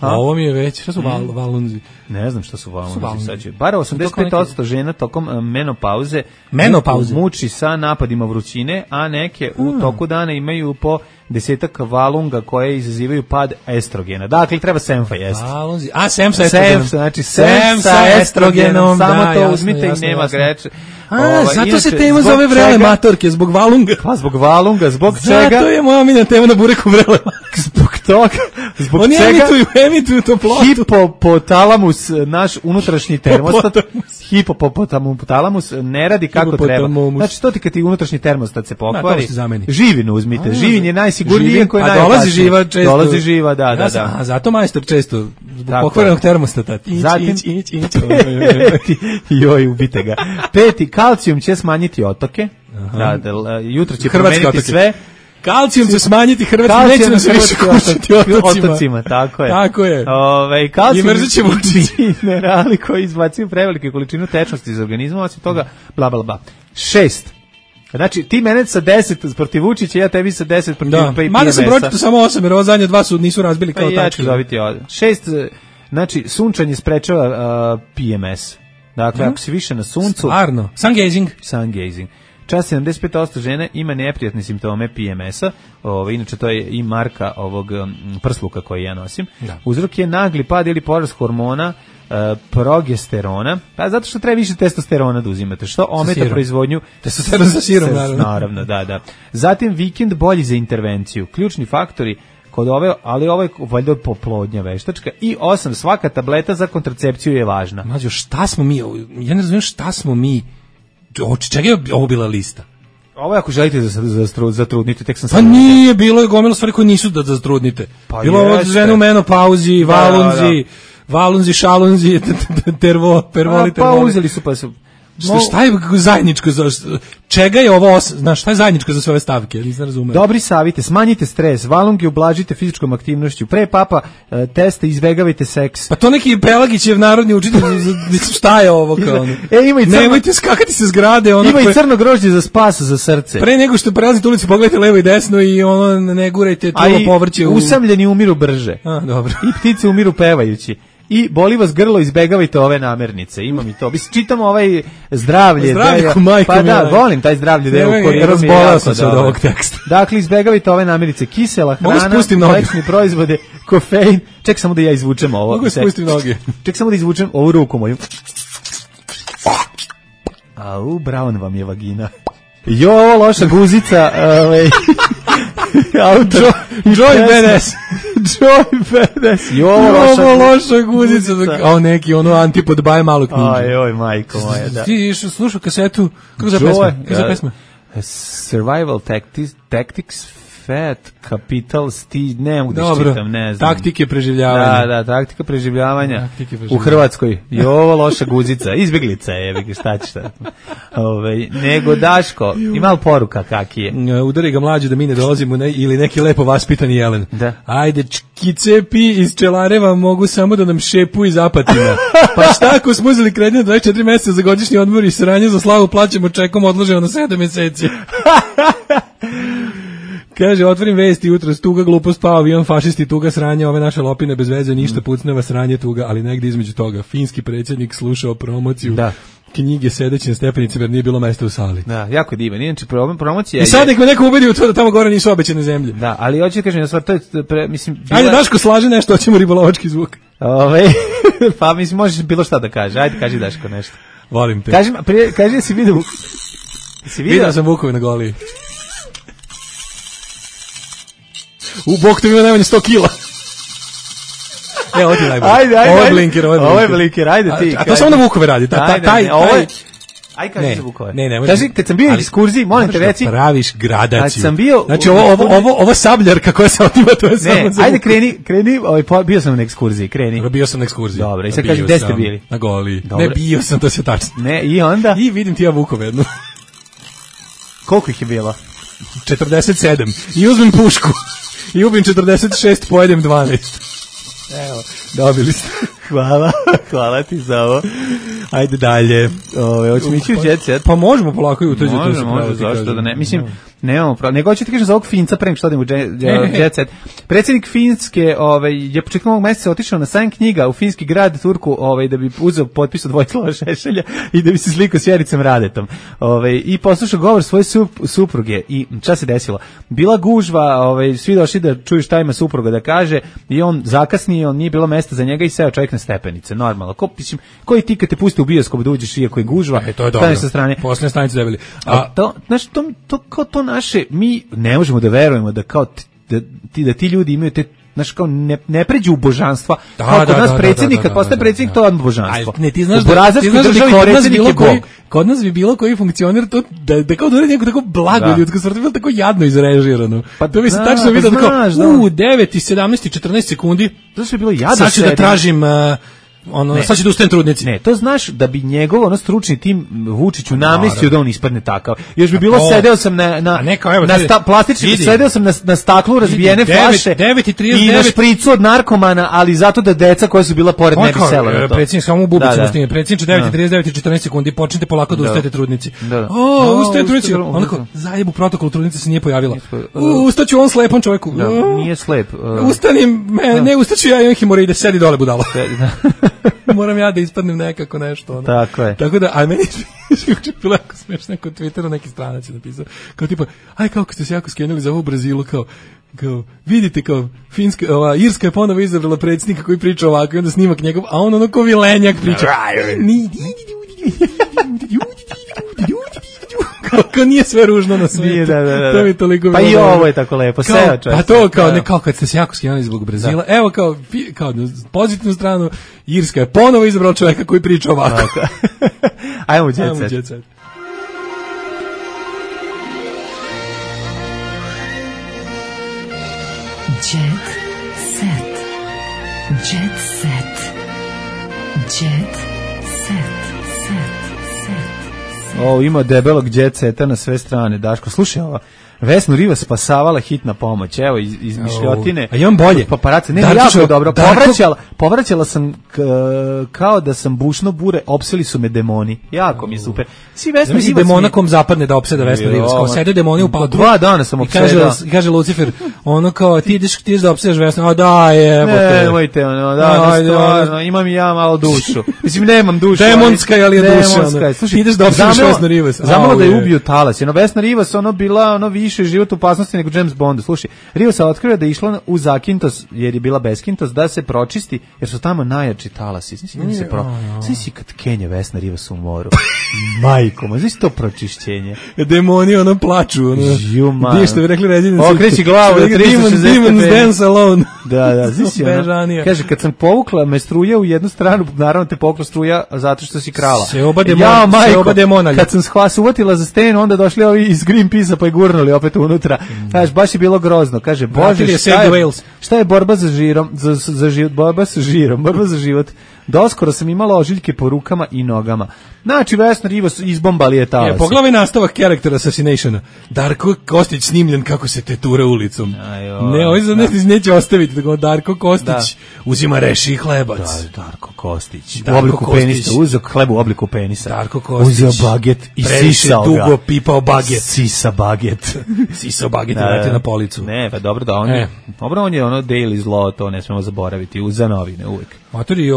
ovo mi je već, šta su valunzi? Ne znam šta su valunzi. Bar 85% žena tokom menopauze muči sa napadima vrućine, a neke u toku dana imaju po 10 valunga koje izazivaju pad estrogena. Dakle, treba semfa jesti. Sem sa estrogenom. Znači, sem sa estrogenom. Samo to uzmite i nema greče. Zato se tema zove vrele matorke, zbog valunga. Pa zbog valunga, zbog čega? Zato je moja omiljena tema na bureku vrele matorke. Zbog toga, zbog oni čega? Emituju toplotu. Hipopotalamus, naš unutrašnji termostat, hipopotalamus ne radi kako treba. Znači, to ti kad ti unutrašnji termostat se pokvari, živinu uzmite. Živin je najsigurnije koji je najopasnije. A dolazi živa često. Dolazi živa, da. A zato majstor često, zbog pokvarenog termostata. Ić. Joj, ubite ga. 5. Kalcijum će smanjiti otoke. Jutro će promeniti sve. Kalcijum će smanjiti Hrvatski, neće nam se više kućiti otocima. Tako je. Tako je. Kalcijum i mrzit ćemo minerali koji izbacuju prevelike količinu tečnosti iz organizma, osim toga, bla, bla, bla. 6. Znači, ti mene sa 10 protiv Vučića, ja tebi sa 10 protiv PMS-a. Mada sam pročito samo 8, jer ovo zadnje 2 nisu razbili kao tačke. Ja ću dobiti 6. Znači, sunčanje sprečava PMS. Dakle, ako si više na suncu... Stvarno. Sun-gazing. Čas 75% žene ima neprijatne simptome PMS-a, inače to je i marka ovog prsluka koji ja nosim. Da. Uzrok je nagli pad ili porast hormona progesterona, pa zato što treba više testosterona da uzimate, što ometa proizvodnju testosteron sa sirom, naravno, da. Zatim vikend bolji za intervenciju. Ključni faktori kod ove, ali ovo je valjda poplodnja veštačka. I 8, svaka tableta za kontracepciju je važna. Mađo, šta smo mi, ja ne razumijem šta smo mi, čega je ovo bila lista? Ovo je ako želite zatrudnite, tek sam pa nije, bilo je gomilo stvari koje nisu da zatrudnite. Pa bilo je žene u menopauzi, valunzi, šalunzi, pervoli. Pa uzeli su pa su... Šta je zajedničko za čega je ovo, znaš, šta je zajedničko za sve ove stavke, nisam razumeo. Dobri savjeti, smanjite stres, valunge ublažite fizičkom aktivnošću, pre papa testa izbegavajte seks. Pa to neki Pelagićev narodni učitelj, šta je ovo kao ono? Nemojte skakati se zgrade. Ima i crno grožđe za spas za srce. Pre nego što prelazite ulicu, pogledajte levo i desno i ono ne gurajte trulo povrće. Usamljeni umiru brže. Dobro. I ptice umiru pevajući. I boli vas grlo, izbegavajte ove namirnice. Imam i to. Čitamo ovaj zdravlje. Pa da, volim taj zdravlje. Razbolao sam se od ovog teksta. Dakle, izbegavajte ove namirnice. Kisela hrana, mlečni proizvode, kofein. Ček samo da ja izvučem ovo. Mogu spustim noge. Ček samo da izvučem ovu ruku moju. Au, brown vam je vagina. Jo, ovo loša guzica. Joy BDS. Ovo loša guzica. Kao neki antipod baje malu knjigu. Ajoj, majko moja, da. Ti slušao kasetu, kako za pesma? Survival Tactics, Fat Capital, ne mogu da čitam, ne znam. Taktike preživljavanja. Da, taktika preživljavanja u Hrvatskoj. I ovo loša guzica, izbjeglica je, šta će šta. Nego Daško, ima li poruka kaki je? Udari ga mlađu da mi ne dolazimo ili neki lepo vaspitani jelen. Da. Ajde, čkicepi iz Čelareva mogu samo da nam šepu iz Apatina. Pa šta ako smo uzeli kredit 24 mjeseca za godišnji odmor i sranje za slavu plaćamo čekom odloženo na 7 mjeseci. Kaže, otvorim vesti jutro, tuga, glupost, pao avion, fašisti, tuga, sranje, ove naše lopine bez veze, ništa, pucneva, sranje, tuga, ali negdje između toga. Finski predsjednik slušao promociju knjige sedeći na stepenici, jer nije bilo mesta u sali. Da, jako divan. Inače, promocija... I sad nek me neko ubedi u to da tamo gore nisu obećane zemlje. Da, ali hoću da kažem, to je, mislim... Ajde, Daško, slaži nešto, hoćemo ribolovački zvuk. Pa, mislim, možeš bilo šta da kaže. Ajde, kaži Daško nešto. Volim te. Kaži da si vidio... Vidio sam Vukovi na Goliji. U bok to ima najmanje 100 kila. Ovo ti najbolje. Ajde. Ovo je blinker, ajde ti. A to samo na Vukove radi. Aj kaži za Vukove. Ne. Kaži, kad sam bio u ekskurziji, molim te reci. Praviš gradaciju. Kad sam bio... Znači, ovo sabljarka koja se otima, to je samo za... Ajde, kreni, bio sam na ekskurziji, kreni. Bio sam na ekskurziji. Dobro, i sad kaži, gde ste bili? Na Goliji. Ne, bio sam, to se tačno. Ne, i onda? I vidim ti ja Vukove jednu. Koliko ih je bilo? 47. I uzmem pušku. I ubim 46, pojedem 12. Evo, dobili ste. Hvala ti za ovo. Ajde dalje. Hoćemo ići u Jet Set? Pa možemo polako i u to. Može, zašto da ne? Mislim, nemamo pravo. Nego ću ti kažem za ovog Finca pre nego što odem u Jet Set. Predsjednik Finske je početkom ovog meseca otišao na sajam knjiga u finski grad Turku da bi uzeo potpis od Vojislava Šešelja i da bi se slikao s Jericem Radetom. I poslušao govor svoje supruge. I šta se desilo? Bila gužva, svi došli da čuju šta ima supruga da kaže i on zakasnio, nije bilo mesta za njega i seo čovjek na stepenice. Normalno. Koji ti kad te pusti u bioskop da uđeš iako je gužva, to je dobro. Sa strane. Poslednje stanice debeli. To naše, mi ne možemo da verujemo da kao da ti ljudi imaju te kao ne pređu u božanstva. Kao kod nas predsjednik, kad postaje predsjednik, to je božanstvo. Ne, ti znaš da kod nas bi bilo koji funkcioner to da kao da uredi neko tako blago ljudsko stvar, bilo tako jadno izrežirano. To bi se tačno vidio tako, 9 i 17 i 14 sekundi. To je bilo jadno. Sad ću da tražim sad će da ustajem trudnici. Ne, to znaš da bi njegov stručni tim Vučiću namestio da on ispadne takav. Još bi bilo sedeo sam sedeo sam na staklu razbijene flaše i na špricu od narkomana, ali zato da deca koja su bila pored ne bi sela na to. Predsjednik samo u bubicu da stigne. Predsjedniče 9:39 i 14 sekundi, počnite polako da ustajete trudnici. Ustaje trudnici. Onako, zajebu protokol trudnice se nije pojavila. Ustaću on slepom čoveku. Nije slep. Ustanim, ne ustaću ja, imam hemoroide, sedi dole budalo. Moram ja da ispadnem nekako nešto. Tako je. Tako da, a meni je bilo jako smešno, na Twitteru neki stranac je napisao, kao tipa, kako ste se jako skenuli za ovo u Brazilu, kao vidite, kao Finska, Irska je ponovo izabrala predsjednika koji priča ovako i onda snimak njegov, a on ono ko vilenjak priča. Kako nije sve ružno na svijetu. To mi toliko pa i ovo je tako lepo. Pa to kao kad ste se jako skenuli zbog Brazila. Evo kao pozitivnu stranu, Irska je ponovo izabrala čovjeka koji priča ovako. Ajmo u Jet Set. Jet set. Jet set. Jet set. Ima debelog Jet Seta na sve strane. Daško, slušaj ovo. Vesnu Rivas spasavala hitna pomoć. Evo, iz mišljotine. A imam bolje. Paparace. Ne, jako dobro. Povraćala sam kao da sam bušno bure, opseli su me demoni. Jako mi super. Svi Vesna Rivas demona kom zapadne da opseda Vesna Rivas. Kao sede demoni u patru. 2 dana sam opsedao. Kaže Lucifer, ono kao, ti ideš da opsedaš Vesnu. A da, jebote. Nemojte, stvarno, imam i ja malo dušu. Mislim, nemam dušu. Demonska, ali je duša. Ti ideš da opsedaš Vesnu Rivas. Zamalo da je ubio talas. Vesna Rivas, bila više život u opasnosti nego James Bond. Slušaj, Rivas otkrio da je išla u Zakintos, jer je bila beskintos, da se pročisti, jer su tamo najjači talasi. Znači kad Kenja Vesna Rivas u moru. Majko, znači to pročišćenje. Demoni plaču. Gdje što bi rekli Ređenici? Okreći glavu da 360 Demons dance alone. Da, znači kaže, kad sam povukla me struja u jednu stranu, naravno te povukla struja zato što si krala. Se oba demona. Kad sam uvatila za stenu, onda došli ovi iz Greenpeace-a pa je gurnuli opet unutra. Kaže, baš je bilo grozno. Kaže, Bože, šta je borba za žirom, borba sa žirom, borba za život. Doskoro sam imala ožiljke po rukama i nogama. Znači, Vesna Rivas izbombali je talas. Pogledaj nastavak Character Assassinationa. Darko Kostić snimljen kako se tetura ulicom. Ne, ovaj za neće ostaviti. Tako, Darko Kostić uzima reši hlebac. Darko Kostić. U obliku penisa. Uzeo hleb u obliku penisa. Darko Kostić. Uzeo baget i sisao ga. Dugo pipao baget. Sisa baget. Sisao baget i vrati na policu. Ne, pa dobro da on je ono daily zlo, to ne smemo zaboraviti. Za novine uvek. Matori,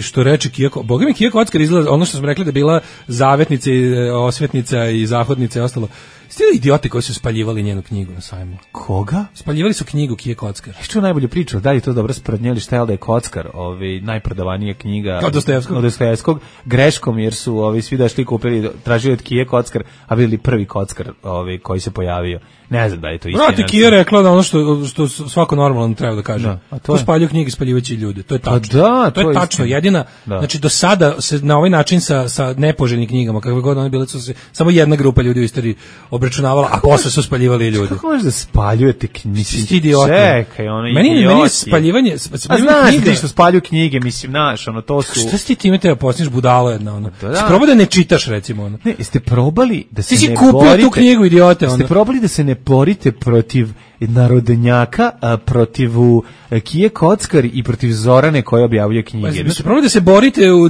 što reče Kijako, boga mi Kijako Ockar izgleda, ono što smo rekli da bila zavetnica, osvetnica i zahodnica i ostalo. Stili idioti koji su spaljivali njenu knjigu na sajmu. Koga? Spaljivali su knjigu Kijako Ockar. Što najbolje pričao, da li to dobro sprednjeli šta je da je Kockar, najprodavanija knjiga od Dostojevskog, greškom jer su svi došli kupili, tražili od Kijako Ockar, a vidjeli prvi Kockar koji se pojavio. Ne znam da je to istina. Vrati, Kija rekla da ono što svako normalno treba da kaže. Ko spaljuju knjige, spaljivajući ljude. To je tačno. To je tačno. Jedina, znači do sada se na ovaj način sa nepoželjnim knjigama, kakve god one bile, su se samo jedna grupa ljudi u istoriji obračunavala, a posle su spaljivali ljudi. Kako možeš da spaljujete knjige? Čekaj, meni je spaljivanje a znaš knjiga. Ti što spaljuju knjige, mislim, to su... Šta si ti time treba posniš budalo jedna? Probaj da ne čitaš, recimo. Ne, jeste probali da se ne borite... Ti si kupio tu knjigu, idiote. Jeste probali da se ne borite protiv narodnjaka protiv Kije Kockar i protiv Zorane koja objavljuje knjige. Pa, probali da se borite u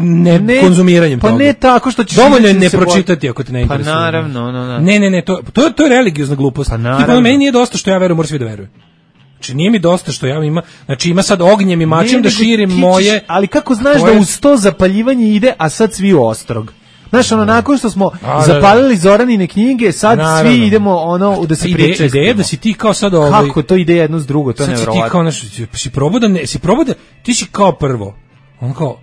konzumiranjem toga. Pa ne tako što ćeš... Dovoljno je ne pročitati ako te ne interesuje. Pa naravno, Ne, to je religiozna glupost. Pa naravno. Tipa, meni nije dosta što ja verujem, moram svi da veruju. Znači nije mi dosta što ja ima, znači ima sad ognjem i mačem da širim moje... Ali kako znaš da uz to zapaljivanje ide, a sad svi u Ostrog? Znaš, nakon što smo zapalili Zoranine knjige, sad svi idemo da se pričaju. Ideja da si ti kao sad Kako to ide jedno s drugo, to je nevjerovatno. Sad si ti kao, si probao da, ti si kao prvo, kao,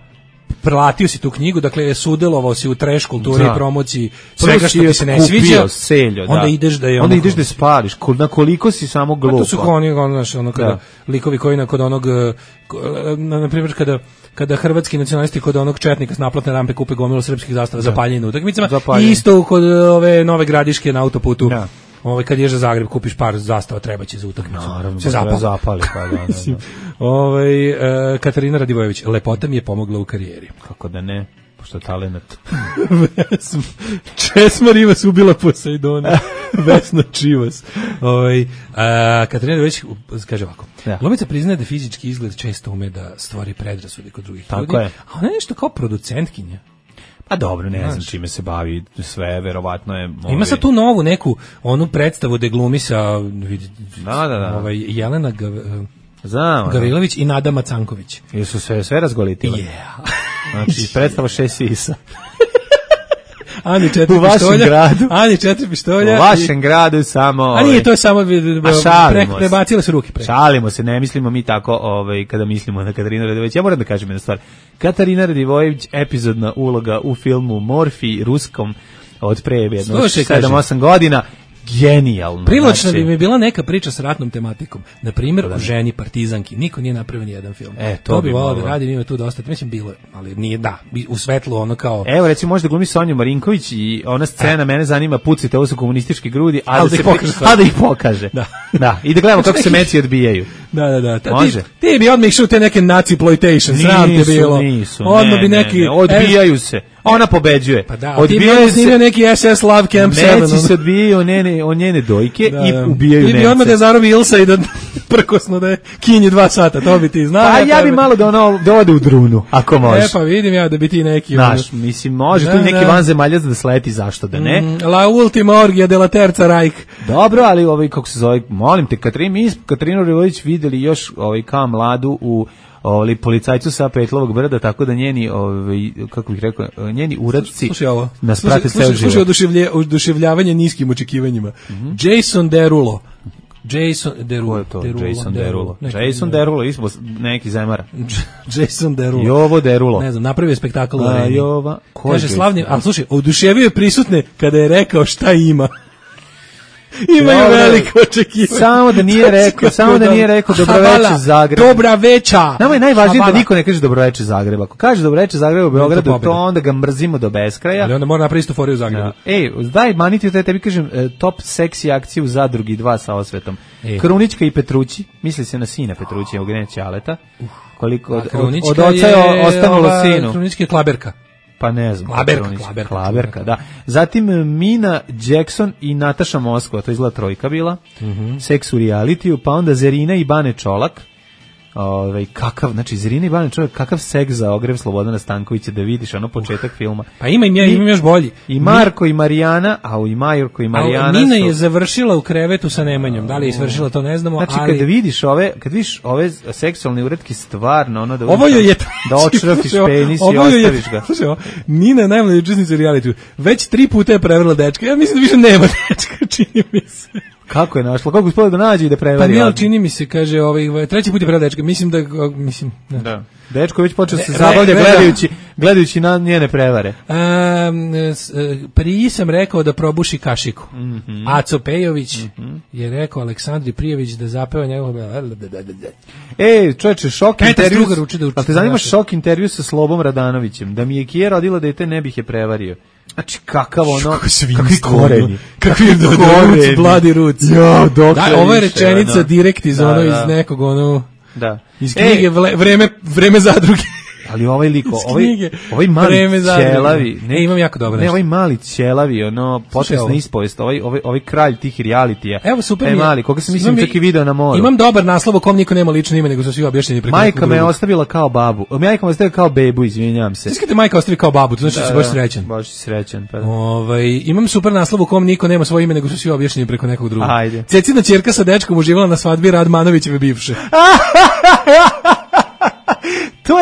prelatio si tu knjigu, dakle sudelovao si u trash kulturi i promociji svega što ti se ne sviđa, onda ideš da je onda ideš da spališ, na koliko si samo glupa. To su oni kada likovi koji kod onog, na primjer kada hrvatski nacionalisti kod onog četnika s naplatne rampe kupe gomilu srpskih zastava za paljenje na utakmicama, i isto kod ove Nove Gradiške na autoputu. Kad ješ za Zagreb, kupiš par zastava, treba će za utakmicu. Naravno, se zapali. Katarina Radivojević, lepota mi je pomogla u karijeri. Kako da ne, pošto je talenat. Česma Rivas ubila Poseidona. Vesna Čivas. Katarina Radivojević kaže ovako. Glumica priznaje da fizički izgled često ume da stvori predrasude kod drugih ljudi. A ona je nešto kao producentkinja. Pa dobro, ne znam čime se bavi sve, verovatno je... Ima sad tu novu neku, onu predstavu da glumi sa Jelena Gavrilović i Nada Macanković. Jesu sve razgolitile? Znači, predstava 6 sisa. Ani 4 pištolja. U vašem gradu. Ani 4 pištolja. U vašem gradu samo... A nije, to je samo... Prebacile su ruke pre. Šalimo se, ne mislimo mi tako kada mislimo na Katarinu Radivojević. Ja moram da kažem jednu stvar. Katarina Radivojević, epizodna uloga u filmu Morfi, ruskom, od pre 7-8 godina. Genijalno. Privlačna bi mi bila neka priča s ratnom tematikom. Na primjer, o ženi partizanki. Niko nije napravio ni jedan film. To bi volao da radim, ima tu dosta. Mislim, bilo je, ali nije, u svetlu ono kao... Evo, recimo, možda glumi Sonju Marinković i ona scena, mene zanima, pucite, ovo su komunistički grudi, a da ih pokaže. Da, i da gledamo kako se meci odbijaju. Da. Može. Ti bi odmah išao te neke nazi-ploitation, sram te bilo. Nisu, ne, odbijaju se. Ona pobeđuje. Pa da, odbijaju se. Ti bi neki SS Love Camp 7. Meci se odbijaju od njene dojke i ubijaju Nemce. Ti bi odmah da zarobi Ilsa i da prkosno da je kinji 2 sata, to bi ti znao. Pa ja bi malo da ode u drunu, ako može. Pa vidim ja da bi ti neki... Znaš, mislim, može tu neki vanzemaljac da sleti, zašto da ne? La ultima orgija de la terza Reich. Dobro, ali kako se zove, molim te, Katarinu Radivojević videli još kao mladu u policajcu sa Petlovog brda, tako da njeni, kako bih rekao, njeni uradci nas prate ceo život. Slušaj, oduševljavanje niskim očekivanjima. Jason Derulo. Ko je to? Jason Derulo, ismo neki zemara. Jason Derulo. Jovo Derulo. Ne znam, napravio spektakl u Areni. Jova. Kaže slavni, a slušaj, oduševio je prisutne kada je rekao šta ima. Imaju veliko očekivanje. Samo da nije rekao dobroveče Zagreb. Dobra veča. Nama je najvažnije da niko ne kaže dobroveče Zagreb. Ako kaže dobroveče Zagreb u Beogradu, to onda ga mrzimo do beskraja. Ali onda mora napraviti istu foriju u Zagrebu. Daj, maniti da tebi kažem top seksi akciju u Zadrugi 2 sa osvetom. Krunička i Petrući, misli se na sina Petrući, Eugenija Ćaleta. Koliko od oca je ostanulo sinu. Krunička je Klaberka. Pa ne znam. Klaberka, da. Zatim Mina Jackson i Nataša Moskva, to je izgleda trojka bila. Seks u realitiju, pa onda Zerina i Bane Čolak. Zerina i Bane Čolak, kakav seks za ogrev Slobodana Stankovića, da vidiš početak filma. Pa imam još bolji. I Marko i Marijana, Nina je završila u krevetu sa Nemanjom. Da li je izvršila, to ne znamo. Znači, kad vidiš ove seksualne uretke, stvarno, da očrafiš penis i ostaviš ga. Slušaj, Nina je najmlađa učesnica u realitiju. Već 3 puta je prevarila dečka. Ja mislim da više nema dečka, čini mi se. Kako je našla? Kako uspela da nađe i da prevari? Pa ne, čini mi se, kaže, 3. put je prevarila dečka. Mislim. Da. Dečko već počeo se zabavlja gledajući na njene prevare. Prije sam rekao da probuši kašiku. Aco Pejović je rekao Aleksandri Prijević da zapeva njegov... Čovječe, šok intervju... A te zanima šok intervju sa Slobom Radanovićem? Da mi je Kija rodila dete, ne bih je prevario. Znači, kakvi koreni. Kakvi koreni. Bladi ruc. Ovo je rečenica direkt iz nekog iz knjige Vreme zadruge. Ali ovaj liko, ovaj mali ćelavi, imam jako dobro. Ne, ovaj mali ćelavi, ono potresna ispovest, ovaj kralj tih realitija. Evo super mali, koga sam mislim čak i video na moru. Imam dobar naslov o kom niko nema lično ime, nego su svi objašnjeni preko. Majka me ostavila kao babu. Majka me ostavila kao bebu, izvinjavam se. Znači te majka ostavi kao babu, to znači da si baš srećan. Baš si srećan, pa. Imam super naslov u kom niko nema svoje ime, nego su svi objašnjeni preko nekog drugog. Ajde. Cecina ćerka sa dečkom uživala na svadbi Radmanovićeve bivše. To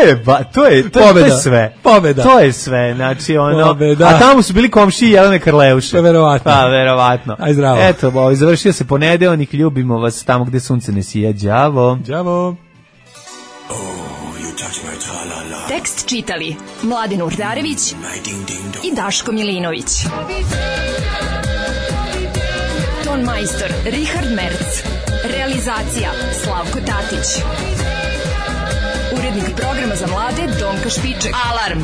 je sve. Pobeda. To je sve, znači ono. Pobeda. A tamo su bili komšiji Jelene Karleuše. Verovatno. Pa, verovatno. Aj zdravo. Eto, završio se ponedeljnik, ljubimo vas tamo gde sunce ne sija. Đavo. Đavo. Tekst čitali Mladin Urdarević i Daško Milinović. Ton majstor Richard Merc. Realizacija Slavko Tatić. Urednik programa za mlade Donka Špiček. Alarm!